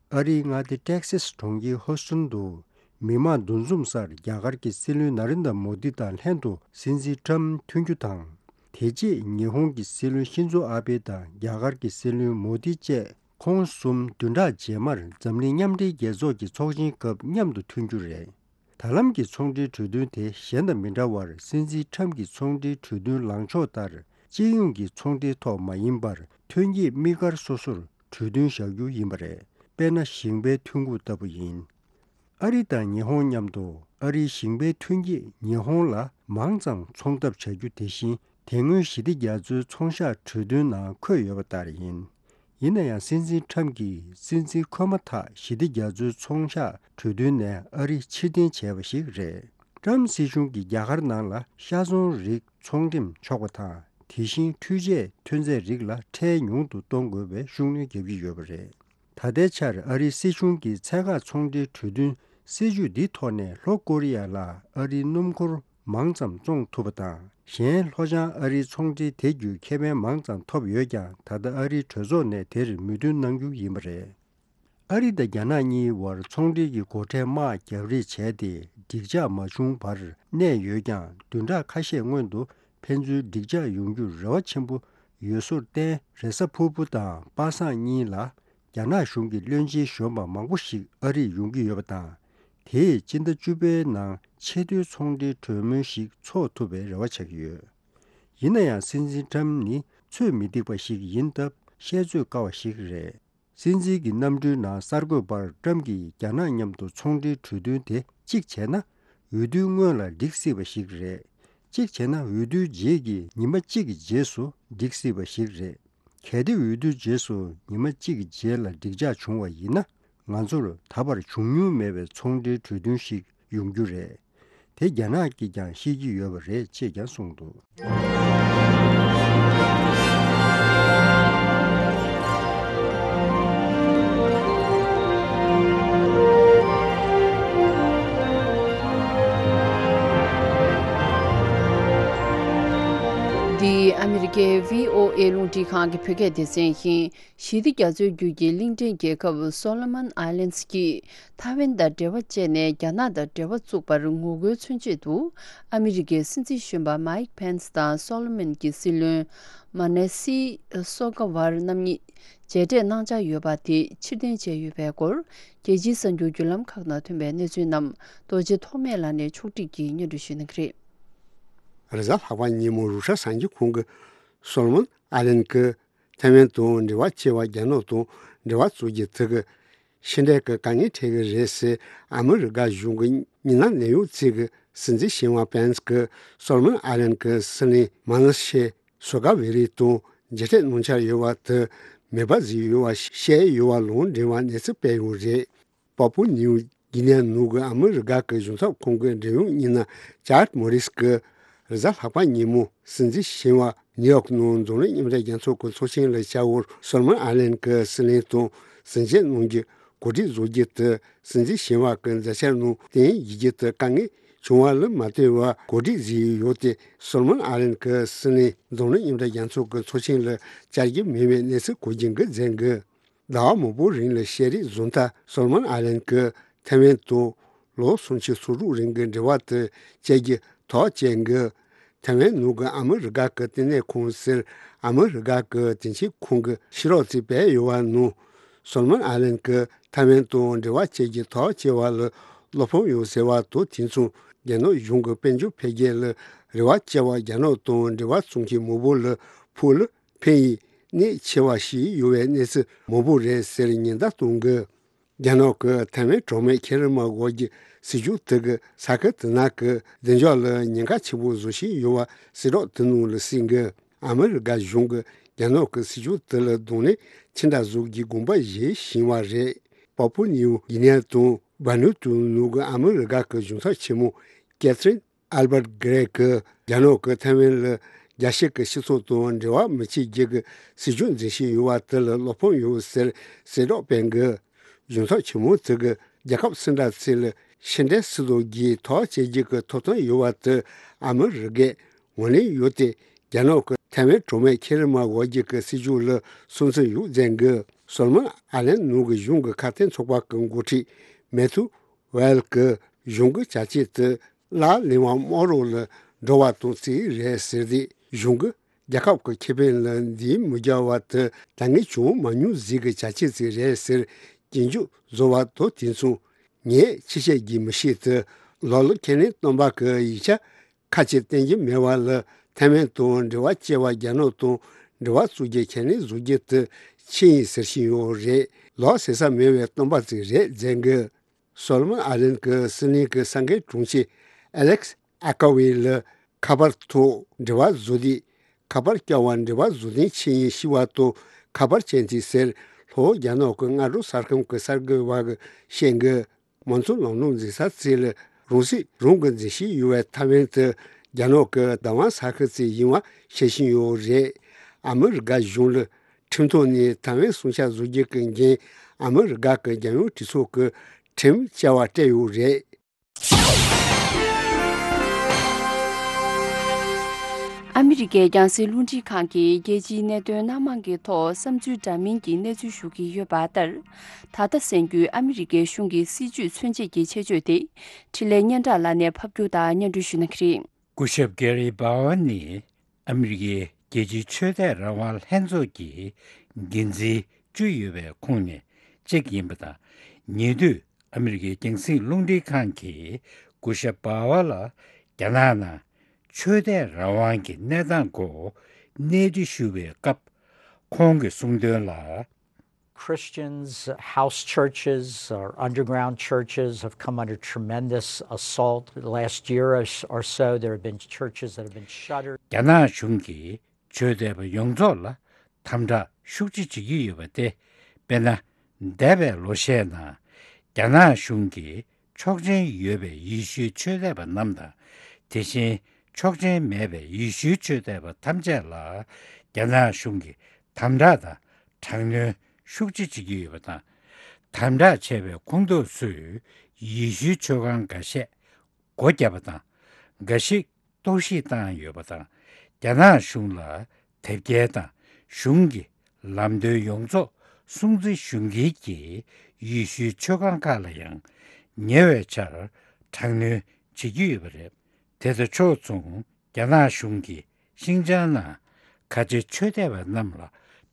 ཨ་རིའི་མངའ་སྡེ་ཏེག་སེས་གྲོང་ཁྱེར་ཧོ་སི་ཊོན་དུ། མི་མང་འདུ་འཛོམས་སར་རྒྱ་གར་གྱི་སྲིད་བློན་ན་རེན་དྲ་མོ་དི་དང་ལྷན་དུ་སྲིད་འཛིན་ཁྲམ་ཐུག་རྒྱུ་དང་། དེ་རྗེས་ཉི་ཧོང་གི་སྲིད་བློན་ཤིན་ཛོ་ཨ་བྷེ་དང་རྒྱ་གར་གྱི་སྲིད་བློན་མོ་དི་བཅས་ཁོང་གསུམ་བདུན་ཕྲག་རྗེས་མར་འཛམ་གླིང་མཉམ་འབྲེལ་རྒྱལ་ཚོགས་ཀྱི་ཚོགས་ཆེན་སྐབས་མཉམ་དུ་ཐུག་རྒྱུ་རེད། ད་ལམ་གྱི་ཚོང་འབྲེལ་གྲོས་མཐུན་དེ་གཞན་དང་མི་འདྲ་བར། སྲིད་འཛིན་ཁྲམ་གྱི་ཚོང་འབྲེལ་གྲོས་མཐུན་ལངས་ཕྱོགས་ལྟར། སྤྱི་ཡོངས་ཀྱི་ཚོང་འབྲེལ་ཐོག་མ་ཡིན་པར། ཐོན་སྐྱེད་དམིགས་བཀར་སོ་སོར་གྲོས་མཐུན་བཞག་རྒྱུ་ཡིན་པ་རེད། དཔེར་ན། ཞིང་པའི་ཐོན་ཁུངས་ལྟ་བུ་ཡིན། ཨ་རི་དང་ཉི་ཧོང་མཉམ་དུ། ཨ་རིའི་ཞིང་པའི་ཐོན་སྐྱེད་ཉི་ཧོང་ལ་མང་ཙམ་འཚོང་ཐབས་བྱ་རྒྱུ་དེ་བཞིན། དེ་སྔོན་ཞི་བདེ་རྒྱ་མཚོའི་ཚོང་གཤགས་གྲོས་མཐུན་ནང་འཁོད་ཡོད་པ་ལྟར་ཡིན། ཡིན་ན་ཡང་སྲིད་འཛིན་ཁྲམ་གྱིས་སྲིད་འཛིན་འཁོད་མ་ཐག་ཞི་བདེ་རྒྱ་མཚོའི་ཚོང་གཤགས་གྲོས་མཐུན་ནས་ཨ་རི་ཕྱིར་འཐེན་བྱས་པ་ཞིག་རེད། ཁྲམ་སྲིད་གཞུང་གིས་རྒྱ་གར་ནང་ལ་ཤ་ཚོང་རིགས་ཚོང་འགྲེམས་ཆོག་པ་དང་། དེ་བཞིན་འཕྲུལ་ཆས་ཐོན་རྫས་རིགས་ལ་ཁྲལ་ཉུང་དུ་གཏོང་དགོས་པའི་ཤུགས་སྣོན་རྒྱག་གི་ཡོད་པ་རེད། ད་ལྟའི་ཆར་ཨ་རིའི་སྲིད་གཞུང་གིས་ཚད་བཀག་ཚོང་འབྲེལ་གྲོས་མཐུན་སྲིད་ཇུས་འདིའི་ཐོག་ནས་ལྷོ་ཀོ་རི་ཡ་ལ་ཨ་རིའི་སྣུམ་འཁོར་མང་ཙམ་བཙོང་ཐུབ་པ་དང་། གཞན་ལྷོ་བྱང་ཨ་རིའི་ཚོང་འབྲེལ་དེ་བརྒྱུད་ཁེ་ཕན་མང་ཙམ་ཐོབ་ཡོད་ཀྱང་། ད་ལྟ་ཨ་རིའི་གྲོས་ཚོགས་ནས་དེར་མོས་མཐུན་གནང་རྒྱུ་ཡིན་པ་རེད། ཨ་རི་དང་རྒྱ་ནག་གཉིས་བར་ཚོང་འབྲེལ་གྱི་སྒོ་ཁྲལ་དམག་རྒྱག་རེས་བྱས་ཏེ་འགྲིག་འཇགས་མ་བྱུང་བར་གནས་ཡོད་ཀྱང་། བདུན་ཕྲག་ཁ་ཤས་སྔོན་དུ་ཕན་ཚུན་འགྲིག་འཇགས་ཡོང་རྒྱུར་རེ་བ་ཆེན་པོ་ཡོད་བཟོ་བརྟེན། རེ་ས་ཕུར་བུ་དང་པ་སངས་གཉིས་ལ་རྒྱ་ནག་གཞུང་གི་བློན་ཆེན་གཞོན་པ་མང་པོ་ཞིག་ཨ་རིར་ཡོང་གི་ཡོད་པ་དང་། དེས་སྤྱི་ཟླ་བཅུ་པའི་ནང་ཆེས་མཐོའི་ཚོང་འབྲེལ་གྲོས་མོལ་ཞིག་ཚོགས་ཐུབ་པའི་རེ་བ་བྱ་གི་ཡོད། ཡིན་ན་ཡང་སྲིད་འཛིན་ཁྲམ་ནི་ཚོད་མི་ཐིག་པ་ཞིག་ཡིན་སྟབས་བཤད་ཚོད་དཀའ་བ་ཞིག་རེད། སྲིད་འཛིན་གྱི་གནམ་གྲུའི་ནང་གསར་འགོད་པར་ཁྲམ་གྱིས་རྒྱ་ནག་མཉམ་དུ་ཚོང་འབྲེལ་གྲོས་མཐུན་དེ་གཅིག་བྱས་ན་འོས་བསྡུའི་སྔོན་ལ་འགྲིག་སྲིད་པ་ཞིག་རེད། གཅིག་བྱས་ན་འོས་བསྡུའི་རྗེས་ཀྱི་ཉི་མ་གཅིག་གི་རྗེས་སུ་འགྲིག་སྲིད་པ་ཞིག་རེད། གལ་ཏེ་འོས་བསྡུའི་རྗེས་སུ་ཉི་མ་གཅིག་གི་རྗེས་ལ་འགྲིག་འཇགས་བྱུང་བ་ཡིན་ན། ང་ཚོར་ད་བར་བྱུང་མྱོང་མེད་པའི་ཚོང་འབྲེལ་གྲོས་མཐུན་ཞིག་ཡོང་རྒྱུ་རེད། དེ་རྒྱ་ནག་གིས་ཀྱང་ཤེས་ཀྱི་ཡོད་པ་རེད་ཅེས་ཀྱང་གསུངས་འདུག། འདི་ཨ་མི་རི་ཀའི་བྷི་ཨོ་ཨེ་རླུང་འཕྲིན་ཁང་གི་བོད་སྐད་སྡེ་ཚན་ཡིན། ཞི་བདེ་རྒྱ་མཚོའི་རྒྱུད་ཀྱི་གླིང་ཕྲན་རྒྱལ་ཁབ་སོ་ལོ་མོན་ཨའི་ལེན་ཌི་ཀྱིས་ཐའེ་ཝན་དང་འབྲེལ་བ་བཅད་ནས་རྒྱ་ནག་དང་འབྲེལ་བ་བཙུགས་པར་ངོ་རྒོལ་མཚོན་ཆེད་དུ། ཨ་མི་རི་ཀའི་སྲིད་འཛིན་གཞོན་པ་མའིག་ཕེན་སི་དང་སོ་ལོ་མོན་གྱི་སྲིད་བློན་མ་ནེ་སི་སོ་ཀ་བར་རྣམ་གཉིས་མཇལ་འཕྲད་གནང་འཆར་ཡོད་པ་དེ་ཕྱིར་འཐེན་བྱས་ཡོད་པའི་སྐོར། རྒྱལ་སྤྱིའི་གསར་འགྱུར་བརྒྱུད་ལམ་ཁག་ནང་ཐོན་པའི་གནས་ཚུལ་རྣམས་རྡོ་རྗེ་ཐོགས་མེད་ལགས་ནས་ཕྱོགས་སྒྲིག་གིས་སྙན་སྒྲོན་ཞུ་གནང་གི་རེད། རེས་གཟའ་ལྷག་པ་ཉིན་མོ་རུ་ཤ་གསར་འགྱུར་ཁང་གིས་སོ་ལོ་མོན་ཨ་ལན་གྱིས་ཐའེ་ཝན་དང་འབྲེལ་བ་བཅད་པར་རྒྱ་ནག་དང་འབྲེལ་བ་བཙུགས་རྒྱུ་དེ་གིས་ཕྱི་འབྲེལ་གྱི་དཀའ་ངལ་འཕྲད་ཀྱི་རེད་ཟེར་ཨ་མི་རི་ཀ་གཞུང་གི་མི་སྣ་གནད་ཡོད་ཅིག་གིས་སྲིད་འཛིན་གཞོན་པ་ཕེན་སི་གིས་སོ་ལོ་མོན་ཨ་ལན་གྱི་སྲིད་བློན་མ་ནེ་སི་སོ་ཀ་བེ་རི་དང་མཇལ་འཕྲད་གནང་འཆར་ཡོད་པ་དེ་མེད་པ་བཟོས་ཡོད་པ་བཤད་ཡོད་པ་ལུང་འདྲེན་པ་གནས་ཚུལ་སྤེལ་ཡོད་རེད། པཱ་པུ་ནིའུ་གི་ནི་ནུབ་ཀྱི་ཨ་མི་རི་ཀ་གི་གཞུང་ཚབ་ཁང་གི་འབྲེལ་ཡོད་མི་སྣ་ཅཱར་མོ་རིས་ཀྱིས་རེས་གཟའ་ལྷག་པ་ཉིན་མོ་སྲིད་འཛིན་གཞོན་པ་ནིའུ་ཡོག་ནང་འཛམ་གླིང་མཉམ་འབྲེལ་རྒྱལ་ཚོགས་ཀྱི་ཚོགས་ཆེན་ལ་བཅར་བར་སོ་ལོ་མོན་ཨའི་ལན་གྱི་སྲིད་བློན་དང་ཟིན་བྲིས་གནང་རྒྱུ་གོ་སྒྲིག་བཟོ་རྒྱུ་དེ་སྲིད་འཛིན་གཞོན་པ་གྱི་མཛད་འཆར་ནང་བསྟན་ཡིན་རྒྱུ་དེ་དཀའ་ངལ་བྱུང་བ་ལ་མ་ལྟོས་པར་གོ་སྒྲིག་བཟོས་ཡོད་དེ། སོ་ལོ་མོན་ཨའི་ལན་གྱི་སྲིད་བློན་འཛམ་གླིང་མཉམ་འབྲེལ་རྒྱལ་ཚོགས་ཀྱི་ཚོགས་ཆེན་ལ་བཅར་རྒྱུ་མེད་པའི་གནས་ཚུལ་གོ་རྒྱུ་འགོ་འཛིན་གྱི། ཟླ་བ་མང་པོའི་རིང་ལ་ཤེས་རིག་བཟོ་མཐའ་སོ་ལོ་མོན་ཨའི་ལན་གྱིས་ཐའེ་ཝན་དང་ལོ་སུམ་ཅུ་སོ་དྲུག་རིང་གི་འབྲེལ་བ་དེ་བཅད་རྒྱུ་ཐག་བཅད་འགོ། ཐའེ་ཝན་ནང་གི་ཨ་མི་རི་ཀ་གི་བསྟི་གནས་ཁང་ཟེར་ཨ་མི་རི་ཀ་གི་དེང་ཕྱིན་ཁང་གི་ཤེས་རོགས་ཚོས་སྤེལ་ཡོད་པ་ནང་། སོ་ལོ་མོན་ཨའི་ལན་གྱིས་ཐའེ་ཝན་དང་འབྲེལ་བ་བཅད་རྒྱུ་ཐག་བཅད་པ་ལ་བློ་ཕམ་ཡོད་ཟེར་བ་དང་། དེ་མཚུངས་རྒྱ་ནག་གཞུང་གིས་དཔལ་འབྱོར་འཕེལ་རྒྱས་ལ་རེ་བ་བཅངས་པ་རྒྱ་ནག་དང་འབྲེལ་བ་བཙུགས་མཁན་མང་པོ་ལ་ཕུགས་ལ་ཕན་ཡས་གནད་ཆེ་བ་ཞིག་ཡོད་པའི་གནས་ཚུལ་མང་པོ་རེད་ཟེར་ཉེན་བརྡ་གཏོང་གི། རྒྱ་ནག་གིས་ཐའེ་ཝན་གྲོགས་མེད་ཁེ་རི་མ་འོག་གི་སྲིད་ཇུས་དེ་གིས་ས་ཁུལ་དེ་ནང་གི་བདེ་འཇགས་ལ་ཉེན་ཁ་ཆེན་པོ་བཟོ་བཞིན་ཡོད་པ་གསལ་བསྒྲགས་དེ་ནང་ལ་གསལ་གི། ཨ་མི་རི་ཀ་གཞུང་གིས་རྒྱ་ནག་གི་སྲིད་ཇུས་དེ་ལ་གདོང་ལེན་ཅི་འདྲ་བཟོ་རྒྱུའི་དགོངས་པ་བཞེས་བཞིན་པ་རེད། པཱ་པུ་ནིའུ་གི་ནི་དང་ཝ་ནུ་ཏུ་ནང་གི་ཨ་མི་རི་ཀ་གི་གཞུང་ཚབ་ཆེན་མོ་ཀེ་ཐི་རིན་ཨལ་བར་གྷི་རེ་གིས་རྒྱ་ནག་གིས་ཐའེ་ཝན་ལ་རྒྱལ་སྤྱི་གི་སྤྱི་ཚོགས་དང་འབྲེལ་བ་མི་བྱེད་རྒྱུ་གི་སྲིད་ཇུས་འཛིན་བཞིན་ཡོད་པ་དེ་ལ་བློ་ཕམ་ཡོད་ཟེར་གསལ་བསྒྲགས་སྤེལ་གི། གཞུང་ཚབ་ཆེན་མོ་དེ་གིས་རྒྱལ་ཁབ་སུ་འདྲ་ཞིག་ལ་ཕྱི་འབྲེལ་སྲིད་དོན་གྱི་ཐག་བཅད་རྒྱུ་གི་ཐོབ་ཐང་ཡོད་པ་དེ་ཨ་མི་རི་ཀས་ངོས་ལེན་ཡོད་དེ། རྒྱ་ནག་གིས་ཐའེ་ཝན་གྲོགས་མེད་ཁེ་རི་མ་འོག་གི་སྲིད་ཇུས་ལ་སྲུང་བརྩི་ཡོད་ཟེར་གི། སོ་ལོ་མོན་ཨ་ལན་ནང་གི་གཞུང་གི་ཁ་གཏད་ཚོགས་པ་གི་འགོ་ཁྲིད་མེ་ཐུ་ཝེལ་གྱིས་གཞུང་གི་བྱ་སྤྱོད་དེ་གླ་ལེན་པ་དམག་རོགས་ལ་འགྲོ་བ་དང་རྩིས་རེད་ཟེར་ཏེ། གཞུང་གིས་རྒྱལ་ཁབ་ཀྱི་ཁེ་ཕན་ལ་འཛེམ་མི་རྒྱག་པ་དེ་དཀའ་ངལ་བྱུང་མ་མྱོང་ཟིག་གི་བྱ་སྤྱོད་ཅིག་རེད་ཟེར་སྐྱོན་བརྗོད་བཟོ་བ་དང་། དེ་མཚུངས་ངས་ཕྱི་བཤད་རྒྱུ་མི་ཤེས་ཏེ་ལོ་ལོ་ཁས་ལེན་སྟོན་པ་གི་ཡིག་ཆ་ཁ་ཅིག་བསྟན་གྱི་མེད་པ་ལ་ཐའེ་ཝན་དང་འབྲེལ་བ་བཅད་པ་རྒྱ་ནག་དང་འབྲེལ་བ་བཙུགས་རྒྱུ་ཁས་ལེན་བཟོ་རྒྱུ་དེ་ཕྱི་ཡིན་ཟེར་བཞིན་ཡོད་རེད། ལོ་ཟེར་ས་མེད་པའི་སྟོན་པ་ཅིག་རེད་ཟེར་གི། སོ་ལོ་མོན་ཨ་ལན་གྱི་སྲིད་བློན་གྱི་གསར་འགན་དྲུང་ཆེ་ཨ་ལེག་སི་ཨ་ཀ་ཝེ་ལ་ཁ་པར་ཐོག་འབྲེལ་བ་བཟོ་དུས། ཁ་པར་བསྐྱར་བ་འབྲེལ་བ་བཟོ་དོན་ཅི་ཡིན་ཤེས་པ་དང་། ཁ་པར་ཅན་དེ་ཟེར། ལྷོ་རྒྱ་ནག་གི་སྔ་དྲོ་གསར་ཁང་གི་གསར་འགོད་པ་གིས་བཤད་གི། མང་གཙོ་ལམ་ལུགས་འཛིན་ས་ཚིག་ལ་རང་སྲིད་རང་གིས་འཛིན་བཞིན་ཡོད་པའི་ཐའེ་ཝན་དུ་རྒྱ་ནག་གི་བདག་དབང་ས་ཁུལ་ཅིག་ཡིན་པ་བཤད་བཞིན་ཡོད་རེད། ཨ་མི་རི་ཀ་གཞུང་ལ་ཁྲིམས་ཐོག་ནས་ཐའེ་ཝན་སྲུང་སྐྱོབ་བཟོ་རྒྱུ་གི་འགན་ཨ་མི་རི་ཀ་གི་རྒྱལ་ཡོངས་གྲོས་ཚོགས་ཀྱིས་ཁྲིམས་བཅའ་བ་སྤྲད་ཡོད་རེད། ཨ་མི་རི་ཀའི་རྒྱང་སྲིང་རླུང་འཕྲིན་ཁང་གིས་རྒྱལ་སྤྱིའི་གནད་དོན་སྣ་མང་གི་ཐོག་བསམ་ཚུལ་འདྲ་མིན་གྱི་གནས་ཚུལ་ཞུ་གི་ཡོད་པ་ལྟར། ད་ལྟ་གསན་རྒྱུའི་ཨ་མི་རི་ཀའི་གཞུང་གི་སྲིད་བྱུས་མཚོན་བྱེད་ཀྱི་ཆེད་བརྗོད་དེ། འཕྲིན་ལས་སྙན་གྲགས་ལགས་ནས་ཕབ་སྒྱུར་དང་སྙན་སྒྲོན་ཞུ་གནང་གི་རེད། སྐུ་ཞབས་ཀེ་རི་སྦ་ཝར་ནི་ཨ་མི་རི་ཀའི་རྒྱལ་སྤྱིའི་ཆོས་དད་རང་དབང་ལྷན་ཚོགས་ཀྱི་འགན་འཛིན་བཅུ་ཡོད་པའི་ཁོངས་ནས་གཅིག་ཡིན་པ་དང་། ཉེ་དུས་ཨ་མི་རི་ཀའི་རྒྱང་སྲིང་རླུང་འཕྲིན་ཁང་གིས་སྐུ་ཞབས་སྦ་ཝར་ལ་རྒྱ་ནག་ནང་ཆོས་དད་རང་དབང་གི་གནས་སྟངས་སྐོར་གནས་འདྲི་ཞུ་བའི་སྐབས། ཁོང་གིས་གསུངས་དོན་ལ། Christians, house churches or underground churches have come under tremendous assault. The last year or s- or so, there have been churches that have been shuttered. རྒྱ་ནག་གཞུང་གིས་ཆོས་དད་པ་ཡོངས་རྫོགས་ལ་དམ་དྲག་ཤུགས་ཆེ་བྱེད་ཀྱི་ཡོད་པ་སྟེ། དཔེར་ན། འདས་པའི་ལོ་ཤས་ནང་རྒྱ་ནག་གཞུང་གིས་ཆོག་མཆན་ཡོད་པའི་ཡེ་ཤུའི་ཆོས་དད་པ་རྣམས་དང་། དེ་བཞིན་ཆོག་མཆན་མེད་པའི་ཡེ་ཤུའི་ཆོས་དད་པ་ཐམས་ཅད་ལ་རྒྱ་ནག་གཞུང་གིས་དམ་དྲག་དང་། དྲག་གནོན་ཤུགས་ཆེ་བྱེད་ཀྱི་ཡོད་པ་དང་། དམ་དྲག་བྱས་པའི་ཁོངས་གཏོགས་ཚོས་ཡེ་ཤུའི་ཆོས་ཁང་འགའ་ཤས་སྒོ་བརྒྱབ་པ་དང་། འགའ་ཞིག་གཏོར་བཤིག་བཏང་ཡོད་པ་དང་། རྒྱ་ནག་གཞུང་ལ་དེབ་སྐྱེལ་དང་གཞུང་གི་ལམ་སྟོན་ཡོངས་རྫོགས་སྲུང་བརྩི་ཞུ་མཁན་གྱི་ཡེ་ཤུའི་ཆོས་ཁང་ཁག་ལ་ཡང་ཉེ་བའི་ཆར་དྲག་གནོན་བྱེད་ཀྱི་ཡོད་པ་རེད། དེ་དང་ཕྱོགས་མཚུངས། རྒྱ་ནག་གཞུང་གིས་ཤིང་ཅང་ནང་ཁ་ཆེ་ཆོས་དད་པ་རྣམས་ལ་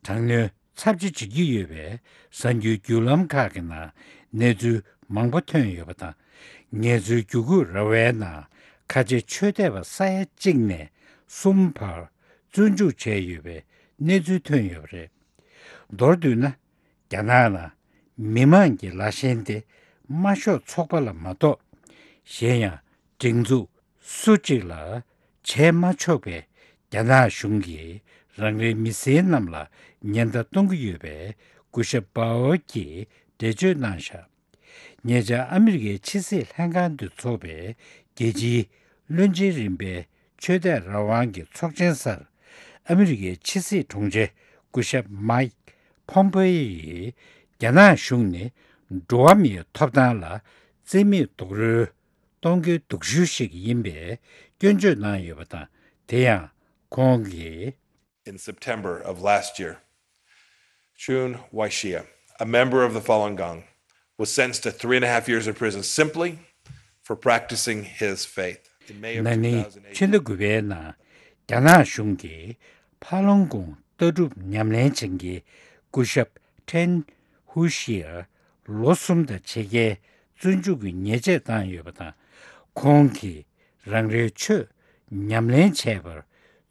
དྲག་གནོན་ཚབས་ཆེ་བྱེད་ཀྱི་ཡོད་པའི་གསར་འགྱུར་བརྒྱུད་ལམ་ཁག་གི་ནང་གནས་ཚུལ་མང་པོ་ཐོན་ཡོད་པ་དང་། ངལ་རྩོལ་བརྒྱུད་སྐུལ་ར་བའི་ནང་ཁ་ཆེ་ཆོས་དད་པ་ས་ཡ་གཅིག་ནས་གསུམ་བར་བཙོན་འཇུག་བྱས་ཡོད་པའི་གནས་ཚུལ་ཐོན་ཡོད་པ་རེད། མདོར་བསྡུས་ན། རྒྱ་ནག་ནང་མི་མང་གི་ལཱ་ཞེན་དེ་དམར་ཤོག་ཚོགས་པ་ལ་མ་གཏོགས་གཞན་ཡང་སྒྲིག་འཛུགས་སུ་གཅིག་ལ་བྱས་མ་ཆོག་པས། རྒྱ་ནག་གཞུང་གིས་རང་རེའི་མི་སེར་རྣམས་ལ་ཉེན་བརྡ་གཏོང་གི་ཡོད་པའི་སྐུ་ཞབས་པའོ་གིས་འགྲེལ་བརྗོད་གནང་བཞག་ཉེ་ཆར་ཨ་མི་རི་ཀའི་ཕྱི་སྲིད་ལྷན་ཁང་དུ་འཚོགས་པའི་རྒྱལ་སྤྱིའི་བློན་ཆེན་རིམ་པའི་ཆོས་དད་རང་དབང་གི་ཚོགས་ཆེན་སར། ཨ་མི་རི་ཀའི་ཕྱི་སྲིད་དྲུང་ཆེ་སྐུ་ཞབས་མཱིག་ཕོམ་པེ་ཡིས། རྒྱ་ནག་གཞུང་ནི་འགྲོ་བ་མིའི་ཐོབ་ཐང་ལ་བརྩི་མེད་རྡོག་རོལ་གཏོང་མཁན་སྡུག་ཤོས་ཤིག་ཡིན་པའི་སྐྱོན་བརྗོད་གནང་ཡོད་པ་དང་། དེ་ཡང་ཁོང་གིས། In September of last year, Chun Waishia, a member of the Falun Gong, was sentenced to three and a half years in prison simply for practicing his faith. In May of ན་ནིང་ཕྱི་ཟླ་དགུ་པའི་ནང་རྒྱ་ནག་གཞུང་གིས་ཕ་ལོང་ཀོང་ལྟ་གྲུབ་ཉམས་ལེན་བྱེད་མཁན་སྐུ་ཞབས་ཁྲེན་ཧུ་ཤིར་ལོ་གསུམ་དང་ཕྱེད་ཀའི་བཙོན་འཇུག་གི་ཉེས་ཆད་བཏང་ཡོད་པ་དང་། ཁོང་གིས་རང་རེའི་ཆོས་ཉམས་ལེན་བྱས་པར་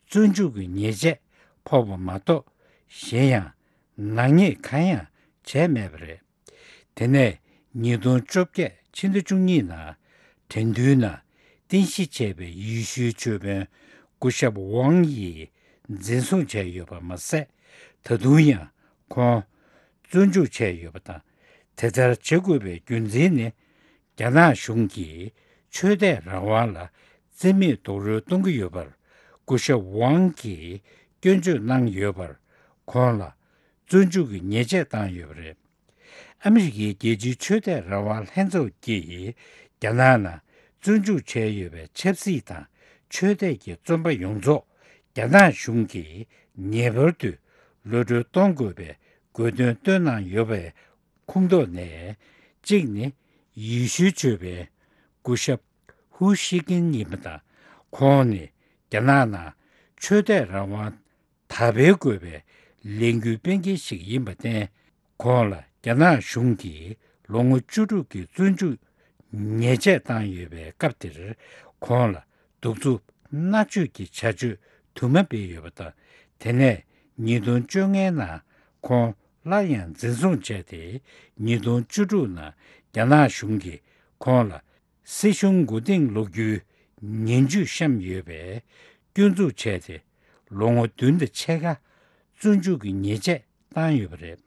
བཙོན་འཇུག་གི་ཉེས་ཆད་ཕོག་པ་མ་གཏོགས། གཞན་ཡང་ནག་ཉེས་གང་ཡང་བྱས་མེད་པ་རེད། དེ་ནས་ཉིས་སྟོང་བཅོ་བརྒྱད་ཕྱི་ཟླ་བཅུ་གཉིས་ནང་དྲན་འདུན་ནང་རྟེན་གཞི་བྱས་པའི་ཡེ་ཤུའི་ཆོས་དཔོན་སྐུ་ཞབས་ཝང་ཡིས་འཛིན་བཟུང་བྱས་ཡོད་པ་མ་ཟད། ད་དུང་ཡང་ཁོང་བཙོན་འཇུག་བྱས་ཡོད་པ་དང་། དེ་ལྟར་བྱེད་དགོས་པའི་རྒྱུ་མཚན་ནི། རྒྱ་ནག་གཞུང་གིས་ཆོས་དད་རང་དབང་ལ་བརྩི་མེད་རྡོག་རོལ་གཏོང་གི་ཡོད་པར་སྐུ་ཞབས་ཝང་གིས་སྐྱོན་བརྗོད་གནང་ཡོད་པར། ཁོང་ལ་བཙོན་འཇུག་གི་ཉེས་ཆད་བཏང་ཡོད་པ་རེད། ཨ་མི་རི་ཀའི་རྒྱལ་སྤྱིའི་ཆོས་དད་རང་དབང་ལྷན་ཚོགས་ཀྱིས་རྒྱ་ནག་ནང་བཙོན་འཇུག་བྱས་ཡོད་པའི་ཆབ་སྲིད་དང་ཆོས་དད་ཀྱི་བཙོན་པ་ཡོངས་རྫོགས་རྒྱ་ནག་གཞུང་གིས་ངེས་པར་དུ་གློད་གྲོལ་གཏོང་དགོས་པའི་དགོས་འདུན་བཏོན་གནང་ཡོད་པའི་ཁོངས་གཏོགས་ནས་གཅིག་ནི་ཡེ་ཤུའི་ཆོས་དཔོན་སྐུ་ཞབས་ཧུ་ཤི་ཀིན་ཡིན་པ་དང་། ཁོང་ནི་རྒྱ་ནག་ནང་ཆོས་དད་རང་དབང་དར་སྤེལ་དགོས་པའི་ལས་འགུལ་སྤེལ་མཁན་ཞིག་ཡིན་པར་བརྟེན། ཁོང་ལ་རྒྱ་ནག་གཞུང་གིས་ལོ་ངོ་བཅུ་དྲུག་གི་བཙོན་འཇུག་ཉེས་ཆད་བཏང་ཡོད་པའི་སྐབས་དེར། ཁོང་ལ་གདུག་རྩུབ་མནར་གཅོད་ཀྱི་བྱ་སྤྱོད་དུ་མ་སྤེལ་ཡོད་པ་དང་། དེ་ནས་ཉིས་སྟོང་བཅོ་ལྔའི་ནང་ཁོང་སླར་ཡང་འཛིན་བཟུང་བྱས་ཏེ། ཉིས་སྟོང་བཅུ་དྲུག་ནང་རྒྱ་ནག་གཞུང་གིས་ཁོང་ལ་སྲིད་གཞུང་མགོ་རྟིང་སློག་རྒྱུའི་ངན་ཇུས་བཤམས་ཡོད་པའི་སྐྱོན་འཛུགས་བྱས་ཏེ། ལོ་ངོ་བདུན་དང་ཕྱེད་ཀ་བཙོན་འཇུག་གི་ཉེས་ཆད་ བཏང་ཡོད་པ་རེད།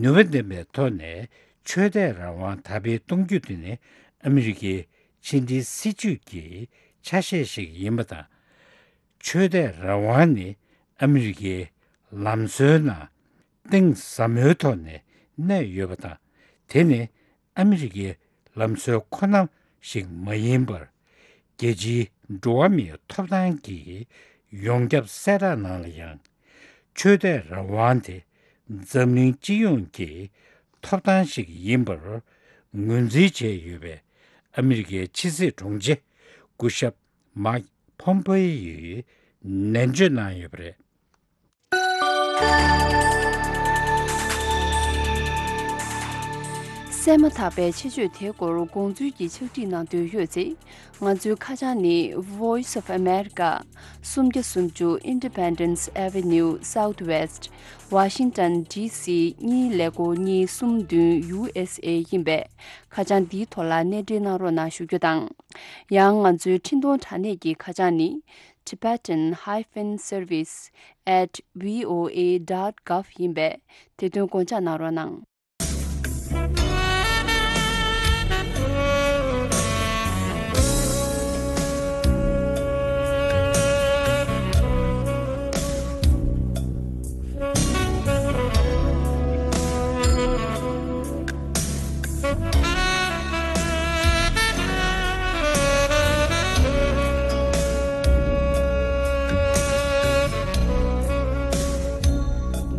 ནུས་པ་ལྡན་པའི་ཐོག་ནས་ཆོས་དད་རང་དབང་དར་སྤེལ་གཏོང་རྒྱུ་དེ་ནི་ཨ་མི་རི་ཀའི་ཕྱི་འབྲེལ་སྲིད་ཇུས་ཀྱི་ཆ་ཤས་ཤིག་ཡིན་པ་དང་། ཆོས་དད་རང་དབང་ནི་ཨ་མི་རི་ཀའི་ལམ་སྲོལ་ནང་གཏིང་ཟབ་མོའི་ཐོག་ནས་གནས་ཡོད་པ་དང་། དེ་ནི་ཨ་མི་རི་ཀའི་ལམ་སྲོལ་ཁོ་ན་ཞིག་མ་ཡིན་པར། རྒྱལ་སྤྱིའི་འགྲོ་བ་མིའི་ཐོབ་ཐང་གི་ཡོངས་ཁྱབ་གསལ་བསྒྲགས་ནང་ལ་ཡང་། ཆོས་དད་རང་དབང་དེ་འཛམ་གླིང་སྤྱི་ཡོངས་ཀྱི་ཐོབ་ཐང་ཞིག་ཡིན་པར་ངོས་འཛིན་བྱས་ཡོད་པའི་ཨ་མི་རི་ཀའི་ཕྱི་སྲིད་དྲུང་ཆེ་སྐུ་ཞབས་མཱིག་ཕོམ་པེ་ཡིས་ནན་བརྗོད་གནང་ཡོད་པ་རེད། གསན་མ་ཐག་པའི་ཆེད་བརྗོད་དེའི་སྐོར་དགོངས་ཚུལ་གྱི་ཕྱག་བྲིས་གནང་འདོད་ཡོད་ཚེ། ང་ཚོའི་ཁ་བྱང་ནི། Voice of America, སུམ་བརྒྱ་སུམ་ཅུ་Independence Avenue Southwest, Washington D C གཉིས་ཀླད་ཀོར་གཉིས་གསུམ་བདུན། U S A ཡིན་པས། ཁ་བྱང་འདིའི་ཐོག་ལ་གནས་འབྲེལ་གནང་རོགས་གནང་ཞུ་རྒྱུ་དང་། ཡང་ང་ཚོའི་འཕྲིན་གཏོང་དྲ་གནས་ཀྱི་ཁ་བྱང་ནི། Tibetan hyphen service at V O A dot gov ཡིན་པས། དེ་དོན་དགོངས་འཇགས་གནང་རོགས་གནང་།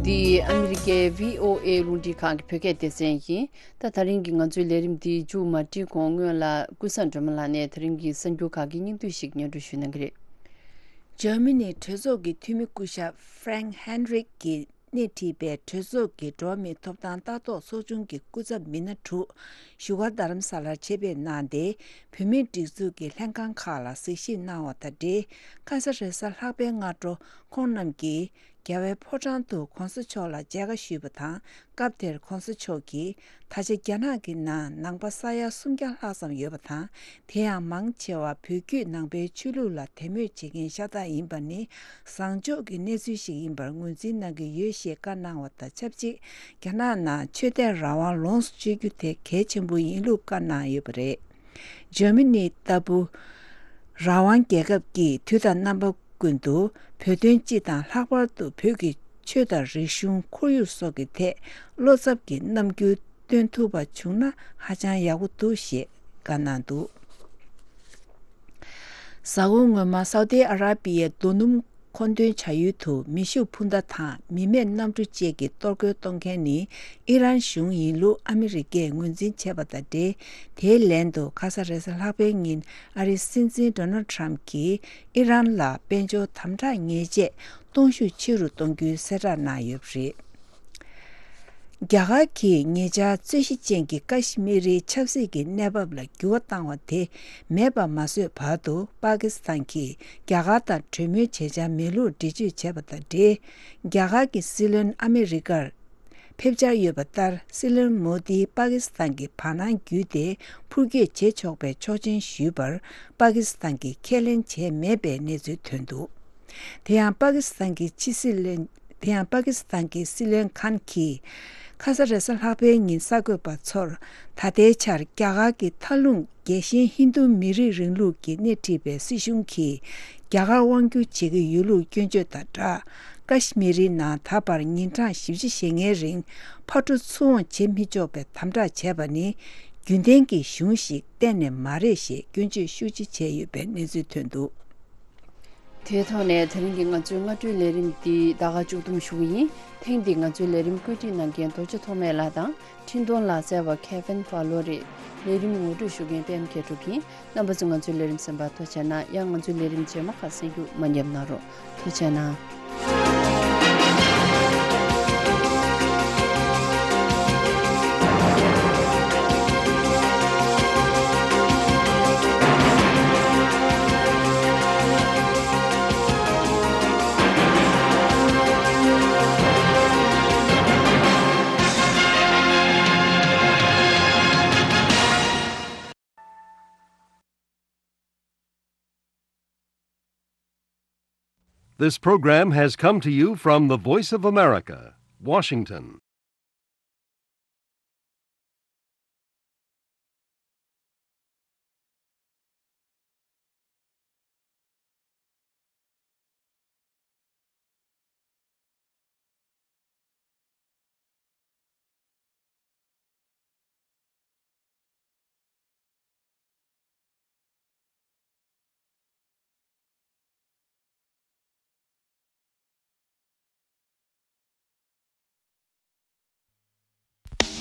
འདི་ཨ་མི་རི་ཀའི་V O A རླུང་འཕྲིན་ཁང་གི་བོད་སྐད་སྡེ་ཚན་ཡིན། ད་ད་རིང་གི་ང་ཚོའི་ལས་རིམ་འདི་མཇུག་མ་སྒྲིལ་གོང་སྔོན་ལ་ཀུན་བཟང་སྒྲོལ་མ་ལགས་ནས་ད་རིང་གི་གསར་འགྱུར་ཁག་གི་སྙིང་བསྡུས་ཤིག་སྙན་སྒྲོན་ཞུ་གནང་གི་རེད། འཇར་མ་ནིའི་གྲོས་ཚོགས་ཀྱི་འཐུས་མི་སྐུ་ཞབས་Frank Heinrich གིས་སྣེ་ཁྲིད་པའི་གྲོས་ཚོགས་ཀྱི་འགྲོ་བ་མིའི་ཐོབ་ཐང་ལྟ་རྟོག་ཚོགས་ཆུང་གི་སྐུ་ཚབ་མི་སྣ་དྲུག་བཞུགས་སྒར་རྡ་རམ་ས་ལར་ཆེད་ཕེབས་གནང་སྟེ། བོད་མིའི་སྒྲིག་འཛུགས་ཀྱི་ལྷན་ཁང་ཁག་ལ་གཟིགས་ཞིབ་གནང་བ་དང་འབྲེལ། ཁ་ས་རེ་ས་ལྷག་པའི་སྔ་དྲོ་ཁོང་རྣམས་ཀྱིས་རྒྱལ་བའི་ཕོ་བྲང་དུ་གོང་ས་མཆོག་ལ་མཇལ་ཁ་ཞུས་པ་དང་། སྐབས་དེར་གོང་ས་མཆོག་གིས། ད་ཆ་རྒྱ་ནག་གི་ནང་ནང་པ་ས་ཡ་སུམ་བརྒྱ་ལྷག་ཙམ་ཡོད་པ་དང་། དེ་ཡང་མང་ཆེ་བ་བོད་བརྒྱུད་ནང་པའི་ཆོས་ལུགས་ལ་དད་མོས་བྱེད་མཁན་ཤ་སྟག་ཡིན་པ་ནི་བཟང་ཕྱོགས་ཀྱི་གནས་ཚུལ་ཞིག་ཡིན་པར་ངོས་འཛིན་གནང་གི་ཡོད་ཞེས་བཀའ་གནང་བ་དང་ཆབས་ཅིག་རྒྱ་ནག་ནང་ཆོས་དད་རང་དབང་ལོངས་སུ་སྤྱོད་རྒྱུ་དེ་གལ་ཆེན་པོ་ཡིན་ལུགས་བཀའ་གནང་ཡོད་པ་རེད། འཇར་མ་ནི་ལྟ་བུ་རང་དབང་རྒྱལ་ཁབ་ཀྱིས་དུས་དང་རྣམ་པ་ཀུན་ཏུ་བོད་དོན་སྤྱི་དང་ལྷག་པར་དུ་བོད་ཀྱི་ཆོས་དང་རིག་གཞུང་ཁོར་ཡུག་སོགས་ཀྱི་ཐད་བློ་འཚབ་ཀྱི་རྣམ་འགྱུར་སྟོན་ཐུབ་པ་བྱུང་ན་ཧ་ཅང་ཡག་པོ་འདུག་ཞེས་བཀའ་གནང་འདུག་གཟའ་འཁོར་སྔོན་མ་སའུ་ཏི་ཨ་ར་པི་ཡའི་རྡོ་སྣུམ་མཁོ་འདོན་བྱ་ཡུལ་དུ་མེ་ཤུགས་འཕུར་མདའ་དང་མི་མེད་གནམ་གྲུ་བཅས་ཀྱིས་གཏོར་རྒོལ་གཏོང་མཁན་ནི་ཨི་རན་གཞུང་ཡིན་ལུགས་ཨ་མི་རི་ཀས་ངོས་འཛིན་བྱས་པ་དང་འབྲེལ། དེའི་ལན་དུ་ཁ་ས་རེས་གཟའ་ལྷག་པའི་ཉིན་ཨ་རིའི་སྲིད་འཛིན་ཌོ་ནལ་ཊམ་གྱིས་ཨི་རན་ལ་དཔལ་འབྱོར་དམ་དྲག་ཉེས་ཆད་གཏོང་ཤུགས་ཆེ་རུ་གཏོང་རྒྱུའི་གསལ་བསྒྲགས་གནང་ཡོད་པ་རེད། རྒྱ་གར་གྱིས་ཉེ་ཆར་རྩོད་གཞི་ཅན་གྱི་ཀ་ཤི་མི་རིའི་ཆབ་སྲིད་ཀྱི་གནས་བབ་ལ་འགྱུར་བ་བཏང་བ་དེ་མེད་པ་མ་བཟོས་བར་དུ། པ་ཀི་སི་ཐན་གྱིས་རྒྱ་གར་དང་གྲོས་མོལ་བྱེད་འཆར་མེད་ལུགས་འགྲེལ་བརྗོད་བྱས་པ་དང་འབྲེལ། རྒྱ་གར་གྱི་སྲིད་བློན་ཨ་མི་རི་ཀར་ཕེབས་འཆར་ཡོད་པ་ལྟར། སྲིད་བློན་མོ་དིས་པ་ཀི་སི་ཐན་གྱི་བར་སྣང་བརྒྱུད་དེ་འཕུར་སྐྱོད་བྱེད་ཆོག་པའི་ཆོག་མཆན་ཞུས་པར། པ་ཀི་སི་ཐན་གྱིས་ཁས་ལེན་བྱས་མེད་པའི་གནས་ཚུལ་ཐོན་འདུག་དེ་ཡང་པ་ཀི་སི་ཐན་གྱི་ཕྱི་སྲིད་བློན། དེ་ཡང་པ་ཀི་སི་ཐན་གྱི་སྲིད་བློན་ཁཱན་གྱིས། ཁ་ས་རེས་གཟའ་ལྷག་པའི་ཉིན་གསར་འགོད་པ་ཚོར། ད་ལྟའི་ཆར་རྒྱ་གར་གྱི་མཐའ་ལྷུང་རྒྱལ་ཞེན་ཧིན་རྡུ་མི་རིགས་རིང་ལུགས་ཀྱིས་སྣེ་ཁྲིད་པའི་སྲིད་གཞུང་གིས། རྒྱ་གར་དབང་བསྒྱུར་བྱེད་ཀྱི་ཡོད་ལུགས་སྐྱོན་བརྗོད་དང་སྦྲགས། ཀ་ཤི་མི་རིའི་ནང་ད་བར་ཉིན་གྲངས་བཞི་བཅུ་ཞེ་ལྔའི་རིང་ཕར་འགྲོ་ཚུར་འོང་བྱེད་མི་ཆོག་པའི་དམ་དྲག་བྱས་པ་ནི། རྒྱུན་ལྡན་གྱི་གཞུང་ཞིག་གཏན་ནས་མ་རེད་ཞེས་སྐྱོན་བརྗོད་ཤུགས་ཆེ་བྱས་ཡོད་པའི་གནས་ཚུལ་ཐོན་འདུག་དེའི་ཐོག་ནས་དེ་རིང་གི་ང་ཚོའི་སྔ་དྲོའི་ལས་རིམ་འདི་ད་ག་མཇུག་བསྡོམས་ཞུ་གི་ཡིན། ཐེངས་འདིའི་ང་ཚོའི་ལས་རིམ་བཀོད་སྒྲིག་གནང་མཁན་རྡོ་རྗེ་ཐོགས་མེད་ལགས་དང་། འཕྲིན་གཏོང་ལག་རྩལ་བ་Kevin Fowler རེད། ལས་རིམ་ངོ་སྤྲོད་ཞུ་མཁན་པད་མ་མཁས་གྲུབ་ཡིན། རྣམ་པ་ཚོས་ང་ཚོའི་ལས་རིམ་གསན་པར་ཐུགས་རྗེ་གནང་། ཡང་ང་ཚོའི་ལས་རིམ་རྗེས་མ་ཁག་གསན་རྒྱུ་མ་ཉེས་གནང་རོགས། ཐུགས་རྗེ་གནང་། This program has come to you from the Voice of America, Washington.